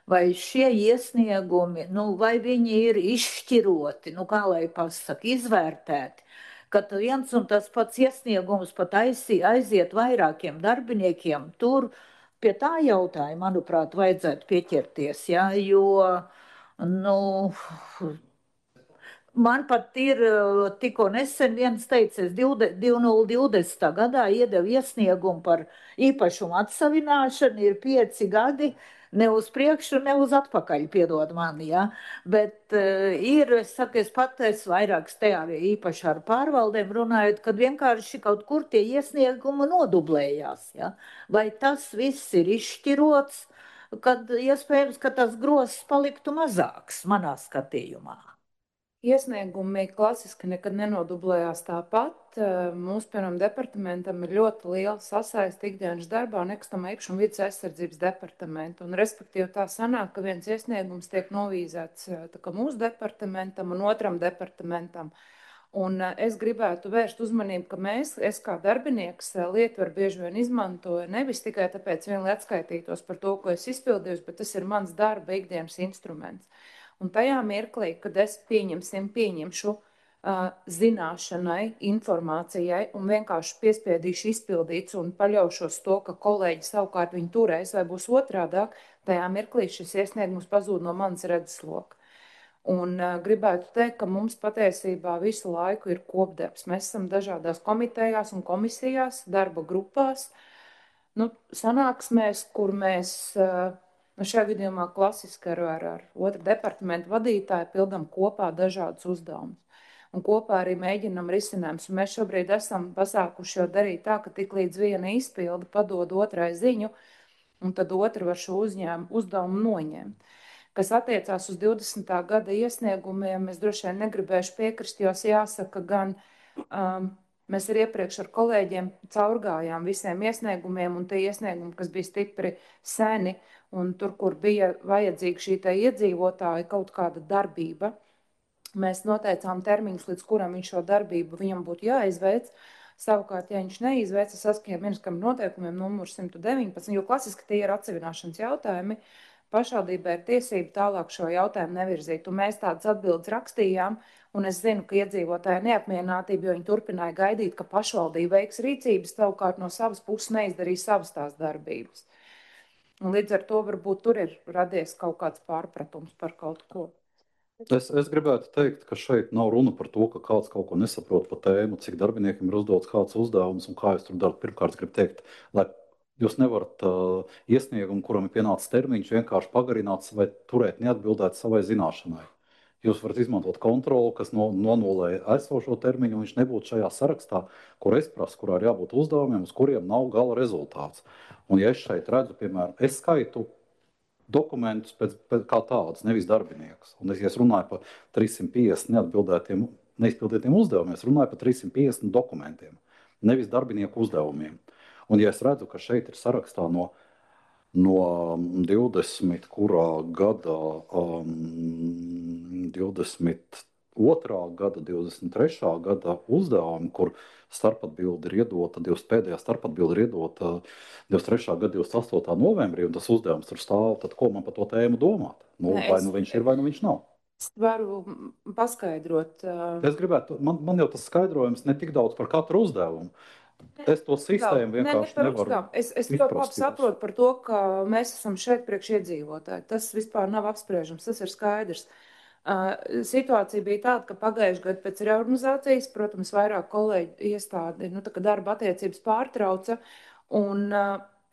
vai šie iesniegumi, vai viņi ir izšķiroti, kā lai pasaka, izvērtēti, ka viens un tas pats iesniegums pat aiziet vairākiem darbiniekiem, tur pie tā jautājuma, manuprāt, vajadzētu pieķerties, ja, jo, man pat ir tikko nesen viens teicis, 2020. gadā iedeva iesniegumu par īpašumu atsavināšanu, ir 5 gadi, ne uz priekšu, ne uz atpakaļ, piedod mani, ja? Bet es pat esmu vairākas te arī īpaši ar pārvaldēm runājot, kad vienkārši kaut kur tie iesniegumi nodublējās, ja? Vai tas viss ir izšķirots, kad iespējams, ka tas grozs paliktu mazāks manā skatījumā? Iesniegumi klasiski nekad nenodublējās tāpat. Mūsu, piemēram, departamentam ir ļoti liela sasaiste ikdienas darbā nekustamā īpašuma vides aizsardzības departamentu. Un, respektīvi, tā sanāk, ka viens iesniegums tiek novīzēts mūsu departamentam un otram departamentam. Un es gribētu vērst uzmanību, ka es kā darbinieks lietvaru bieži vien izmantoju nevis tikai tāpēc vien, lai atskaitītos par to, ko es izpildījusi, bet tas ir mans darba ikdienas instruments. Un tajā mirklī, kad es pieņemšu zināšanai, informācijai un vienkārši piespiedīšu izpildīts un paļaušos to, ka kolēģi savukārt viņu turēs vai būs otrādāk, tajā mirklī šis iesniegums pazūd no manas redzesloka. Un gribētu teikt, ka mums patiesībā visu laiku ir kopdarbs. Mēs esam dažādās komitejās un komisijās, darba grupās, sanāksmēs, kur mēs... Šajā gadījumā klasiski ar otru departamentu vadītāju pildam kopā dažādus uzdevumus. Un kopā arī mēģinam risinājumus. Mēs šobrīd esam pasākuši jau darīt tā, ka tik līdz viena izpilda padod otrai ziņu, un tad otra var šo uzdevumu noņemt. Kas attiecās uz 20. gada iesniegumiem, es droši vien negribēšu piekrist, jo jāsaka gan... Mēs arī iepriekš ar kolēģiem caurgājām visiem iesniegumiem, un tie iesniegumi, kas bija stipri seni, un tur, kur bija vajadzīga šī iedzīvotāja kaut kāda darbība, mēs noteicām termiņus, līdz kuram viņš šo darbību viņam būtu jāizveic. Savukārt, ja viņš neizveica saskaņā ministram noteikumiem numur 119, jo klasiski tie ir atsevināšanas jautājumi, pašvaldībai ir tiesība tālāk šo jautājumu nevirzīt. Un mēs tādas atbildes rakstījām, un es zinu, ka iedzīvotāji neapmierinātība, jo viņi turpināja gaidīt, ka pašvaldība veiks rīcības, savukārt no savas puses neizdarīja savas tās darbības. Un līdz ar to varbūt tur ir radies kaut kāds pārpratums par kaut ko. Es gribētu teikt, ka šeit nav runa par to, ka kāds kaut ko nesaprot par tēmu, cik darbiniekiem ir uzdots kāds uzdevums un kā jūs tur darat. Pirmkārt, gribu teikt, lai jūs nevarat iesniegumu, kuram ir pienācis termiņš, vienkārši pagarināt vai turēt neatbildēt savai zināšanai. Jūs varat izmantot kontroli, kas nonulē esošo termiņu, un viņš nebūtu šajā sarakstā, kur es prasu, kurā ir jābūt uzdevumiem, uz kuriem nav gala rezultāts. Un ja es šeit redzu, piemēram, es skaitu dokumentus pēc kā tādus, nevis darbiniekus. Un ja es runāju par 350 neizpildītiem uzdevumiem, es runāju par 350 dokumentiem, nevis darbinieku uzdevumiem. Un ja es redzu, ka šeit ir sarakstā no 20. kurā gada, 22. gada, 23. gada uzdevumi, kur starpatbilde ir iedota, pēdējā starpatbilde ir iedota 23. gada 28. novembrī, un tas uzdevums tur stāv, tad ko man par to tēmu domāt? Vai nu viņš ir, vai nu viņš nav. Es varu paskaidrot. Es gribētu, man jau tas skaidrojums ne tik daudz par katru uzdevumu. Es to sistēmu vienkārši nevaru Es ļoti labi izprast. saprotu par to, ka mēs esam šeit priekš iedzīvotāji. Tas vispār nav apspriežams, tas ir skaidrs. Situācija bija tāda, ka pagājušajā gadā pēc reorganizācijas, protams, vairāk kolēģi iestādi, tā kā darba attiecības pārtrauca, un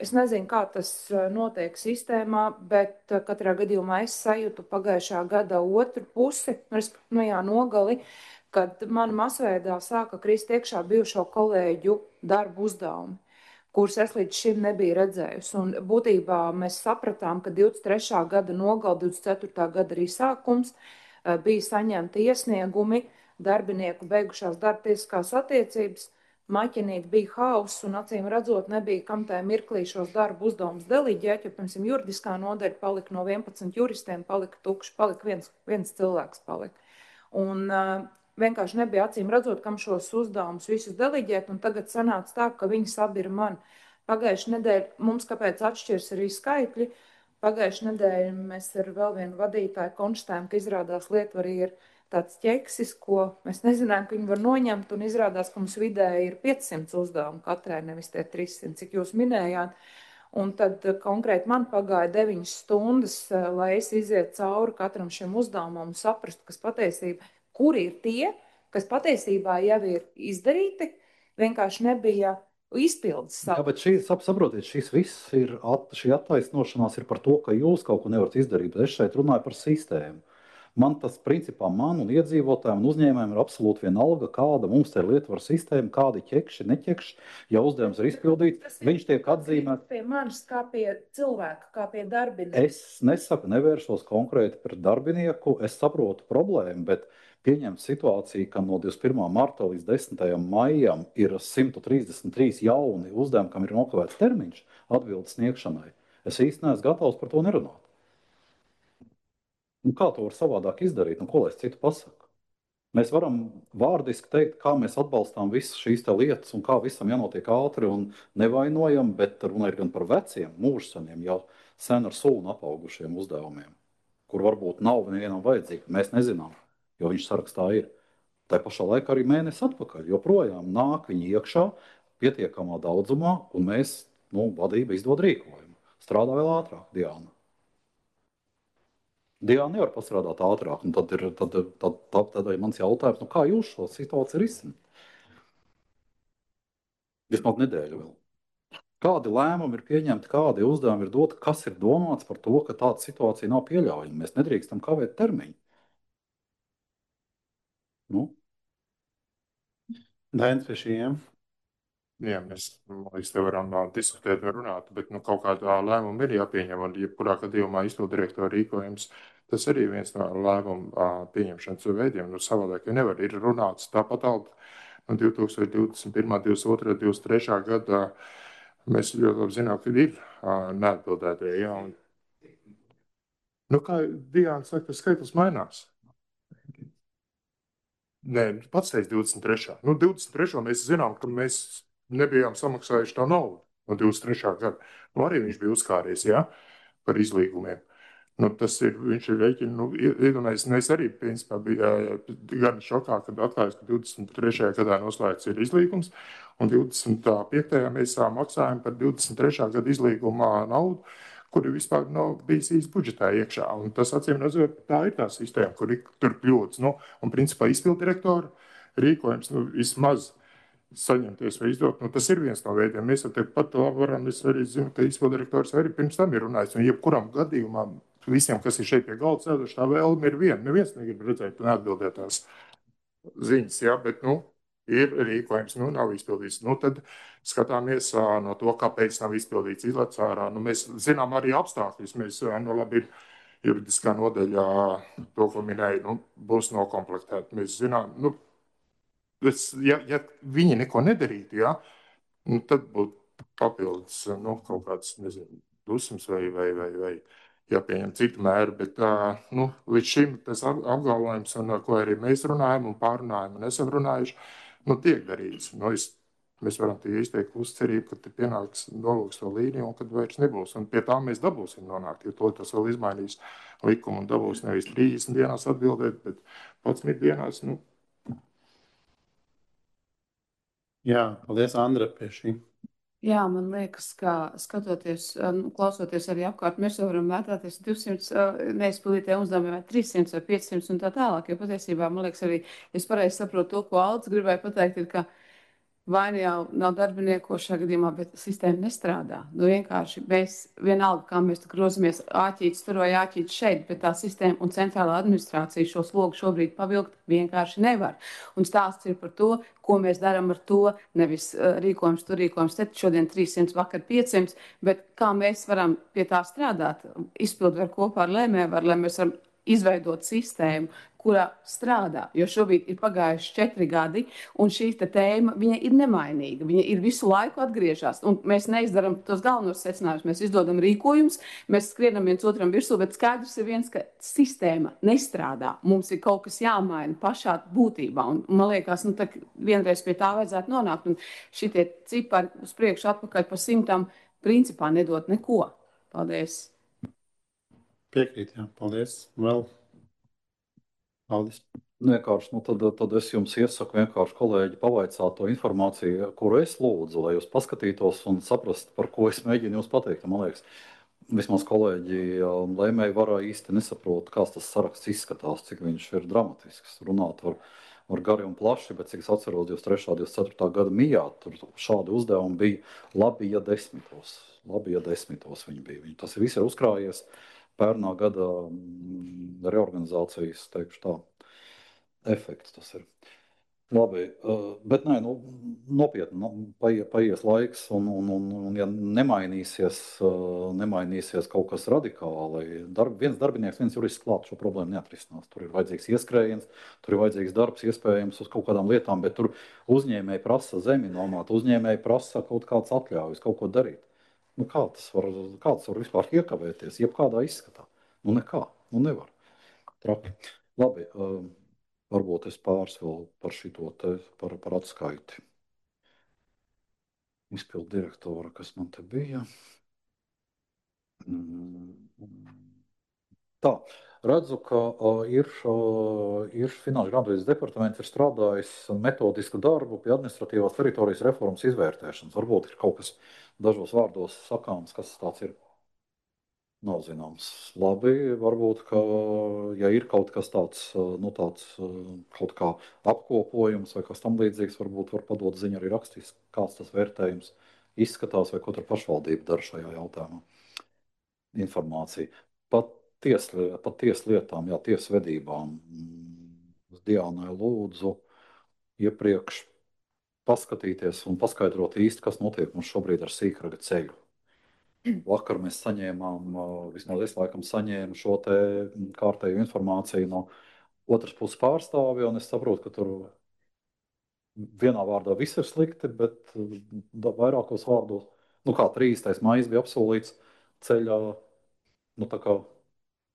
es nezinu, kā tas notiek sistēmā, bet katrā gadījumā es sajūtu pagājušā gada otru pusi, nogali, kad man masveidā sāka krist iekšā bijušo kolēģu darbu uzdevumi, kurus es līdz šim nebiju redzējusi. Un būtībā mēs sapratām, ka 23. gada nogal, 24. gada arī sākums bija saņemti iesniegumi, darbinieku beigušās darbtiesiskās attiecības, maķinīt bija hauss un acīm redzot nebija kam tajā mirklī šos darbu uzdevumus deliģēt, jo, piemēram, juridiskā nodaļa palika no 11 juristiem, palika tukši, palika viens cilvēks palika. Un vienkārši nebija acīm redzot, kam šos uzdevumus visus deliģēt, un tagad sanāca tā, ka viņi abi ir man. Pagājušajā nedēļā mums kāpēc atšķirs arī skaitļi. Pagājušajā nedēļā mēs ar vēl vienu vadītāju konstatējām, ka izrādās Lietuvā ir tāds ķeksis, ko mēs nezinājām, ka viņi var noņemt, un izrādās, ka mums vidēji ir 500 uzdevumu katrai, nevis tie 300, cik jūs minējāt. Un tad konkrēti man pagāja 9 stundas, lai es iziet cauri katram šiem uzdevumam un saprastu, kas patiesībā, kuri ir tie, kas patiesībā jau ir izdarīti, vienkārši nebija izpildes. Jā, bet saprotiet, šis viss ir, šī attaisnošanās ir par to, ka jūs kaut ko nevarat izdarīt, bet es šeit runāju par sistēmu. Man tas, principā, man un iedzīvotājiem un uzņēmējiem ir absolūti vienalga, kāda mums te ir Lietuvas sistēma, kādi ķekši, neķekši, ja uzdevums ir izpildīts, viņš tiek atzīmēts. Pie manis kā pie cilvēka, kā pie darbinieka. Es nesaku, nevēršos konkrēti pret darbinieku, es saprotu problēmu, bet pieņemt situāciju, ka no 21. marta līdz 10. maijam ir 133 jauni uzdevumi, kam ir nokavēts termiņš atbildes sniegšanai. Es īsti neesmu gatavs par to nerunāt. Nu, kā to var savādāk izdarīt? Nu, ko lai es citu pasaku? Mēs varam vārdiski teikt, kā mēs atbalstām visas šīs lietas un kā visam jānotiek ātri un nevainojam, bet runa ir gan par veciem, mūžsaniem, jau sen ar sūnu apaugušiem uzdevumiem, kur varbūt nav nevienam vajadzīgi. Mēs nezinām, jo viņš sarakstā ir. Tā pašā laikā arī mēnesi atpakaļ joprojām nāk viņi iekšā pietiekamā daudzumā, un mēs, vadība izdod rīkojumu. Strādā vēl ātrāk, Diana. Diana nevar pastrādāt ātrāk, un tad ir mans jautājums, kā jūs šo situāciju risināt? Vismaz nedēļu vēl. Kādi lēmumi ir pieņemti, kādi uzdevumi ir doti, kas ir domāts par to, ka tāda situācija nav pieļaujama? Mēs nedrīkstam kavēt termiņu. Dainis pie šiem. Jā, mēs te varam diskutēt un runāt, bet kaut kādā lēmuma ir jāpieņem, un jebkurā gadījumā izpildirektora rīkojums, tas arī viens no lēmuma pieņemšanas veidiem. Savādāk, jo nevar, ir runāts tāpat alga. 2021, 2022, 2023 gadā mēs ļoti labi zinām, ka ir neatbildētie. Jā, un, kā Diana saka, tas skaitlis mainās. Nē, pats teica 23. 23. mēs zinām, ka mēs nebijām samaksājuši tā naudu no 23. gada. Arī viņš bija uzkāries, par izlīgumiem. Tas ir, viņš ir rēķini, iedomājies, arī, principā, bija gan šokā, kad atklājās, ka 23. gadā noslēgts ir izlīgums, un 25. mēs maksājam par 23. gada izlīgumā naudu, kuri vispār nav bijis īsti budžetā iekšā. Un tas, acīm redzot, tā ir tā sistēma, kur ir tur kļūdas. Un, principā, izpildirektora rīkojums, vismaz saņemties vai izdot, tas ir viens no veidiem. Mēs jau pat varam, es arī zinu, ka izpildirektors arī pirms tam ir runājis, un jebkuram gadījumā visiem, kas ir šeit pie galda sēduši, tā vēlme ir viena. Neviens negrib redzēt neatbildētās ziņas, bet, ir rīkojums, nav izpildīts. Tad skatāmies no to, kāpēc nav izpildīts, izlec ārā. Mēs zinām arī apstākļus. Mēs, labi, ir juridiskā nodaļā to, ko minēja, būs nokomplektēta. Mēs zinām, ja viņi neko nedarītu, tad būtu papildus, kaut kāds, nezinu, dusmas vai jāpieņem citu mēru, bet līdz šim tas apgalvojums, un ko arī mēs runājam un pārunājam un esam runājuši, tiek darīts. Mēs varam izteikt uzcerību, ka te pienāks nolūks to līniju un kad vairs nebūs. Un pie tā mēs dabūsim nonākt, jo tas vēl izmainīs likumu un dabūs nevis 30 dienās atbildēt, bet 11 dienās, Jā, paldies, Andra, pie šī. Jā, man liekas, ka skatoties, klausoties arī apkārt, mēs jau varam mētāties 200 neizpildītiem uzdevumiem vai 300 vai 500 un tā tālāk, jo patiesībā, man liekas, arī, es pareizi saprotu to, ko Aldis gribēja pateikt, ir, ka vai nu jau nav darbinieku šajā gadījumā, bet sistēma nestrādā. Nu, vienkārši mēs vienalga, kā mēs grozamies āķītis tur vai āķītis šeit, bet tā sistēma un centrālā administrācija šo slogu šobrīd pavilkt vienkārši nevar. Un stāsts ir par to, ko mēs darām ar to, nevis rīkojums tur, rīkojums te, šodien 300, vakar 500, bet kā mēs varam pie tā strādāt, izpildu var kopā ar lēmēvaru, lai mēs varam izveidot sistēmu, kurā strādā, jo šobrīd ir pagājuši 4 gadi, un šī tēma, viņa ir nemainīga, viņa ir visu laiku atgriežas, un mēs neizdaram tos galvenos secinājumus, mēs izdodam rīkojumus, mēs skrienam viens otram virsū, bet skaidrs ir viens, ka sistēma nestrādā, mums ir kaut kas jāmaina pašā būtībā, un man liekas, nu, tā vienreiz pie tā vajadzētu nonākt, un šitie cipari uz priekšu atpakaļ pa 100 principā nedot neko. Paldies! Piekrīt, jā, paldies. Vēl Aldis. Vienkārši, tad es jums iesaku vienkārši, kolēģi, pavaicāt to informāciju, kuru es lūdzu, lai jūs paskatītos un saprastu, par ko es mēģinu jums pateikt. Man liekas, vismaz kolēģi lēmēji varā īsti nesaprot, kāds tas saraksts izskatās, cik viņš ir dramatisks. Runāt var gari un plaši, bet cik es atceros 23. 24. gada mijā, tur šādi uzdevumi bija labi, ja 10. Labi, ja 10. viņi bija. Tas viss ir uzkrājies pērnā gada reorganizācijas, teikšu tā, efekts tas ir. Labi, bet nē, nu, nopietni, paies laiks, un ja nemainīsies kaut kas radikāli, viens darbinieks, viens jurists klāt šo problēmu neatrisinās. Tur ir vajadzīgs ieskrējiens, tur ir vajadzīgs darbs, iespējams, uz kaut kādām lietām, bet tur uzņēmēji prasa zemi nomāt, uzņēmēji prasa kaut kāds atļaujas, kaut ko darīt. Nu, kā tas var vispār iekavēties, jebkādā izskatā? Nu, nekā, nu nevar. Traki. Labi, varbūt es pāris vēl par šito te, par atskaiti. Izpildu direktora, kas man te bija. Tā, redzu, ka ir Finanšu grāmatvedības departaments ir strādājis metodisku darbu pie administratīvās teritorijas reformas izvērtēšanas. Varbūt ir kaut kas dažos vārdos sakāms, kas tāds ir. Nav zināms. Labi, varbūt, ka, ja ir kaut kas tāds, nu tāds, kaut kā apkopojums vai kas tam līdzīgs, varbūt var padot ziņu arī rakstīs, kāds tas vērtējums izskatās vai ko tur pašvaldība dara šajā jautājumā. Informācija. Pat tieslietām, jā, tiesvedībām. Diānai lūdzu iepriekš paskatīties un paskaidrot īsti, kas notiek mums šobrīd ar Sīkraga ceļu. Vakar mēs saņēmām, vismaz es laikam saņēmu šo te kārtēju informāciju no otras puses pārstāvja, un es saprotu, ka tur vienā vārdā viss ir slikti, bet vairākos vārdos, nu kā 30. maijs bija apsolīts ceļā, nu tā kā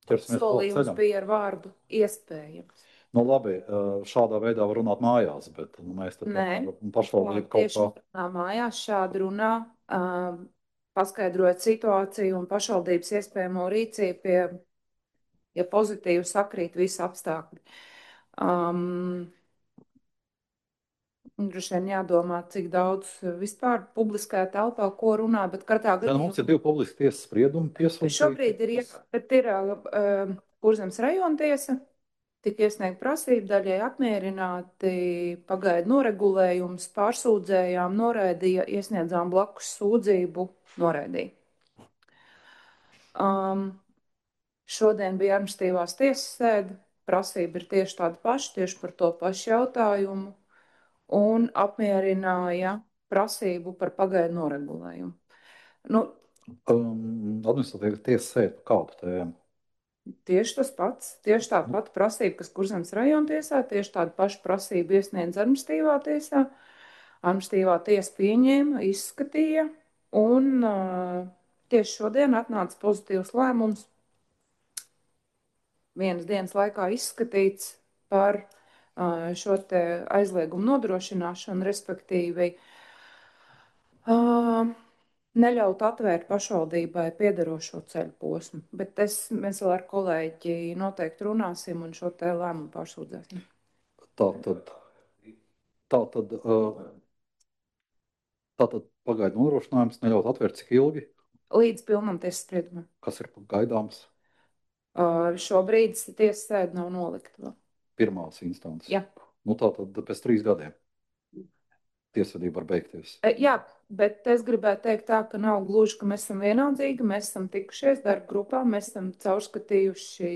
ķersimies klāt ceļam. Solījums bija ar vārdu iespējams. Nu labi, šādā veidā var runāt mājās, bet mēs te pašvaldību kaut kā. Tieši mājās šādi runā, paskaidrojot situāciju un pašvaldības iespējamo rīcību, ja pozitīvi sakrīt visi apstākļi. Droši vien jādomā, cik daudz vispār publiskajā telpā, ko runā, bet katrā gadījumā. Mums ir 2 publiski tiesas spriedumi piesūtīti. Šobrīd ir Kurzemes rajona tiesa, tika iesniegta prasība, daļai apmierināti, pagaidu noregulējums, pārsūdzējām, noraidīja, iesniedzām blakus sūdzību, noraidīja. Šodien bija administratīvās tiesas sēde, prasība ir tieši tāda paša, tieši par to pašu jautājumu, un apmierināja prasību par pagaidu noregulējumu. Nu, administratīvā tiesa sēde par kādu tēmu? Tieši tas pats, tieši tā pati prasība, kas Kurzemes rajona tiesā, tieši tāda paša prasība iesniedz administratīvā tiesā. Administratīvā tiesa pieņēma, izskatīja, un tieši šodien atnāca pozitīvs lēmums, vienas dienas laikā izskatīts par šo te aizliegumu nodrošināšanu, respektīvi neļaut atvērt pašvaldībai piederošo ceļu posmu. Bet mēs vēl ar kolēģi noteikti runāsim un šo te lēmumu pārsūdzēsim. Tātad Tātad pagaidu nodrošinājums neļaut atvērt cik ilgi, Līdz pilnam tiesas spriedumam. kas ir gaidāms Šobrīd tiesas sēde nav nolikta vēl. pirmās instances. Jā. Nu, tātad pēc 3 gadiem tiesvedība var beigties. Jā, bet es gribētu teikt tā, ka nav gluži, ka mēs esam vienaldzīgi, mēs esam tikušies darba grupā, mēs esam caurskatījuši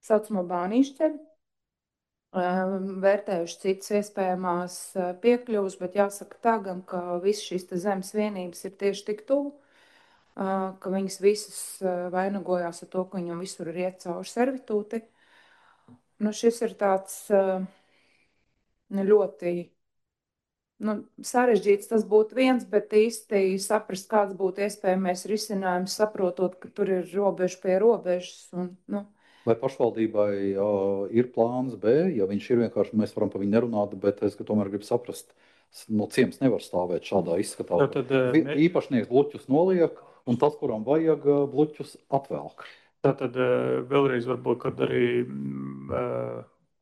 saucamo bānīšu ceļu, vērtējuši citas iespējamās piekļuvas, bet jāsaka tā gan, ka visas šīs te zemes vienības ir tieši tik tuvu, ka viņas visas vainagojās ar to, ka viņam visur ir iet cauri servitūti. Nu, šis ir tāds ļoti sarežģīts, tas būtu viens, bet īsti saprast, kāds būtu iespējamais risinājums, saprotot, ka tur ir robeža pie robežas. Vai pašvaldībai ir plāns B, ja viņš ir vienkārši, mēs varam par viņu nerunāt, bet es tomēr gribu saprast, no ciems nevar stāvēt šādā izskatā. Īpašnieks bluķus noliek, un tas, kuram vajag bluķus, atvelk. Tātad vēlreiz varbūt, kad arī,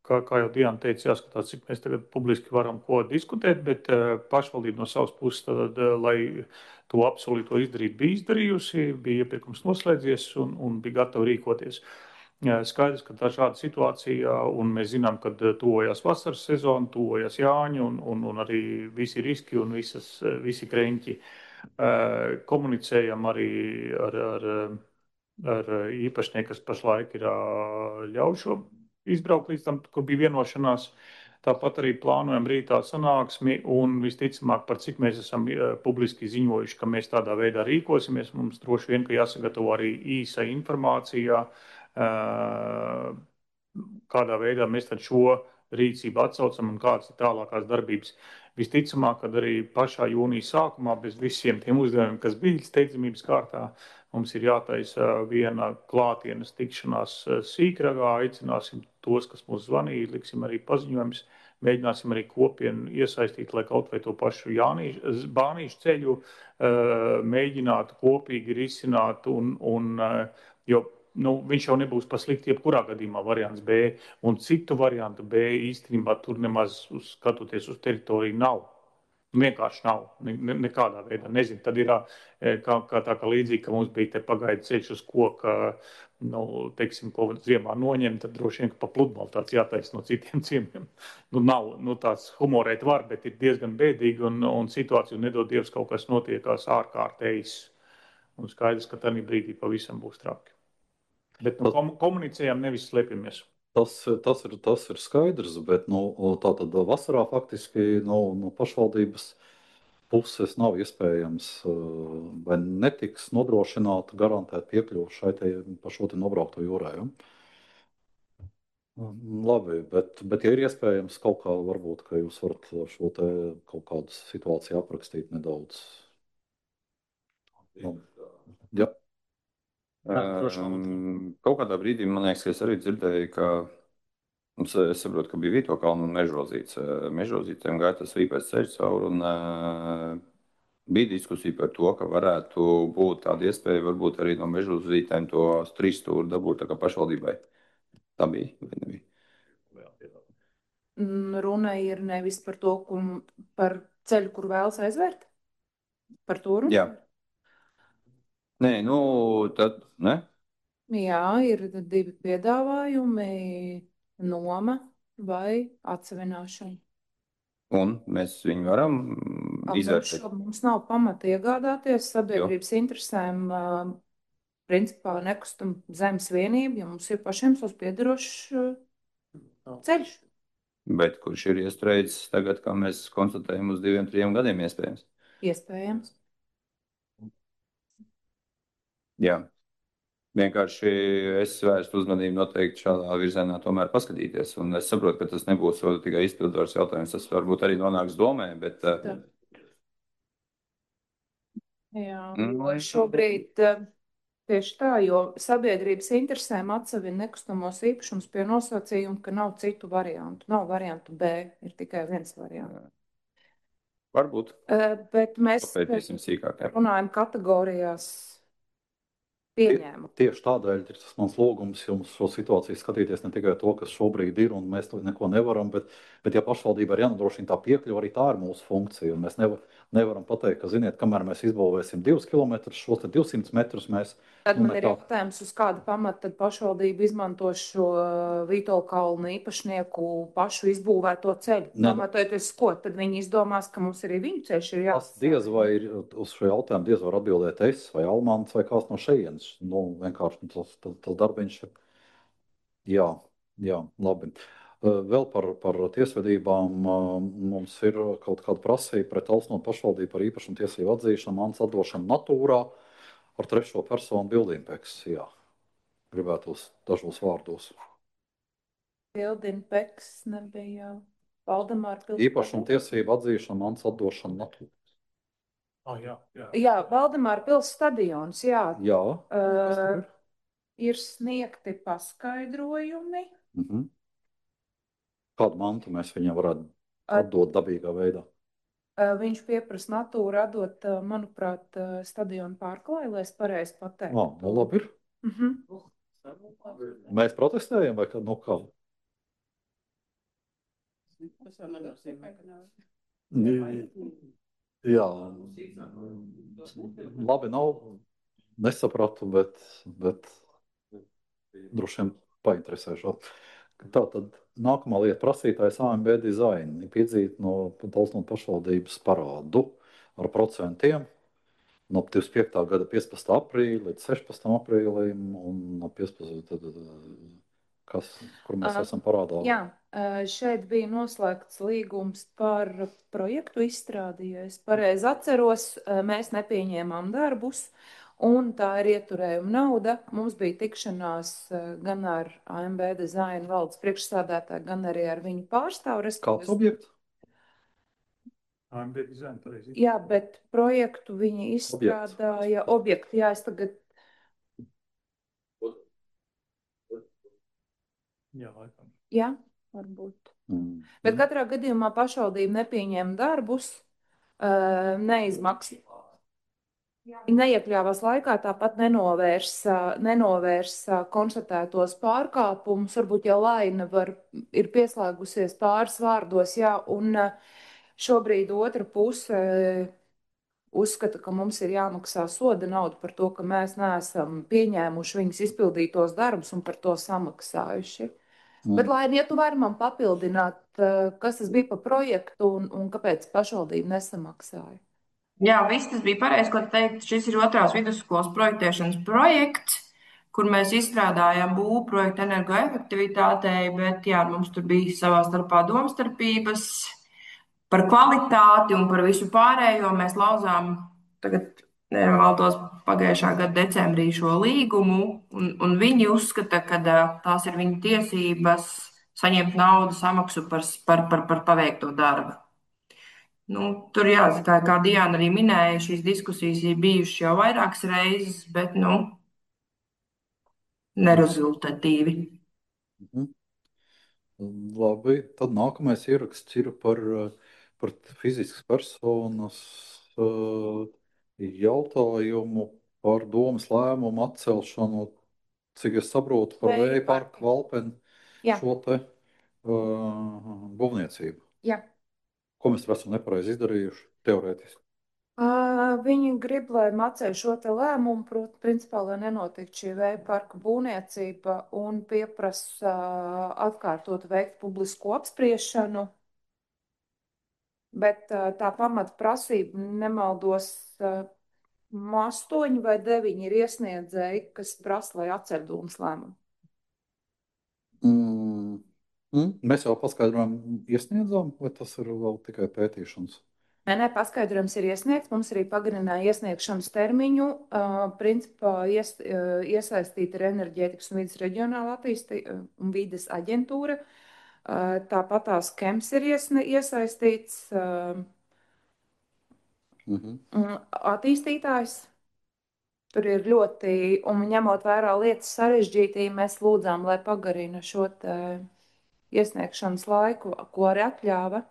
kā jau Diana teica, jāskatās, cik mēs tagad publiski varam ko diskutēt, bet pašvaldība no savas puses, tad, lai to apsolīto izdarīt, bija izdarījusi, bija iepirkums noslēdzies un bija gatava rīkoties. Skaidrs, ka tā šāda situācija, un mēs zinām, ka tuvojas vasaras sezona, tuvojas Jāņi un arī visi riski un visi kreņķi. Komunicējam arī ar īpašnieku, kas pašlaik ir ļaušo izbraukt līdz tam, kur bija vienošanās. Tāpat arī plānojam rītā sanāksmi un visticamāk, par cik mēs esam publiski ziņojuši, ka mēs tādā veidā rīkosimies. Mums droši vien, ka jāsagatavo arī īsa informācija, kādā veidā mēs tad šo rīcību atsaucam un kādas ir tālākās darbības. Visticamāk, kad arī pašā jūnija sākumā bez visiem tiem uzdevumiem, kas bija steidzamības kārtā, mums ir jātaisa viena klātienes tikšanās Sīkragā, aicināsim tos, kas mūs zvanīja, liksim arī paziņojumus, mēģināsim arī kopienu iesaistīt, lai kaut vai to pašu bānīšu ceļu mēģinātu kopīgi risināt, jo viņš jau nebūs paslikti jebkurā gadījumā variants B, un citu variantu B īstenībā tur nemaz skatoties uz teritoriju nav. Vienkārši nav, nekādā veidā, nezinu. Tad ir kā līdzīgi, ka mums bija te pagaidu ceļš uz koka, teiksim, ko ziemā noņem, tad droši vien, ka pa pludmali tāds jātais no citiem ciemiem. Nav, tāds humorēt var, bet ir diezgan bēdīgi, un situāciju nedod Dievs kaut kas notiekās ārkārtējs. Un skaidrs, ka tādā brīdī pavisam būs traki. Bet komunicējam, nevis slēpjamies. Tas ir skaidrs, bet tātad vasarā faktiski no pašvaldības puses nav iespējams vai netiks nodrošināta garantēt piekļuvu pa šo te nobraukto jūrā. Ja? Labi, bet ja ir iespējams kaut kā, varbūt, ka jūs varat šo te kaut kādu situāciju aprakstīt nedaudz. Ja. Kaut kādā brīdī, man liekas, ka es arī dzirdēju, ka es saprotu, ka bija Vīto kalnu un Mežrozītēm gāja tas vīpēc ceļš cauri, un bija diskusija par to, ka varētu būt tāda iespēja varbūt arī no Mežrozītēm to 3 stūri dabūt tā kā pašvaldībai. Tā bija, vai nebija? Runa ir nevis par to, par ceļu, kur vēlas aizvērt? Par to runa? Jā. Nē, tad, ne? Jā, ir 2 piedāvājumi, noma vai atsevināšana. Un mēs viņu varam izvērtēt? Mums nav pamata iegādāties sabiedrības interesēm, principā nekustam zemes vienību, ja mums ir pašiem savs piederošs ceļš. Bet kurš ir iestrēdzis tagad, kā mēs konstatējam, uz 2-3 gadiem iespējams? Iespējams. Jā. Vienkārši es vērstu uzmanību noteikti šādā virzienā tomēr paskatīties. Un es saprotu, ka tas nebūs tikai izpildvaras jautājums. Tas varbūt arī nonāks domē, bet... Jā, šobrīd tieši tā, jo sabiedrības interesēm atsevina nekustamos īpašumus pie nosacījuma, ka nav citu variantu. Nav variantu B, ir tikai viens variants. Varbūt. Bet mēs papētīsim sīkāk. Runājam kategorijās pieņēmu. Tieši tādēļ ir tas mans lūgums jums šo situāciju skatīties ne tikai to, kas šobrīd ir, un mēs to neko nevaram, bet ja pašvaldība ir jānodrošina tā piekļuva, arī tā ir mūsu funkcija. Un mēs nevaram pateikt, ka, ziniet, kamēr mēs izbūvēsim 2 km, šos 200 metrus mēs. Tad man ir jautājums, uz kāda pamata tad pašvaldība izmanto šo Vītola kalnu īpašnieku pašu izbūvēto ceļu. Pamatojoties, ko tad viņi izdomās, ka mums arī viņu ceļš ir Tas diez vai ir uz šo jautājumu diez var atbildēt es vai Almants vai kāds no šejienes. Vienkārši tas darbiņš ir. Jā, labi. Vēl par tiesvedībām mums ir kaut kāda prasība pret Alsnotu pašvaldību par īpašumu tiesību atzīšanu, mans atdošanu natūrā ar trešo personu bildīmpeks. Jā, gribētu dažos vārdos. Bildīmpeks nebija Valdemāra pilsēta. Īpašumu tiesību atzīšana, mans atdošana natūrā. Jā, Valdemāra pilsēta stadions, jā. Jā. Ir sniegti paskaidrojumi. Kādu mantu mēs viņam varētu atdot dabīgā veidā? Viņš pieprasa natūru atdot, manuprāt, stadionu pārklāju, lai es pareizi pateiktu. Nu labi ir. Mēs protestējam vai kā? Jā. Labi nav, nesapratu, bet droši vien painteresēšot. Tātad nākamā lieta prasītājs AMB dizaini piedzīt no Alsnotu pašvaldības parādu ar procentiem no 25. gada 15. aprīļa līdz 16. aprīlim un no 15. kur mēs esam parādā. Jā, šeit bija noslēgts līgums par projektu izstrādi, ja es pareizi atceros, mēs nepieņēmām darbus. Un tā ir ieturējuma nauda. Mums bija tikšanās gan ar AMB dizaina valdes priekšsādātāju, gan arī ar viņu pārstāvu. Kāds objekts? AMB dizaina, pareizi. Jā, bet projektu viņi izstrādāja objektu. Jā, es tagad. Jā, laikam. Jā, varbūt. Bet katrā gadījumā pašvaldība nepieņēma darbus, neizmaksā. Neiekļāvās laikā, tāpat nenovērsa konstatētos pārkāpumus. Varbūt jau Laina ir pieslēgusies pāris vārdos, jā, un šobrīd otra puse uzskata, ka mums ir jāmaksā soda nauda par to, ka mēs neesam pieņēmuši viņas izpildītos darbus un par to samaksājuši. Bet, Laina, ja tu vari man papildināt, kas tas bija par projektu un kāpēc pašvaldība nesamaksāja? Jā, viss tas bija pareizi, ko teikt. Šis ir otrās vidusskolas projektēšanas projekts, kur mēs izstrādājām būvu projektu energoefektivitātei, bet jā, mums tur bija savā starpā domstarpības par kvalitāti un par visu pārējo. Mēs lauzām tagad, nemaldos, pagājušā gada decembrī šo līgumu, un viņi uzskata, ka tās ir viņu tiesības saņemt naudu samaksu par paveikto darbu. Tur jāsaka, kā Diana arī minēja, šīs diskusijas ir bijušas jau vairākas reizes, bet, nerezultatīvi. Labi, tad nākamais ieraksts ir par fiziskas personas jautājumu par domas lēmumu atcelšanu, cik es saprotu, par vēja parku Valpeni šo te būvniecību. Jā. Ko mēs esam nepareizi izdarījuši teorētiski? Viņi grib, lai atceļ šo te lēmumu, proti, principā, lai nenotiktu šī vēja parka būvniecība un pieprasa atkārtot veikt publisko apspriešanu. Bet tā pamata prasība, nemaldos, 8 vai 9 ir iesniedzēji, kas prasa, lai atceļ domas lēmumu. Mēs jau paskaidrojam, iesniedzām, vai tas ir vēl tikai pētīšanas? Nē, paskaidrojums ir iesniegts. Mums arī pagarināja iesniegšanas termiņu. Principā iesaistīta ir Enerģētikas un vides reģionāla un vides aģentūra. Tāpat tās KEMS ir iesaistīts attīstītājs. Tur ir ļoti, un ņemot vērā lietas sarežģītību, mēs lūdzām, lai pagarina šo iesniegšanas laiku, ko arī atļāva.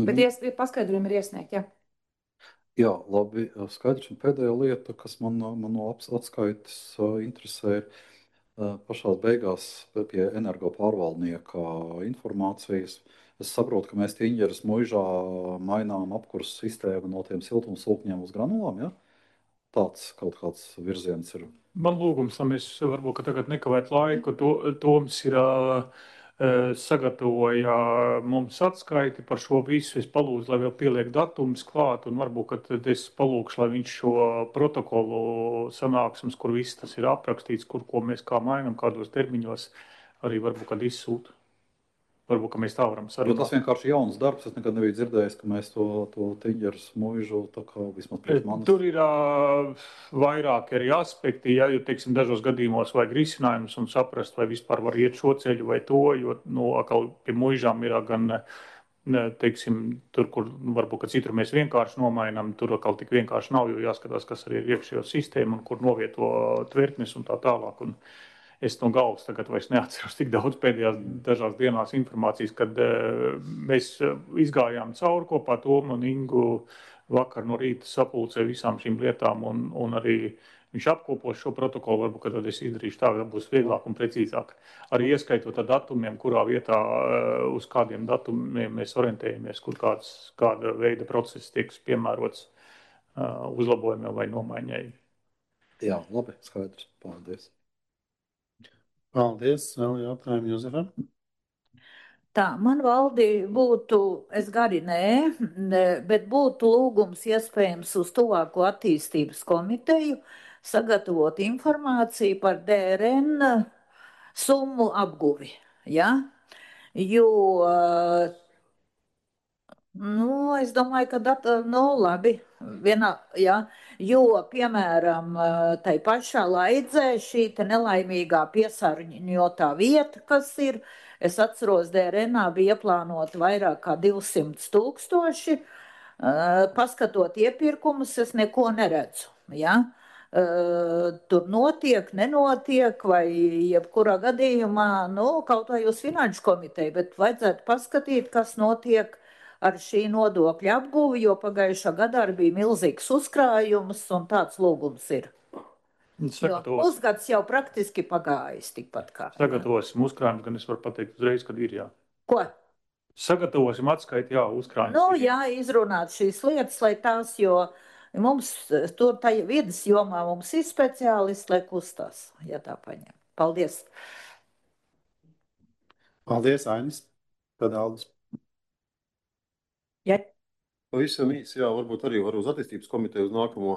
Bet paskaidrojumi ir iesniegti, jā. Jā, labi, skaidrs. Un pēdējā lieta, kas man no atskaites interesē, ir pašās beigās pie energo pārvaldnieka informācijas. Es saprotu, ka mēs Tīņģeras muižā mainām apkursu sistēmu no tiem siltumsūkņiem uz granulām, ja? Tāds kaut kāds virziens ir. Man lūgums, lai mēs varbūt tagad nekavētu laiku, Toms ir sagatavoja mums atskaiti par šo visu. Es palūdzu, lai vēl pieliek datumus klāt, un varbūt, ka tad es palūkšu, lai viņš šo protokolu sanāksmes, kur viss tas ir aprakstīts, ko mēs kā mainam, kādos termiņos, arī varbūt, kad izsūta. Varbūt, ka mēs tā varam sarunāt. Jo tas vienkārši jauns darbs. Es nekad nebiju dzirdējis, ka mēs to Tīņģeras muižu tā kā vismaz priekš manis. Tur ir vairāki arī aspekti, ja, jo, teiksim, dažos gadījumos vajag risinājumus un saprast, vai vispār var iet šo ceļu vai to, jo, atkal pie muižām ir gan, teiksim, tur, kur varbūt, ka citur mēs vienkārši nomainām, tur atkal tik vienkārši nav, jo jāskatās, kas arī ir iekšējo sistēmu un kur novieto tvertnes un tā tālāk. Un es no galvas tagad vairs neatceros tik daudz pēdējās dažās dienās informācijas, kad mēs izgājām cauri kopā Tomu un Ingu vakar no rīta sapulcē visām šīm lietām, un arī viņš apkopos šo protokolu. Varbūt, ka tad es izdarīšu tā, ka būs vieglāk un precīzāk. Arī ieskaitot ar datumiem, kurā vietā, uz kādiem datumiem mēs orientējamies, kur kāda veida process tiek piemērots uzlabojumiem vai nomaiņai. Jā, labi, skaidrs. Paldies. Paldies. Vēl jautājumu Jozefam? Tā, man valdi būtu, es gari bet būtu lūgums iespējams uz tuvāko attīstības komiteju sagatavot informāciju par DRN summu apguvi, ja? Jo, es domāju, ka labi, ja? Jo, piemēram, tai pašā Laidzē šī te nelaimīgā piesārņotā vieta, kas ir, es atceros, DRNā bija ieplānota vairāk kā 200 000. Paskatot iepirkumus, es neko neredzu, ja? Tur notiek, nenotiek, vai jebkurā gadījumā, kaut vai uz finanšu komiteju, bet vajadzētu paskatīt, kas notiek ar šī nodokļa apguvi, jo pagājušā gadā bija milzīgs uzkrājums, un tāds lūgums ir. Pusgads jau praktiski pagājis tikpat kā. Sagatavosim uzkrājumus, gan es varu pateikt uzreiz, kad ir jā. Ko? Sagatavosim atskaiti, jā, uzkrājumus. Jā, izrunāt šīs lietas, lai tās, jo mums tur tajā vidas jomā mums ir speciālisti, lai kustās, ja tā paņem. Paldies. Paldies, Ainis. Tad Aldis. Ja. Pavisam īsi, jā, varbūt arī var uz attīstības komiteju uz nākamo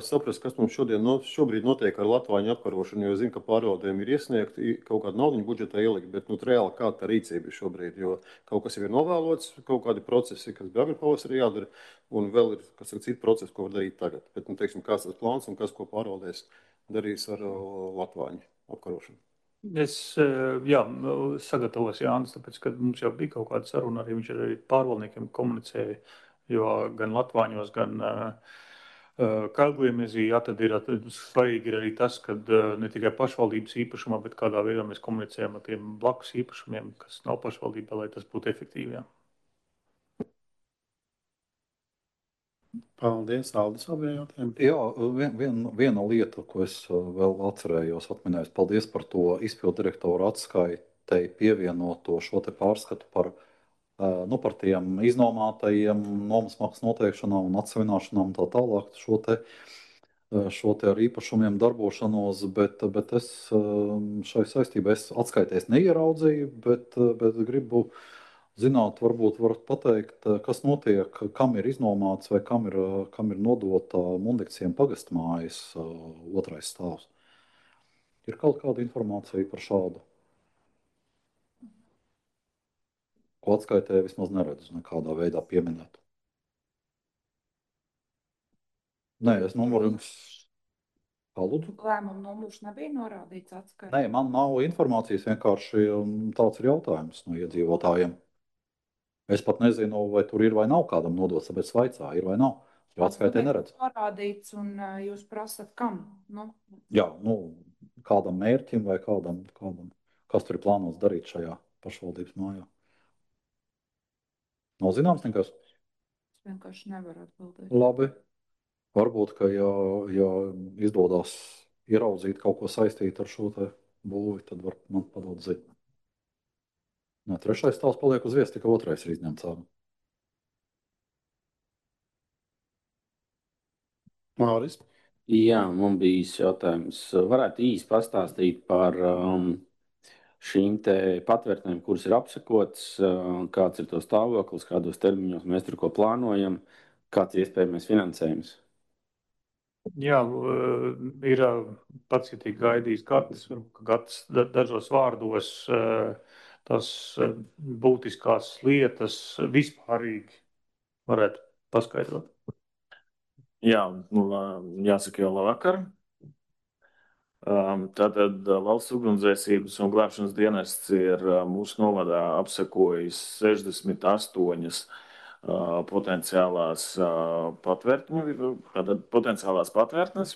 saprast, kas mums šobrīd notiek ar Latvāņu apkarošanu, jo es zinu, ka pārvaldēm ir iesniegti kaut kādu naudiņu budžetā ielikt, bet reāli kāda tā rīcība ir šobrīd, jo kaut kas jau ir novēlots, kaut kādi procesi, kas bija agri pavasarī jādara, un vēl ir, kas ir citi procesi, ko var darīt tagad. Bet, teiksim, kāds tas plāns un kas, ko pārvaldēs darīs ar Latvāņu apkarošanu. Es, sagatavos Jānis, tāpēc, ka mums jau bija kaut kāda saruna, arī viņš arī pārvaldniekiem komunicēja, jo gan Latvāņos, gan Kalgliemezī, tad ir svarīgi ir arī tas, ka ne tikai pašvaldības īpašumā, bet kādā veidā mēs komunicējam ar tiem blakus īpašumiem, kas nav pašvaldībā, lai tas būtu efektīvi. Jā. Paldies, Aldis, vēl bija jautājumi. Jā, viena lieta, ko es vēl atcerējos, atminējos, paldies par to izpildu direktoru atskaitei pievienoto šo te pārskatu par tiem iznomātajiem nomas maksas noteikšanām un atsevināšanām un tā tālāk, šo te ar īpašumiem darbošanos, bet es šai saistībā atskaitēs neieraudzīju, bet gribu zināt, varbūt varat pateikt, kas notiek, kam ir iznomāts vai kam ir nodota Mundikciem pagastmājas otrais stāvs. Ir kaut kāda informācija par šādu? Ko atskaitē vismaz neredzu nekādā veidā pieminēt. Nē, es numuru jums palūdzu. Lēmumu numurs nebija norādīts atskaitē? Nē, man nav informācijas, vienkārši tāds ir jautājums no iedzīvotājiem. Es pat nezinu, vai tur ir vai nav kādam nodots, tāpēc vaicā, ir vai nav, jo atskaitē neredzu. Norādīts, un jūs prasat kam? Jā, kādam mērķim vai kādam, kas tur ir plānots darīt šajā pašvaldības mājā. Nav zināms nekas? Es vienkārši nevaru atbildēt. Labi, Varbūt, ka ja izdodas ieraudzīt kaut ko saistīt ar šo te būvi, tad var man padot ziņu. Nē, trešais stāvs paliek uz vietas, tikai otrais ir izņemts ārā. Māris? Jā, man bija īsts jautājums. Varētu īsi pastāstīt par šīm te patvērtnēm, kuras ir apsekotas, kāds ir to stāvoklis, kādos termiņos mēs tur ko plānojam, kāds ir iespējamais finansējums? Jā, ir pacietīgi gaidījis Gatis, Gatis dažos vārdos tas būtiskās lietas vispārīgi varētu paskaidrot. Jā, jāsaka jau labvakar. Tātad Valsts ugunsdzēsības un glābšanas dienests ir mūsu novadā apsekojis 68 potenciālās patvērtnes,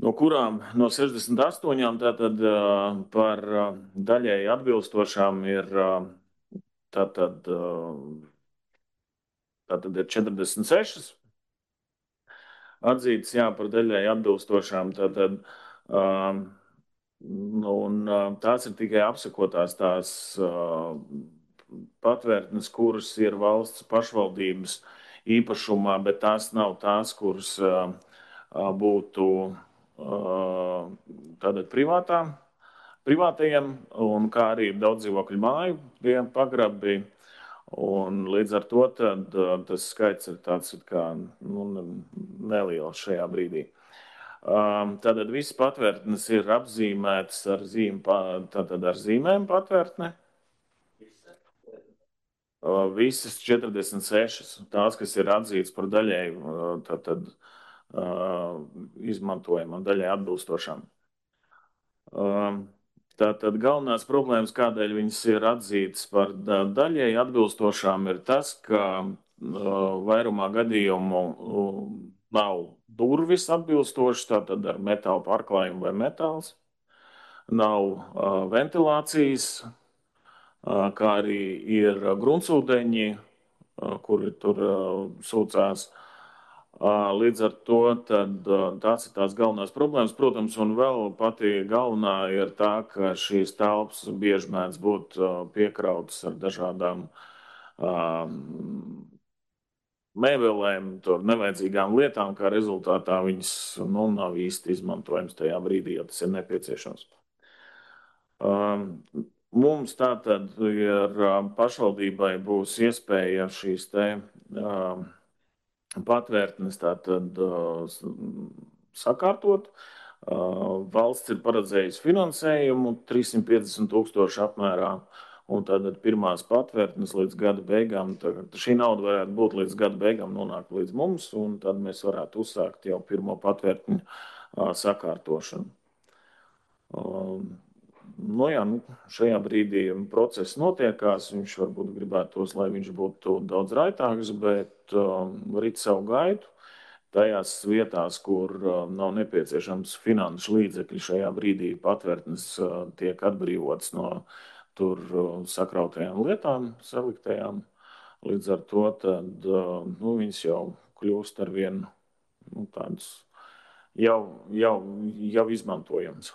no kurām no 68 tātad par daļēji atbilstošām ir tātad ir 46 atzītas, jā, par daļēji atbilstošām, tātad un tās ir tikai apsekotās tās patvērtnes, kuras ir valsts pašvaldības īpašumā, bet tās nav tās, kuras būtu tātad privātajiem, un kā arī daudz dzīvokļu māju pie pagrabi. Un līdz ar to tad, tas skaits ir tāds kā neliels šajā brīdī. Tātad visas patvērtnes ir apzīmētas ar zīmēm patvērtne. Visas 46, tās, kas ir atzītas par daļēji izmantojamām, daļēji atbilstošām. Tātad galvenās problēmas, kādēļ viņas ir atzītas par daļēji atbilstošām, ir tas, ka vairumā gadījumu nav durvis atbilstošas, tātad ar metāla pārklājumu vai metāls, nav ventilācijas, kā arī ir gruntsūdeņi, kuri tur sūcās. Līdz ar to tās ir tās galvenās problēmas, protams, un vēl pati galvenā ir tā, ka šīs telpas bieži mēdz būt piekrautas ar dažādām mēbelēm, nevajadzīgām lietām, kā rezultātā viņas nav īsti izmantojams tajā brīdī, ja tas ir nepieciešams. Mums tātad ir pašvaldībai būs iespēja šīs te patvērtnes tātad sakārtot. Valsts ir paredzējusi finansējumu 350 000 apmērā, un tātad pirmās patvērtnes līdz gada beigām, šī nauda varētu būt līdz gada beigām nonākt līdz mums, un tad mēs varētu uzsākt jau pirmo patvērtņu sakārtošanu. Šajā brīdī process notiekās, viņš varbūt gribētos, lai viņš būtu daudz raitāks, bet rit savu gaitu. Tajās vietās, kur nav nepieciešams finanšu līdzekļi, šajā brīdī patvērtnes tiek atbrīvotas no tur sakrautajām lietām, saliktajām. Līdz ar to tad, viņas jau kļūst ar vienu tādas jau izmantojams.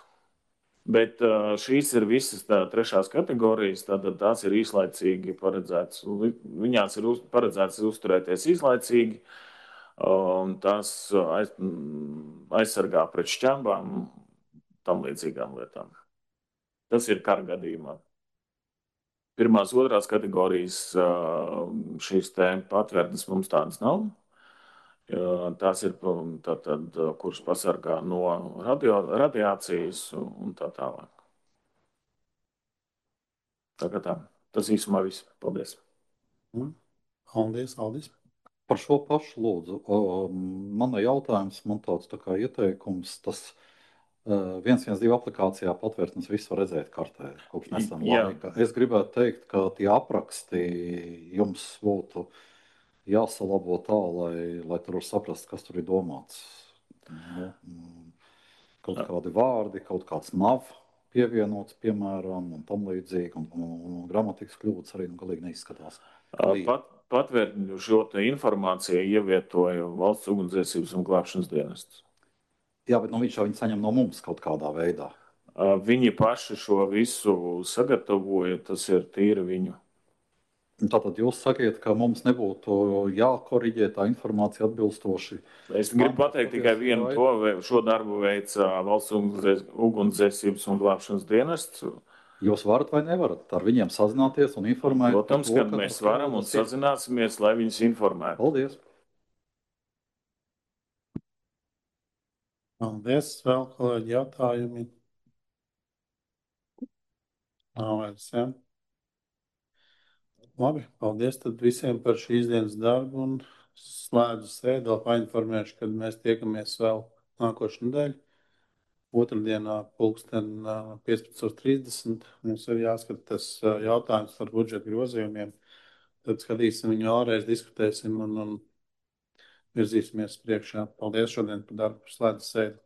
Bet šīs ir visas trešās kategorijas, tātad tās ir īslaicīgi paredzētas. Viņās ir paredzētas uzturēties īslaicīgi, un tās aizsargā pret šķembām un tam līdzīgām lietām. Tas ir kara gadījumā. Pirmās, otrās kategorijas šīs patvērtnes mums tādas nav. Tās ir tātad, kuras pasargā no radiācijas un tā tālāk. Tas īsumā viss. Paldies. Aldis. Par šo pašu lūdzu. Mana jautājums, man tāds tā kā ieteikums, tas 112 aplikācijā patvērtnes visu var redzēt kartē kopš nesam laika. Es gribētu teikt, ka tie apraksti jums būtu jāsalabo tā, lai tur var saprast, kas tur ir domāts. Kaut kādi vārdi, kaut kāds nav pievienots, piemēram, un tam līdzīgi, un gramatikas kļūdas arī galīgi neizskatās. patvērtņu šo te informāciju ievietoja Valsts ugunsdzēsības un glābšanas dienests. Jā, bet viņš jau viņu saņem no mums kaut kādā veidā. Viņi paši šo visu sagatavoja, tas ir tīri viņu. Tātad jūs sakiet, ka mums nebūtu jākoriģē tā informācija atbilstoši. Es gribu pateikt tikai vienu to, šo darbu veica Valsts ugunsdzēsības un glābšanas dienests. Jūs varat vai nevarat ar viņiem sazināties un informēt? Protams, kad mēs varam un sazināsimies, lai viņus informētu. Paldies! Paldies! Vēl kolēģi jautājumi? Nav vairs, ja? Labi, paldies tad visiem par šīs dienas darbu un slēdzu sēdi. Vēl painformēšu, kad mēs tiekamies vēl nākošu nedēļu. Otrdienā pulksten 15:30 mums ir jāskata tas jautājums par budžeta grozījumiem. Tad skatīsim viņu vēlreiz, diskutēsim un virzīsimies priekšā. Paldies šodien par darbu, slēdzu sēdi.